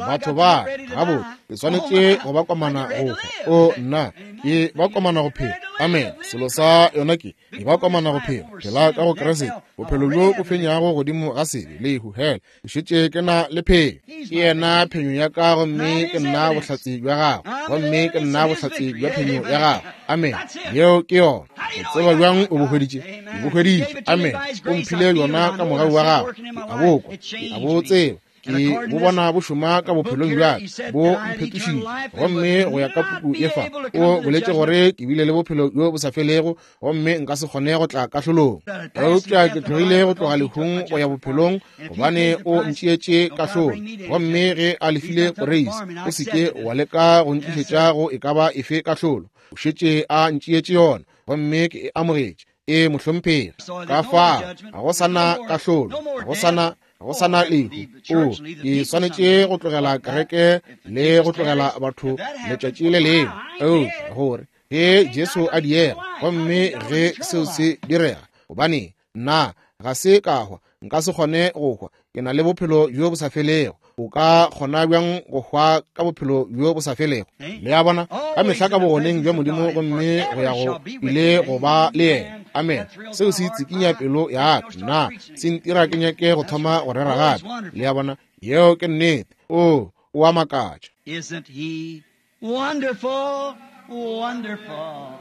Speaker 1: Batho ba, gabotse, ke swanetše go ba komana go hwa. O nna, ke ba komana go phela. Amen. Selo sa yona ke, ke ba komana go phela. Phela ka go Kriste, bophelo bjo bo fenyago godimo ga sebe, lehu, hela. Ke šetše ke na le phenyo. Ke yena phenyo ya ka, gomme ke nna bohlatse bja gagwe, gomme ke nna bohlatse bja phenyo ya gagwe. Amen. Yeo ke yona. O tseba bjang o bo hweditše? Ke bo hweditše. Amen. O mphile yona ka mogau wa gagwe. Ke a bo kwa, ke a bo tseba. Ke bo bona bo šoma ka bophelong bja ka, bo mphetošitše. Gomme go ya ka puku ye fa, o boletše gore ke bile le bophelo bjo bo sa felego, gomme nka se kgone go tla kahlolong. Eupša ke tlogile go tloga lehung go ya bophelong, gobane o ntšeetše kahlolo. Gomme ge a lefile poreisi, o se ke wa leka go ntlišetša go e ka ba efe kahlolo. O šetše a ntšeetše yona, gomme ke e amogetše. E mohlomphegi. Ka fao, ga go sa na kahlolo, ga go sa na go sa na lehu. O, ke swanetše go tlogela kereke le go tlogela batho letšatši le lengwe. Eupša gore ge Jesu a diega, gomme ge seo se direga, gobane nna ga se ka hwa, nka se kgone go hwa. Ke na le bophelo bjo bo sa felego. O ka kgona bjang go hwa ka bophelo bjo bo sa felego? Le a bona, ka mehla ka bogoneng bja Modimo, gomme go ya go ile go ba le yena. Amen. Seo se tsikinya pelo ya ka. Nna se ntira ke nyake go thoma go rera gape. Le a bona, yeo ke nnete. O, o a makatša.
Speaker 2: Isn't he wonderful, wonderful,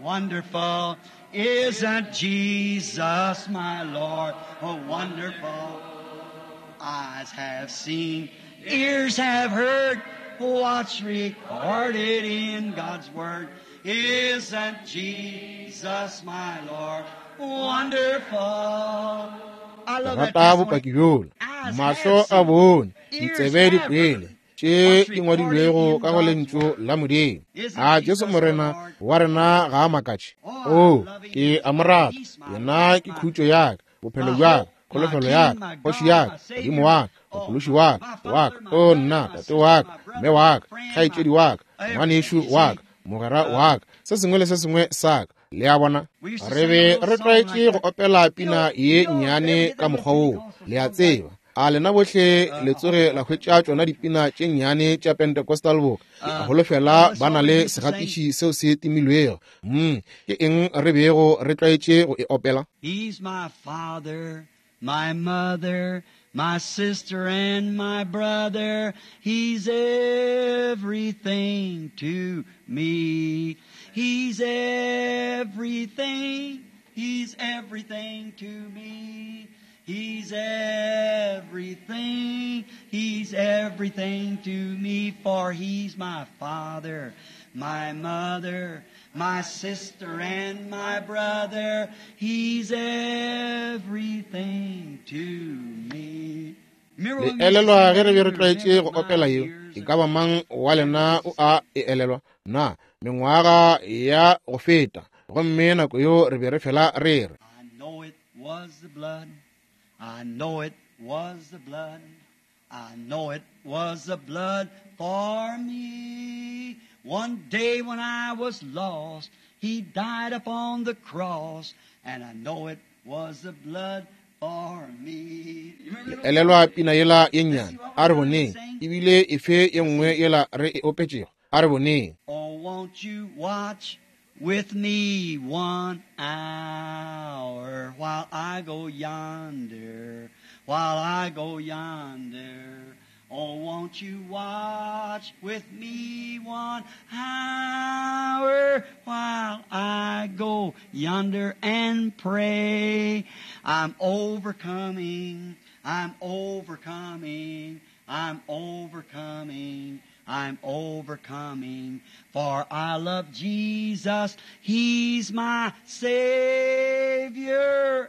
Speaker 2: wonderful? Isn't Jesus my Lord wonderful? Eyes have seen, ears have heard what's recorded in God's Word. Isn't Jesus my Lord wonderful? I love that
Speaker 1: Rata
Speaker 2: testimony.
Speaker 1: bopaki bjola.
Speaker 2: Eyes
Speaker 1: Mahlo
Speaker 2: have
Speaker 1: a
Speaker 2: seen,
Speaker 1: bone,
Speaker 2: ears
Speaker 1: ditsebe di
Speaker 2: have
Speaker 1: kwele
Speaker 2: heard
Speaker 1: tše
Speaker 2: what's
Speaker 1: di
Speaker 2: recorded
Speaker 1: ngwadilwego
Speaker 2: in
Speaker 1: ka go
Speaker 2: God's
Speaker 1: lentšu
Speaker 2: Word.
Speaker 1: la Modimo.
Speaker 2: Isn't
Speaker 1: A Jesu
Speaker 2: Jesus our
Speaker 1: Morena
Speaker 2: Lord?
Speaker 1: wa rena ga a makatše?
Speaker 2: Oh, I
Speaker 1: O,
Speaker 2: love him.
Speaker 1: ke
Speaker 2: He's
Speaker 1: a mo
Speaker 2: my
Speaker 1: rata.
Speaker 2: peace, my
Speaker 1: Yena
Speaker 2: life,
Speaker 1: ke
Speaker 2: my
Speaker 1: khutšo ya ka,
Speaker 2: my
Speaker 1: bophelo bja ka,
Speaker 2: hope, my
Speaker 1: kholofelo ya
Speaker 2: King,
Speaker 1: ka,
Speaker 2: my
Speaker 1: kgoši
Speaker 2: God,
Speaker 1: ya
Speaker 2: my
Speaker 1: ka,
Speaker 2: Savior.
Speaker 1: Modimo wa ka,
Speaker 2: Oh,
Speaker 1: mophološi
Speaker 2: my,
Speaker 1: wa ka,
Speaker 2: my
Speaker 1: wa
Speaker 2: father,
Speaker 1: ka,
Speaker 2: my
Speaker 1: o
Speaker 2: brother,
Speaker 1: nna,
Speaker 2: my
Speaker 1: tate
Speaker 2: sister,
Speaker 1: wa ka,
Speaker 2: my
Speaker 1: mme
Speaker 2: brother,
Speaker 1: wa
Speaker 2: my
Speaker 1: ka,
Speaker 2: friend, my
Speaker 1: kgaetšedi wa ka,
Speaker 2: everything.
Speaker 1: ngwanešu
Speaker 2: You
Speaker 1: wa
Speaker 2: see,
Speaker 1: ka, mogwera
Speaker 2: uh,
Speaker 1: wa ka, se sengwe le se sengwe sa ka. Le a bona,
Speaker 2: we used to
Speaker 1: re
Speaker 2: sing a
Speaker 1: be
Speaker 2: little
Speaker 1: re
Speaker 2: song like
Speaker 1: tlwaetše go
Speaker 2: that.
Speaker 1: opela
Speaker 2: You
Speaker 1: pina
Speaker 2: know,
Speaker 1: ye
Speaker 2: you know, if they ever
Speaker 1: nnyane
Speaker 2: get
Speaker 1: ka
Speaker 2: that little
Speaker 1: mokgwa woo.
Speaker 2: Pentecostal
Speaker 1: Le a
Speaker 2: song like,
Speaker 1: tseba, a lena bohle
Speaker 2: uh,
Speaker 1: le
Speaker 2: oh,
Speaker 1: tsoge la hwetša tšona dipina tše nnyane tša Pentecostal boka. Ke a
Speaker 2: uh,
Speaker 1: holofela
Speaker 2: well, the
Speaker 1: ba na
Speaker 2: song we
Speaker 1: le
Speaker 2: used to sing,
Speaker 1: segatiši seo se timilwego. Mm, ke eng re bego re tlwaetše go e opela?
Speaker 2: He's my father, my mother, my sister and my brother. He's everything to me. He's everything He's everything to me. He's everything. He's everything to me, for he's my father, my mother, my sister, and my brother. He's everything to me.
Speaker 1: Le elelwa ge re be re tlwaetše go opela yeo, e ka ba mang wa lena o a e elelwa na mengwaga ya go feta, gomme nako yeo re be re fela re re.
Speaker 2: I know it was the blood. I know it was the blood. I know it was the blood for me. One day when I was lost, he died upon the cross, and I know it was the blood for me. You remember
Speaker 1: Le elelwa pina yela ye nnyane, a re boneng, ebile efe ye nngwe yela re e opetšego, a re boneng.
Speaker 2: Oh, won't you watch with me one hour while I go yonder, while I go yonder. Oh, won't you watch with me one hour while I go yonder and pray? I'm overcoming, I'm overcoming, I'm overcoming, I'm overcoming, for I love Jesus. He's my Savior,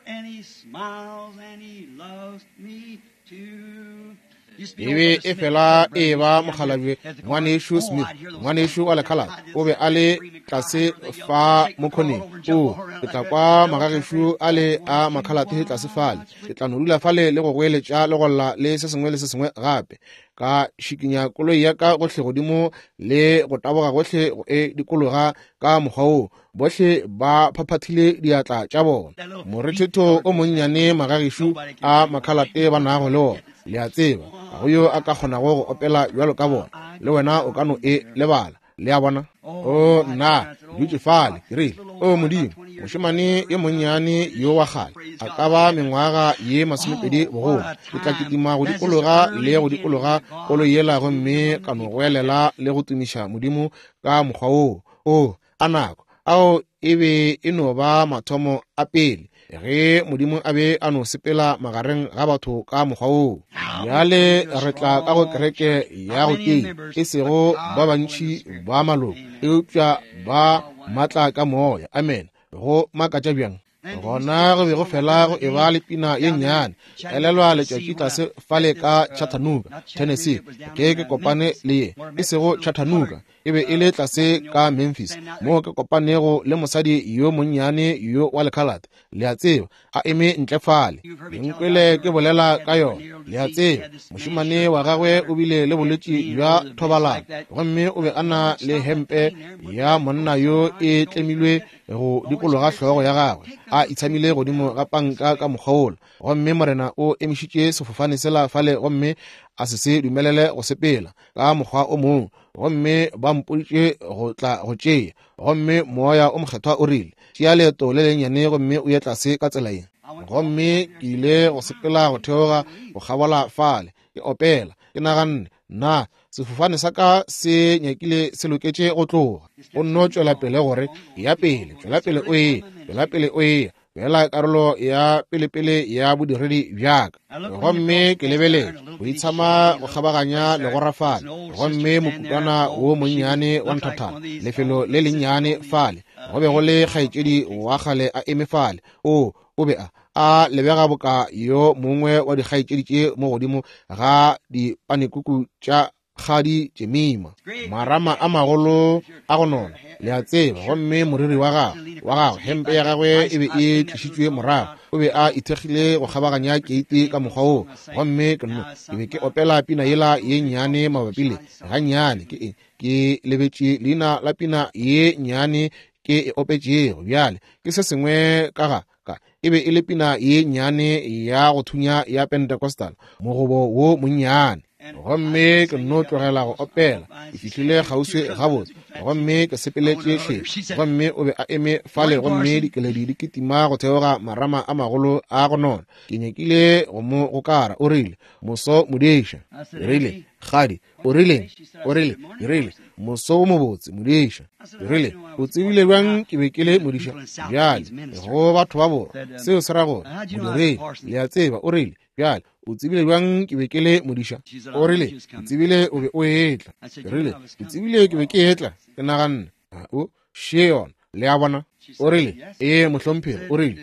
Speaker 2: and He smiles and He loves me too.
Speaker 1: E be e fela e ba mokgalabje ngwanešu Smith, ngwanešu wa lekhalate, o be a le tlase fa mokgoneng. O, ke tla kwa magagešo a le a makhalate tlase fale, ke tla no dula fale le go goeletša le go lla le se sengwe le se sengwe gape. Ka šikinya koloi ya ka gohle godimo le go taboga gohle go e dikologa ka mokgwa woo, bohle ba phaphathile diatla tša bona. Morethetho o monnyane magagešo a makhalate ba nago le ona, le a tseba, ga go yo a ka kgonago go opela bjalo ka bona, le wena o ka no e lebala. Le a bona? O nna, dutše fale, ke rile, o Modimo, mošemane yo monnyane yo wa kgale, a ka ba mengwaga ye masomepedi bogolo, ke tla kitima go dikologa le go dikologa koloi yela gomme ka no goelela le go tumiša Modimo ka mokgwa woo. O, a nako, ao e be e no ba mathomo a pele, ge Modimo a be a no sepela magareng ga batho ka mokgwa woo. Bjale re tla ka go kereke ya go tia, e sego ba bantši ba maloko, eupša ba matla ka moya. Amen. Go makatša bjang. Gona go be go fela go eba le pina ye nnyane. Elelwa letšatši tlase fale ka Chattanooga, Tennessee, ke ke kopane le ye, e sego Chattanooga, e be e le tlase ka Memphis, moo ke kopanego le mosadi yo monnyane yo wa lekhalate, le a tseba, a eme ntle fale. Le nkwele ke bolela ka yona, le a tseba. Mošemane wa gagwe o bile le bolwetši bja thobalano, gomme o be a na le hempe ya monna yo e tlemilwe go dikologa hlogo ya gagwe, a itshamile godimo ga panka ka mokgwa wola. Gomme Morena o emišitše sefofane sela fale gomme a se se dumelele go sepela ka mokgwa o mongwe, gomme ba mpoditše go tla go tšea. Gomme moya o mokgethwa o rile, tšea leeto le lennyane gomme o ye tlase ka tsela ye. Gomme ke ile go sepela go theoga go kgabola fale, ke opela, ke naganne, nna sefofane sa ka se nyakile se loketše go tloga. O nno tšwela pele gore ya pele, tšwela pele o ye, tšwela pele o ye, bjala karolo ya pelepele ya bodiredi bjaka. Gomme ke lebeletše go itshama go kgabaganya legora fale, gomme mokutwana wo monnyane wa nthathana, lefelo le lennyane fale, go be go le kgaetšedi wa kgale a eme fale. O, o be a a lebega boka yo mongwe wa dikgaetšedi tše mo godimo ga dipanekuku tša kgadi tšemima, marama a magolo a go nona, le a tseba. Gomme moriri wa gagwe wa gagwe hempe ya gagwe e be e tlišitšwe morago, o be a ithekgile go kgabaganya keiti ka mokgwa woo. Gomme ke nno ke be ke opela pina yela ye nnyane mabapi le gannyane, ke ke lebetše leina la pina ye nnyane ke e opetšego bjale, ke se sengwe ka ga ka, e be e le pina ye nnyane ya go thunya ya Pentecostal, mogobo wo monnyane. Gomme ke nno tlogela go opela, ke fihlile kgauswi gabotse, gomme ke sepeletše hleng. Gomme o be a eme fale, gomme dikeledi di kitima go theoga marama a magolo a go nona. Ke nyakile go mo gokara. O rile, moso modiša. Ke rile, kgadi, o rile, o rile, ke rile, moso wo mobotse modiša. Ke rile, o tsebile bjang ke be ke le modiša? Bjale, go batho ba borwa, seo se ra gore modiredi, le a tseba. O rile, bjale, o tsebile bjang ke be ke le modiša? O rile, ke tsebile o be o etla. Ke rile, ke tsebile ke be ke etla. Ke naganne, o še yona, le a bona. O rile, ee mohlomphegi. O rile,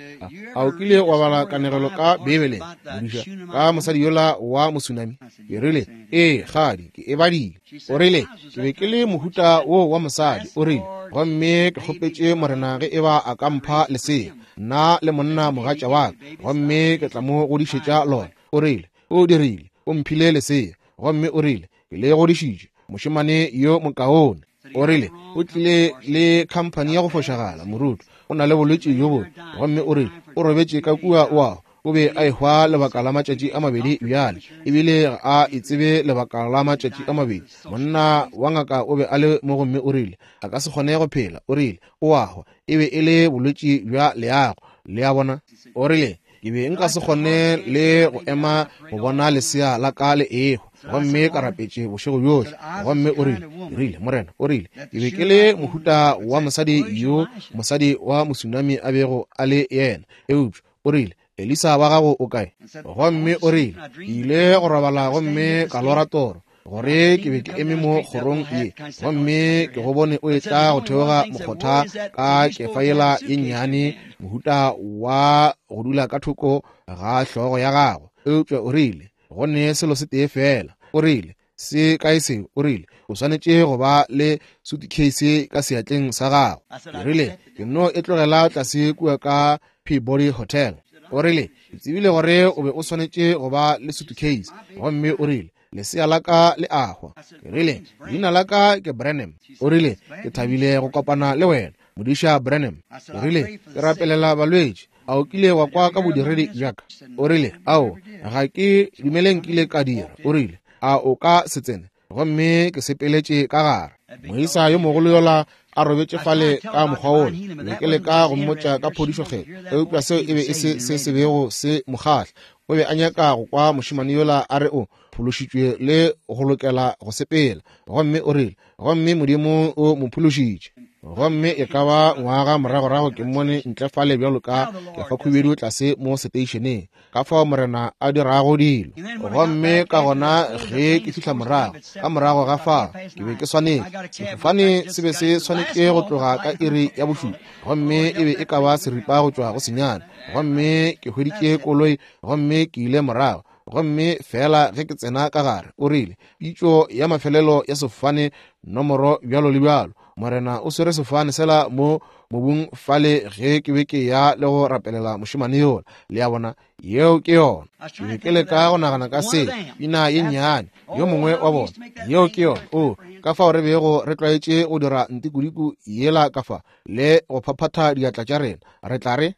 Speaker 1: a o kile wa bala kanegelo ka Beibeleng, modiša, ka mosadi yola wa mosunami? Ke rile, ee kgadi, ke e badile. O rile, ke be ke le mohuta wo wa mosadi. O rile, gomme ke kgopetše Morena ge eba a ka mpha lesea, nna le monna mogatša wa ka, gomme ke tla mo godišetša lona. O rile, o dirile, o mphile lesea, gomme o rile, ke le godišitše, mošemane yo mokaone. O rile, o tlile le khamphani ya go fošagala, moruti, o na le bolwetši bjo bobe. Gomme o rile, o robetše ka kua oa, o be a ehwa lebaka la matšatši a mabedi bjale, ebile ga a itsebe lebaka la matšatši a mabedi. Monna wa ngaka o be a le mo, gomme o rile, a ka se kgone go phela. O rile, o a hwa, e be e le bolwetši bja leago, le a bona. O rile, ke be nka se kgone le go ema go bona lesea la ka le ehwa, gomme ka rapetše bošego bjohle. Gomme o rile, rile, Morena, o rile, ke be ke le mohuta wa mosadi yo mosadi wa mosunami a bego a le yena, eupša o rile, Elisa wa gago o kae? Gomme o rile, ke ile go robala gomme ka lora toro gore ke be ke eme mo kgorong ye, gomme ke go bone o etla go theoga mokgotha ka kefa yela ye nnyane, mohuta wa go dula ka thoko ga hlogo ya gago. Eupša o rile, go ne selo se tee fela. O rile, se kae seo? O rile, o swanetše go ba le suitcase ka seatleng sa gago. Ke rile, ke nno e tlogela tlase kua ka Peabody Hotel. O rile, ke tsebile gore o be o swanetše go ba le suitcase. Gomme o rile, lesea la ka le a hwa. Ke rile, leina la ka ke Branham. O rile, ke thabile go kopana le wena, modiša Branham. O rile, ke rapelela balwetši. A o kile wa kwa ka bodiredi bja ka? O rile, ao, ga ke dumele nkile ka dira. O rile, a o ka se tsene? Gomme ke sepeletše ka gare. Moisa yo mogolo yola a robetše fale ka mokgwa wola, be ke leka go mmotša ka phodišokgetho, eupša seo e be e se se se bego se mo kgahla. O be a nyaka go kwa mošemane yola a re o phološitšwe le go lokela go sepela. Gomme o rile, gomme Modimo o mo phološitše. Gomme e ka ba ngwaga moragorago ke mmone ntle fale bjalo ka kefa khubedu tlase mo seteišeneng, ka fao Morena a dirago dilo. Gomme ka gona ge ke fihla morago, ka morago ga fao, ke be ke swanetše, sefofane se be se swanetše go tloga ka iri ya bošupa, gomme e be e ka ba seripa go tšwa go senyane. Gomme ke hweditše koloi gomme ke ile morago. Gomme fela ge ke tsena ka gare, o rile, pitšo ya mafelelo ya sefofane nomoro bjalo le bjalo, Morena o swere sefofane sela mo mobung fale ge ke be ke ya le go rapelela mošemane yola. Le a bona, yeo ke yona. Ke be ke leka go nagana ka se, pina ye nnyane, yo mongwe wa bona, yeo ke yona. O, ka fao re bego re tlwaetše go dira ntikudiku yela ka fa, le go phaphatha diatla tša rena, re tla re,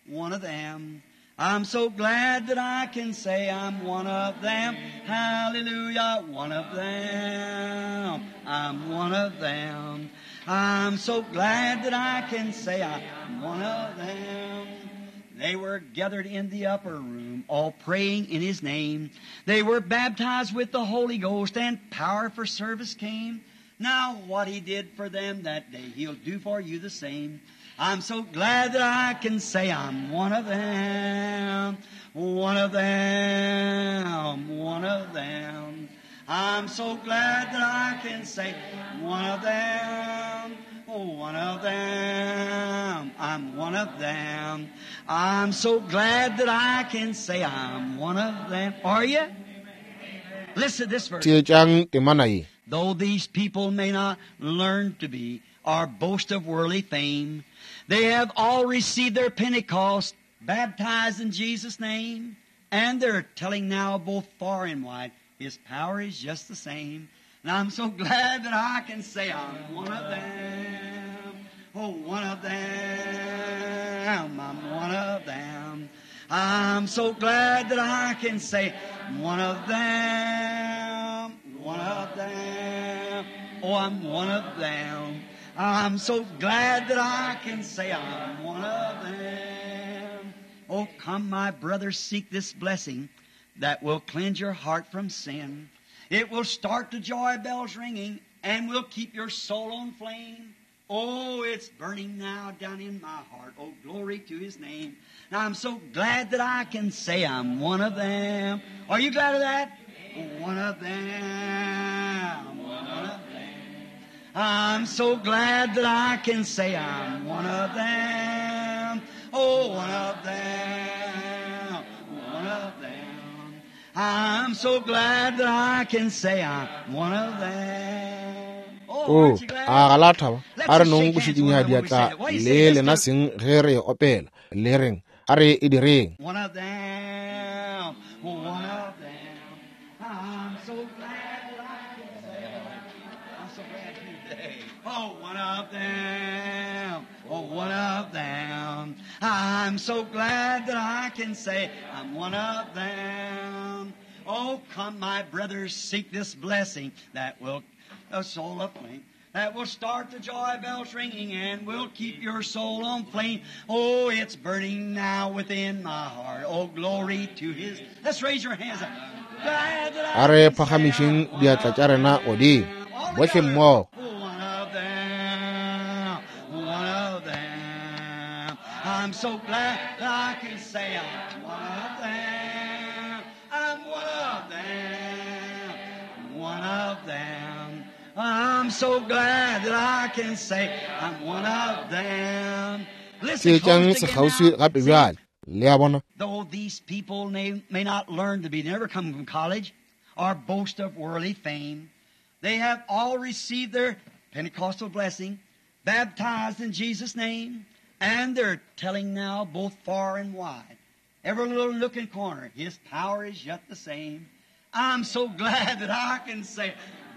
Speaker 2: one of them. I'm so glad that I can say I'm one of them. Hallelujah, one of them. I'm one of them. I'm so glad that I can say I'm one of them. They were gathered in the upper room, all praying in His name. They were baptized with the Holy Ghost, and power for service came. Now what He did for them that day, He'll do for you the same. I'm so glad that I can say I'm one of them, one of them, one of them. I'm so glad that I can say one of them, one of them, I'm one of them. I'm so glad that I can say I'm one of them. Are you? Listen to this verse.
Speaker 1: Theetšang temana ye.
Speaker 2: Though these people may not learn to be or boast of worldly fame, they have all received their Pentecost, baptized in Jesus' name, and they're telling now both far and wide, His power is just the same. And I'm so glad that I can say I'm one of them. Oh, one of them. I'm one of them. I'm so glad that I can say One of them, one of them. Oh, I'm one of them. I'm so glad that I can say I'm one of them. Oh, come, my brothers, seek this blessing that will cleanse your heart from sin. It will start the joy bells ringing and will keep your soul on flame. Oh, it's burning now down in my heart. Oh, glory to His name. Now, I'm so glad that I can say I'm one of them. Are you glad of that? One of them. One of them. I'm so glad that I can say I'm one of them. Oh, one of them. One of them. I'm so glad that I can say I'm one of them.
Speaker 1: O a ga la thaba a re nong go šikinya diatla le lena seng ge re opela le reng a re e direng.
Speaker 2: One of them, one of them. I'm so glad that I can say I'm so glad today. Oh, one of them, oh, one of them. I'm so glad that I can say I'm one of them. Oh, come, my brothers, seek this blessing that will a soul aflame, that will start the joy bells ringing and will keep your soul on flame. Oh, it's burning now within my heart. Oh, glory to His. Let's raise your hands up. Glad that
Speaker 1: A
Speaker 2: I
Speaker 1: re
Speaker 2: can say
Speaker 1: phagamišeng
Speaker 2: I'm one
Speaker 1: diatla
Speaker 2: of
Speaker 1: tša rena godimo
Speaker 2: them. All
Speaker 1: bohle
Speaker 2: together.
Speaker 1: mmogo.
Speaker 2: One of them, one of them. I'm so glad that I can say I'm one of them. I'm one of them, one of them. I'm so glad that I can say I'm one of them. Listen
Speaker 1: Theetšang
Speaker 2: close again
Speaker 1: sekgauswi
Speaker 2: now.
Speaker 1: gape
Speaker 2: See,
Speaker 1: bjale le a bona.
Speaker 2: though these people may, may not learn to be, never come from college or boast of worldly fame, they have all received their Pentecostal blessing, baptized in Jesus' name, and they're telling now both far and wide, every little nook and corner, His power is yet the same. I'm so glad that I can say,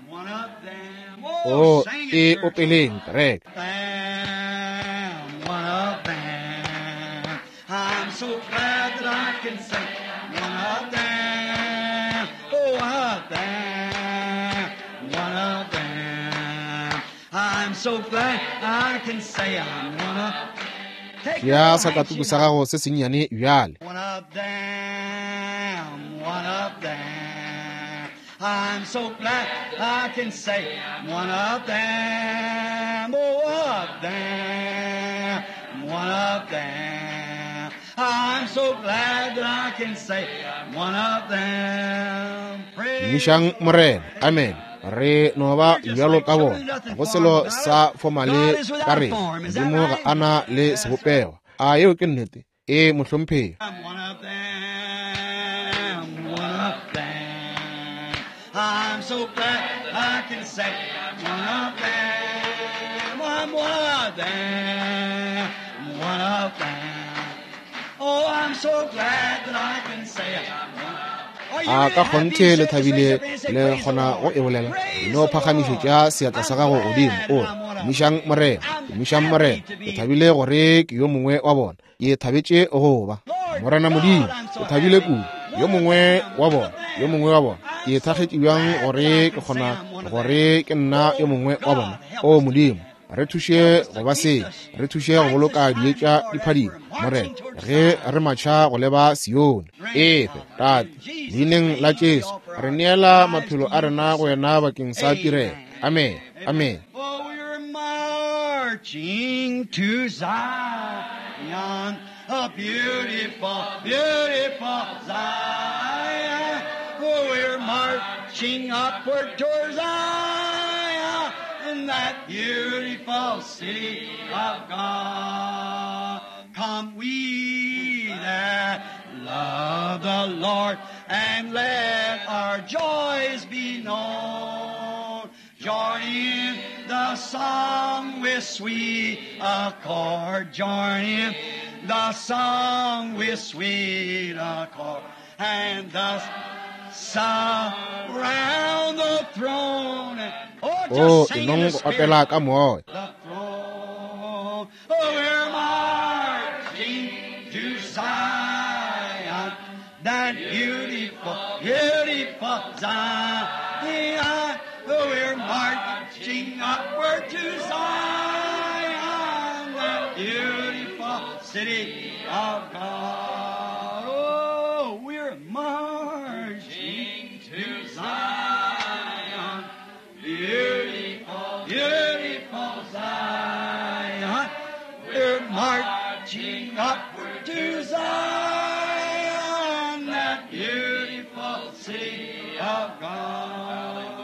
Speaker 2: one of them. Oh,
Speaker 1: O
Speaker 2: sing it,
Speaker 1: e
Speaker 2: church.
Speaker 1: opeleng kereke.
Speaker 2: Them, one of them. I'm so glad that I can say, one of them. Oh, one of them. One of them. I'm so glad I can say I'm one of. Take your
Speaker 1: Tšea
Speaker 2: little
Speaker 1: sakatuku
Speaker 2: handkerchief
Speaker 1: sa
Speaker 2: now.
Speaker 1: gago se sennyane bjale.
Speaker 2: One of them, one of them. I'm so glad I can say one of them, oh, one of them, one of them. I'm so glad that I can say one of them. Praise
Speaker 1: Tumišang
Speaker 2: the Lord.
Speaker 1: Morena. Amen. Re no ba
Speaker 2: We're just
Speaker 1: bjalo
Speaker 2: like
Speaker 1: ka
Speaker 2: children,
Speaker 1: bona.
Speaker 2: nothing
Speaker 1: Go
Speaker 2: formed
Speaker 1: selo
Speaker 2: about
Speaker 1: sa
Speaker 2: us. God
Speaker 1: formale
Speaker 2: is
Speaker 1: ka
Speaker 2: without
Speaker 1: rena.
Speaker 2: form. Is that
Speaker 1: Modimo ga
Speaker 2: right?
Speaker 1: a na le
Speaker 2: That's right.
Speaker 1: sebopego. A yeo ke nnete? E mohlomphegi.
Speaker 2: I'm one of them, one of them. I'm so glad I can say one of them. I'm one of them, one of them. Oh, I'm so glad that I can say I'm one. Are you
Speaker 1: A
Speaker 2: really
Speaker 1: ka
Speaker 2: happy?
Speaker 1: kgonthe
Speaker 2: Say
Speaker 1: le
Speaker 2: it, just raise
Speaker 1: thabile
Speaker 2: your hand and say,
Speaker 1: le
Speaker 2: Praise the
Speaker 1: kgona go
Speaker 2: Lord.
Speaker 1: e bolela.
Speaker 2: Praise
Speaker 1: No
Speaker 2: the
Speaker 1: phagamišetša
Speaker 2: Lord.
Speaker 1: seatla sa
Speaker 2: I'm
Speaker 1: gago godimo
Speaker 2: glad
Speaker 1: o
Speaker 2: that
Speaker 1: re
Speaker 2: I'm one of them.
Speaker 1: tumišang Morena,
Speaker 2: I'm
Speaker 1: tumišang
Speaker 2: happy
Speaker 1: Morena.
Speaker 2: to
Speaker 1: Ke
Speaker 2: be
Speaker 1: thabile gore ke yo mongwe wa bona. Ke thabetše go ba
Speaker 2: Lord
Speaker 1: Morena Modimo.
Speaker 2: God, I'm
Speaker 1: Ke
Speaker 2: so
Speaker 1: thabile
Speaker 2: happy.
Speaker 1: kudu. Yo
Speaker 2: One of
Speaker 1: mongwe
Speaker 2: them,
Speaker 1: wa
Speaker 2: one
Speaker 1: bona,
Speaker 2: of
Speaker 1: yo
Speaker 2: them.
Speaker 1: mongwe wa bona. Ke
Speaker 2: I'm so
Speaker 1: thakgetše bjang
Speaker 2: glad that
Speaker 1: gore
Speaker 2: I
Speaker 1: ke
Speaker 2: can say
Speaker 1: kgona
Speaker 2: I'm one of them.
Speaker 1: gore ke nna yo
Speaker 2: Oh
Speaker 1: mongwe wa bona.
Speaker 2: God, help
Speaker 1: O
Speaker 2: us to be
Speaker 1: Modimo,
Speaker 2: happy.
Speaker 1: re thuše
Speaker 2: Help us
Speaker 1: go
Speaker 2: to
Speaker 1: ba
Speaker 2: keep
Speaker 1: se,
Speaker 2: the
Speaker 1: re thuše go
Speaker 2: lights
Speaker 1: boloka
Speaker 2: shining,
Speaker 1: dietša
Speaker 2: Lord,
Speaker 1: di
Speaker 2: as
Speaker 1: phadima
Speaker 2: we're
Speaker 1: Morena
Speaker 2: marching towards
Speaker 1: ge
Speaker 2: Zion.
Speaker 1: re matšha go leba Sione.
Speaker 2: Grant,
Speaker 1: Efe
Speaker 2: Father,
Speaker 1: Tate,
Speaker 2: in Jesus'
Speaker 1: leineng la
Speaker 2: name we
Speaker 1: Jesu
Speaker 2: offer
Speaker 1: re
Speaker 2: our
Speaker 1: neela
Speaker 2: lives
Speaker 1: maphelo
Speaker 2: to
Speaker 1: a
Speaker 2: you
Speaker 1: rena
Speaker 2: for
Speaker 1: go wena bakeng sa tirelo.
Speaker 2: Amen.
Speaker 1: Amen.
Speaker 2: Amen.
Speaker 1: Amen.
Speaker 2: Oh, we're marching to Zion, a beautiful, beautiful Zion. Oh, we're marching upward toward Zion, in that beautiful city of God. Come we that love the Lord, and let our joys be known. Join in the song with sweet accord. Join in the song with sweet accord. And thus surround the throne. Oh,
Speaker 1: O
Speaker 2: just sing in
Speaker 1: enong
Speaker 2: the
Speaker 1: go
Speaker 2: Spirit.
Speaker 1: opela ka moya.
Speaker 2: The throne. Oh, we're marching to Zion, that beautiful, beautiful Zion. We're marching upward to Zion, that beautiful city of God. Oh, we're marching to Zion, beautiful, beautiful Zion. We're marching upward to Zion, that beautiful city of God.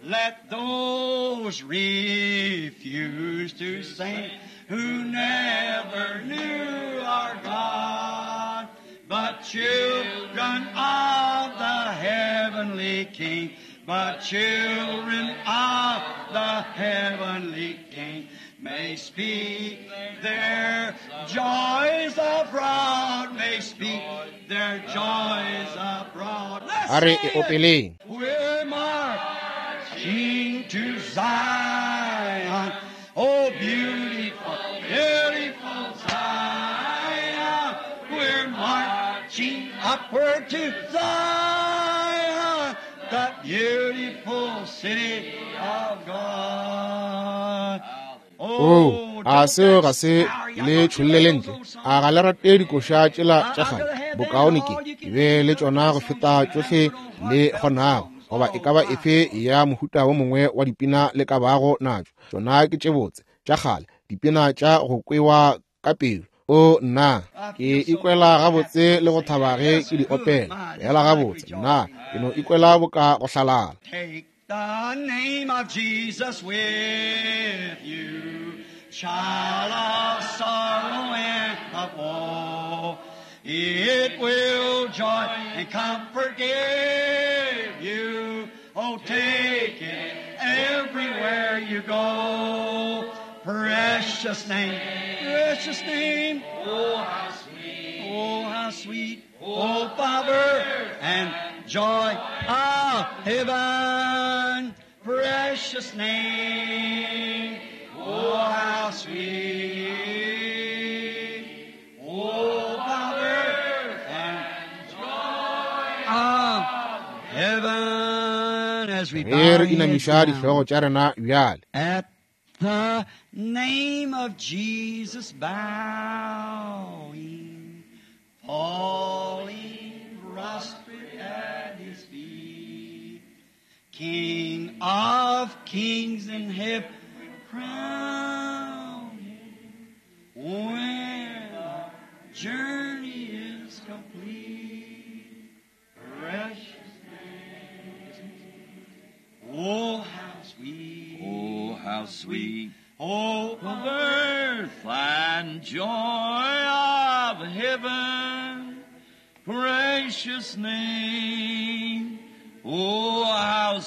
Speaker 2: Let those refuse to sing who never knew our God, but children of the heavenly King, but children of the heavenly King may speak their joys abroad, may speak their joys abroad. Let's
Speaker 1: A re
Speaker 2: sing
Speaker 1: e
Speaker 2: it.
Speaker 1: opeleng.
Speaker 2: We're marching to Zion. Oh, beautiful, beautiful Zion. We're marching upward to Zion, that beautiful city of God.
Speaker 1: Oo, a seo ga se le tšhollele ntle? A ga le rate dikoša tšela tša kgale? Bokaone ke ke be le tšona go feta tšohle le kgonago, goba e ka ba efe ya mohuta wo mongwe wa dipina le ka bago natšo. Tšona ke tše botse tša kgale, dipina tša go kwewa ka pelo. O nna, ke ikwela gabotse le go thaba ge ke di opela. Fela gabotse, nna ke no ikwela boka go hlalala.
Speaker 2: Take the name of Jesus with you, child of sorrow and of woe. It will joy and comfort give you. Oh, take it everywhere you go. Precious name, precious name. Oh, how sweet. Oh, how sweet. Oh, Father, and joy of heaven. Precious name. Oh, how sweet. Oh, Father, and joy of heaven. As we
Speaker 1: Ge
Speaker 2: bow
Speaker 1: re
Speaker 2: our heads
Speaker 1: inamiša
Speaker 2: now.
Speaker 1: dihlogo tša rena bjale.
Speaker 2: At the name of Jesus bowing, falling prostrate at his feet, King of kings and heaven crowned, when our journey is complete, precious name, oh how sweet.
Speaker 3: Oh, how sweet
Speaker 2: Oh,
Speaker 3: the birth and joy of heaven, precious name. Oh, how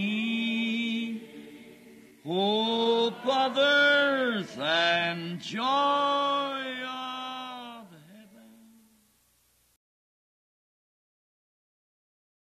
Speaker 3: sweet. Hope of earth and joy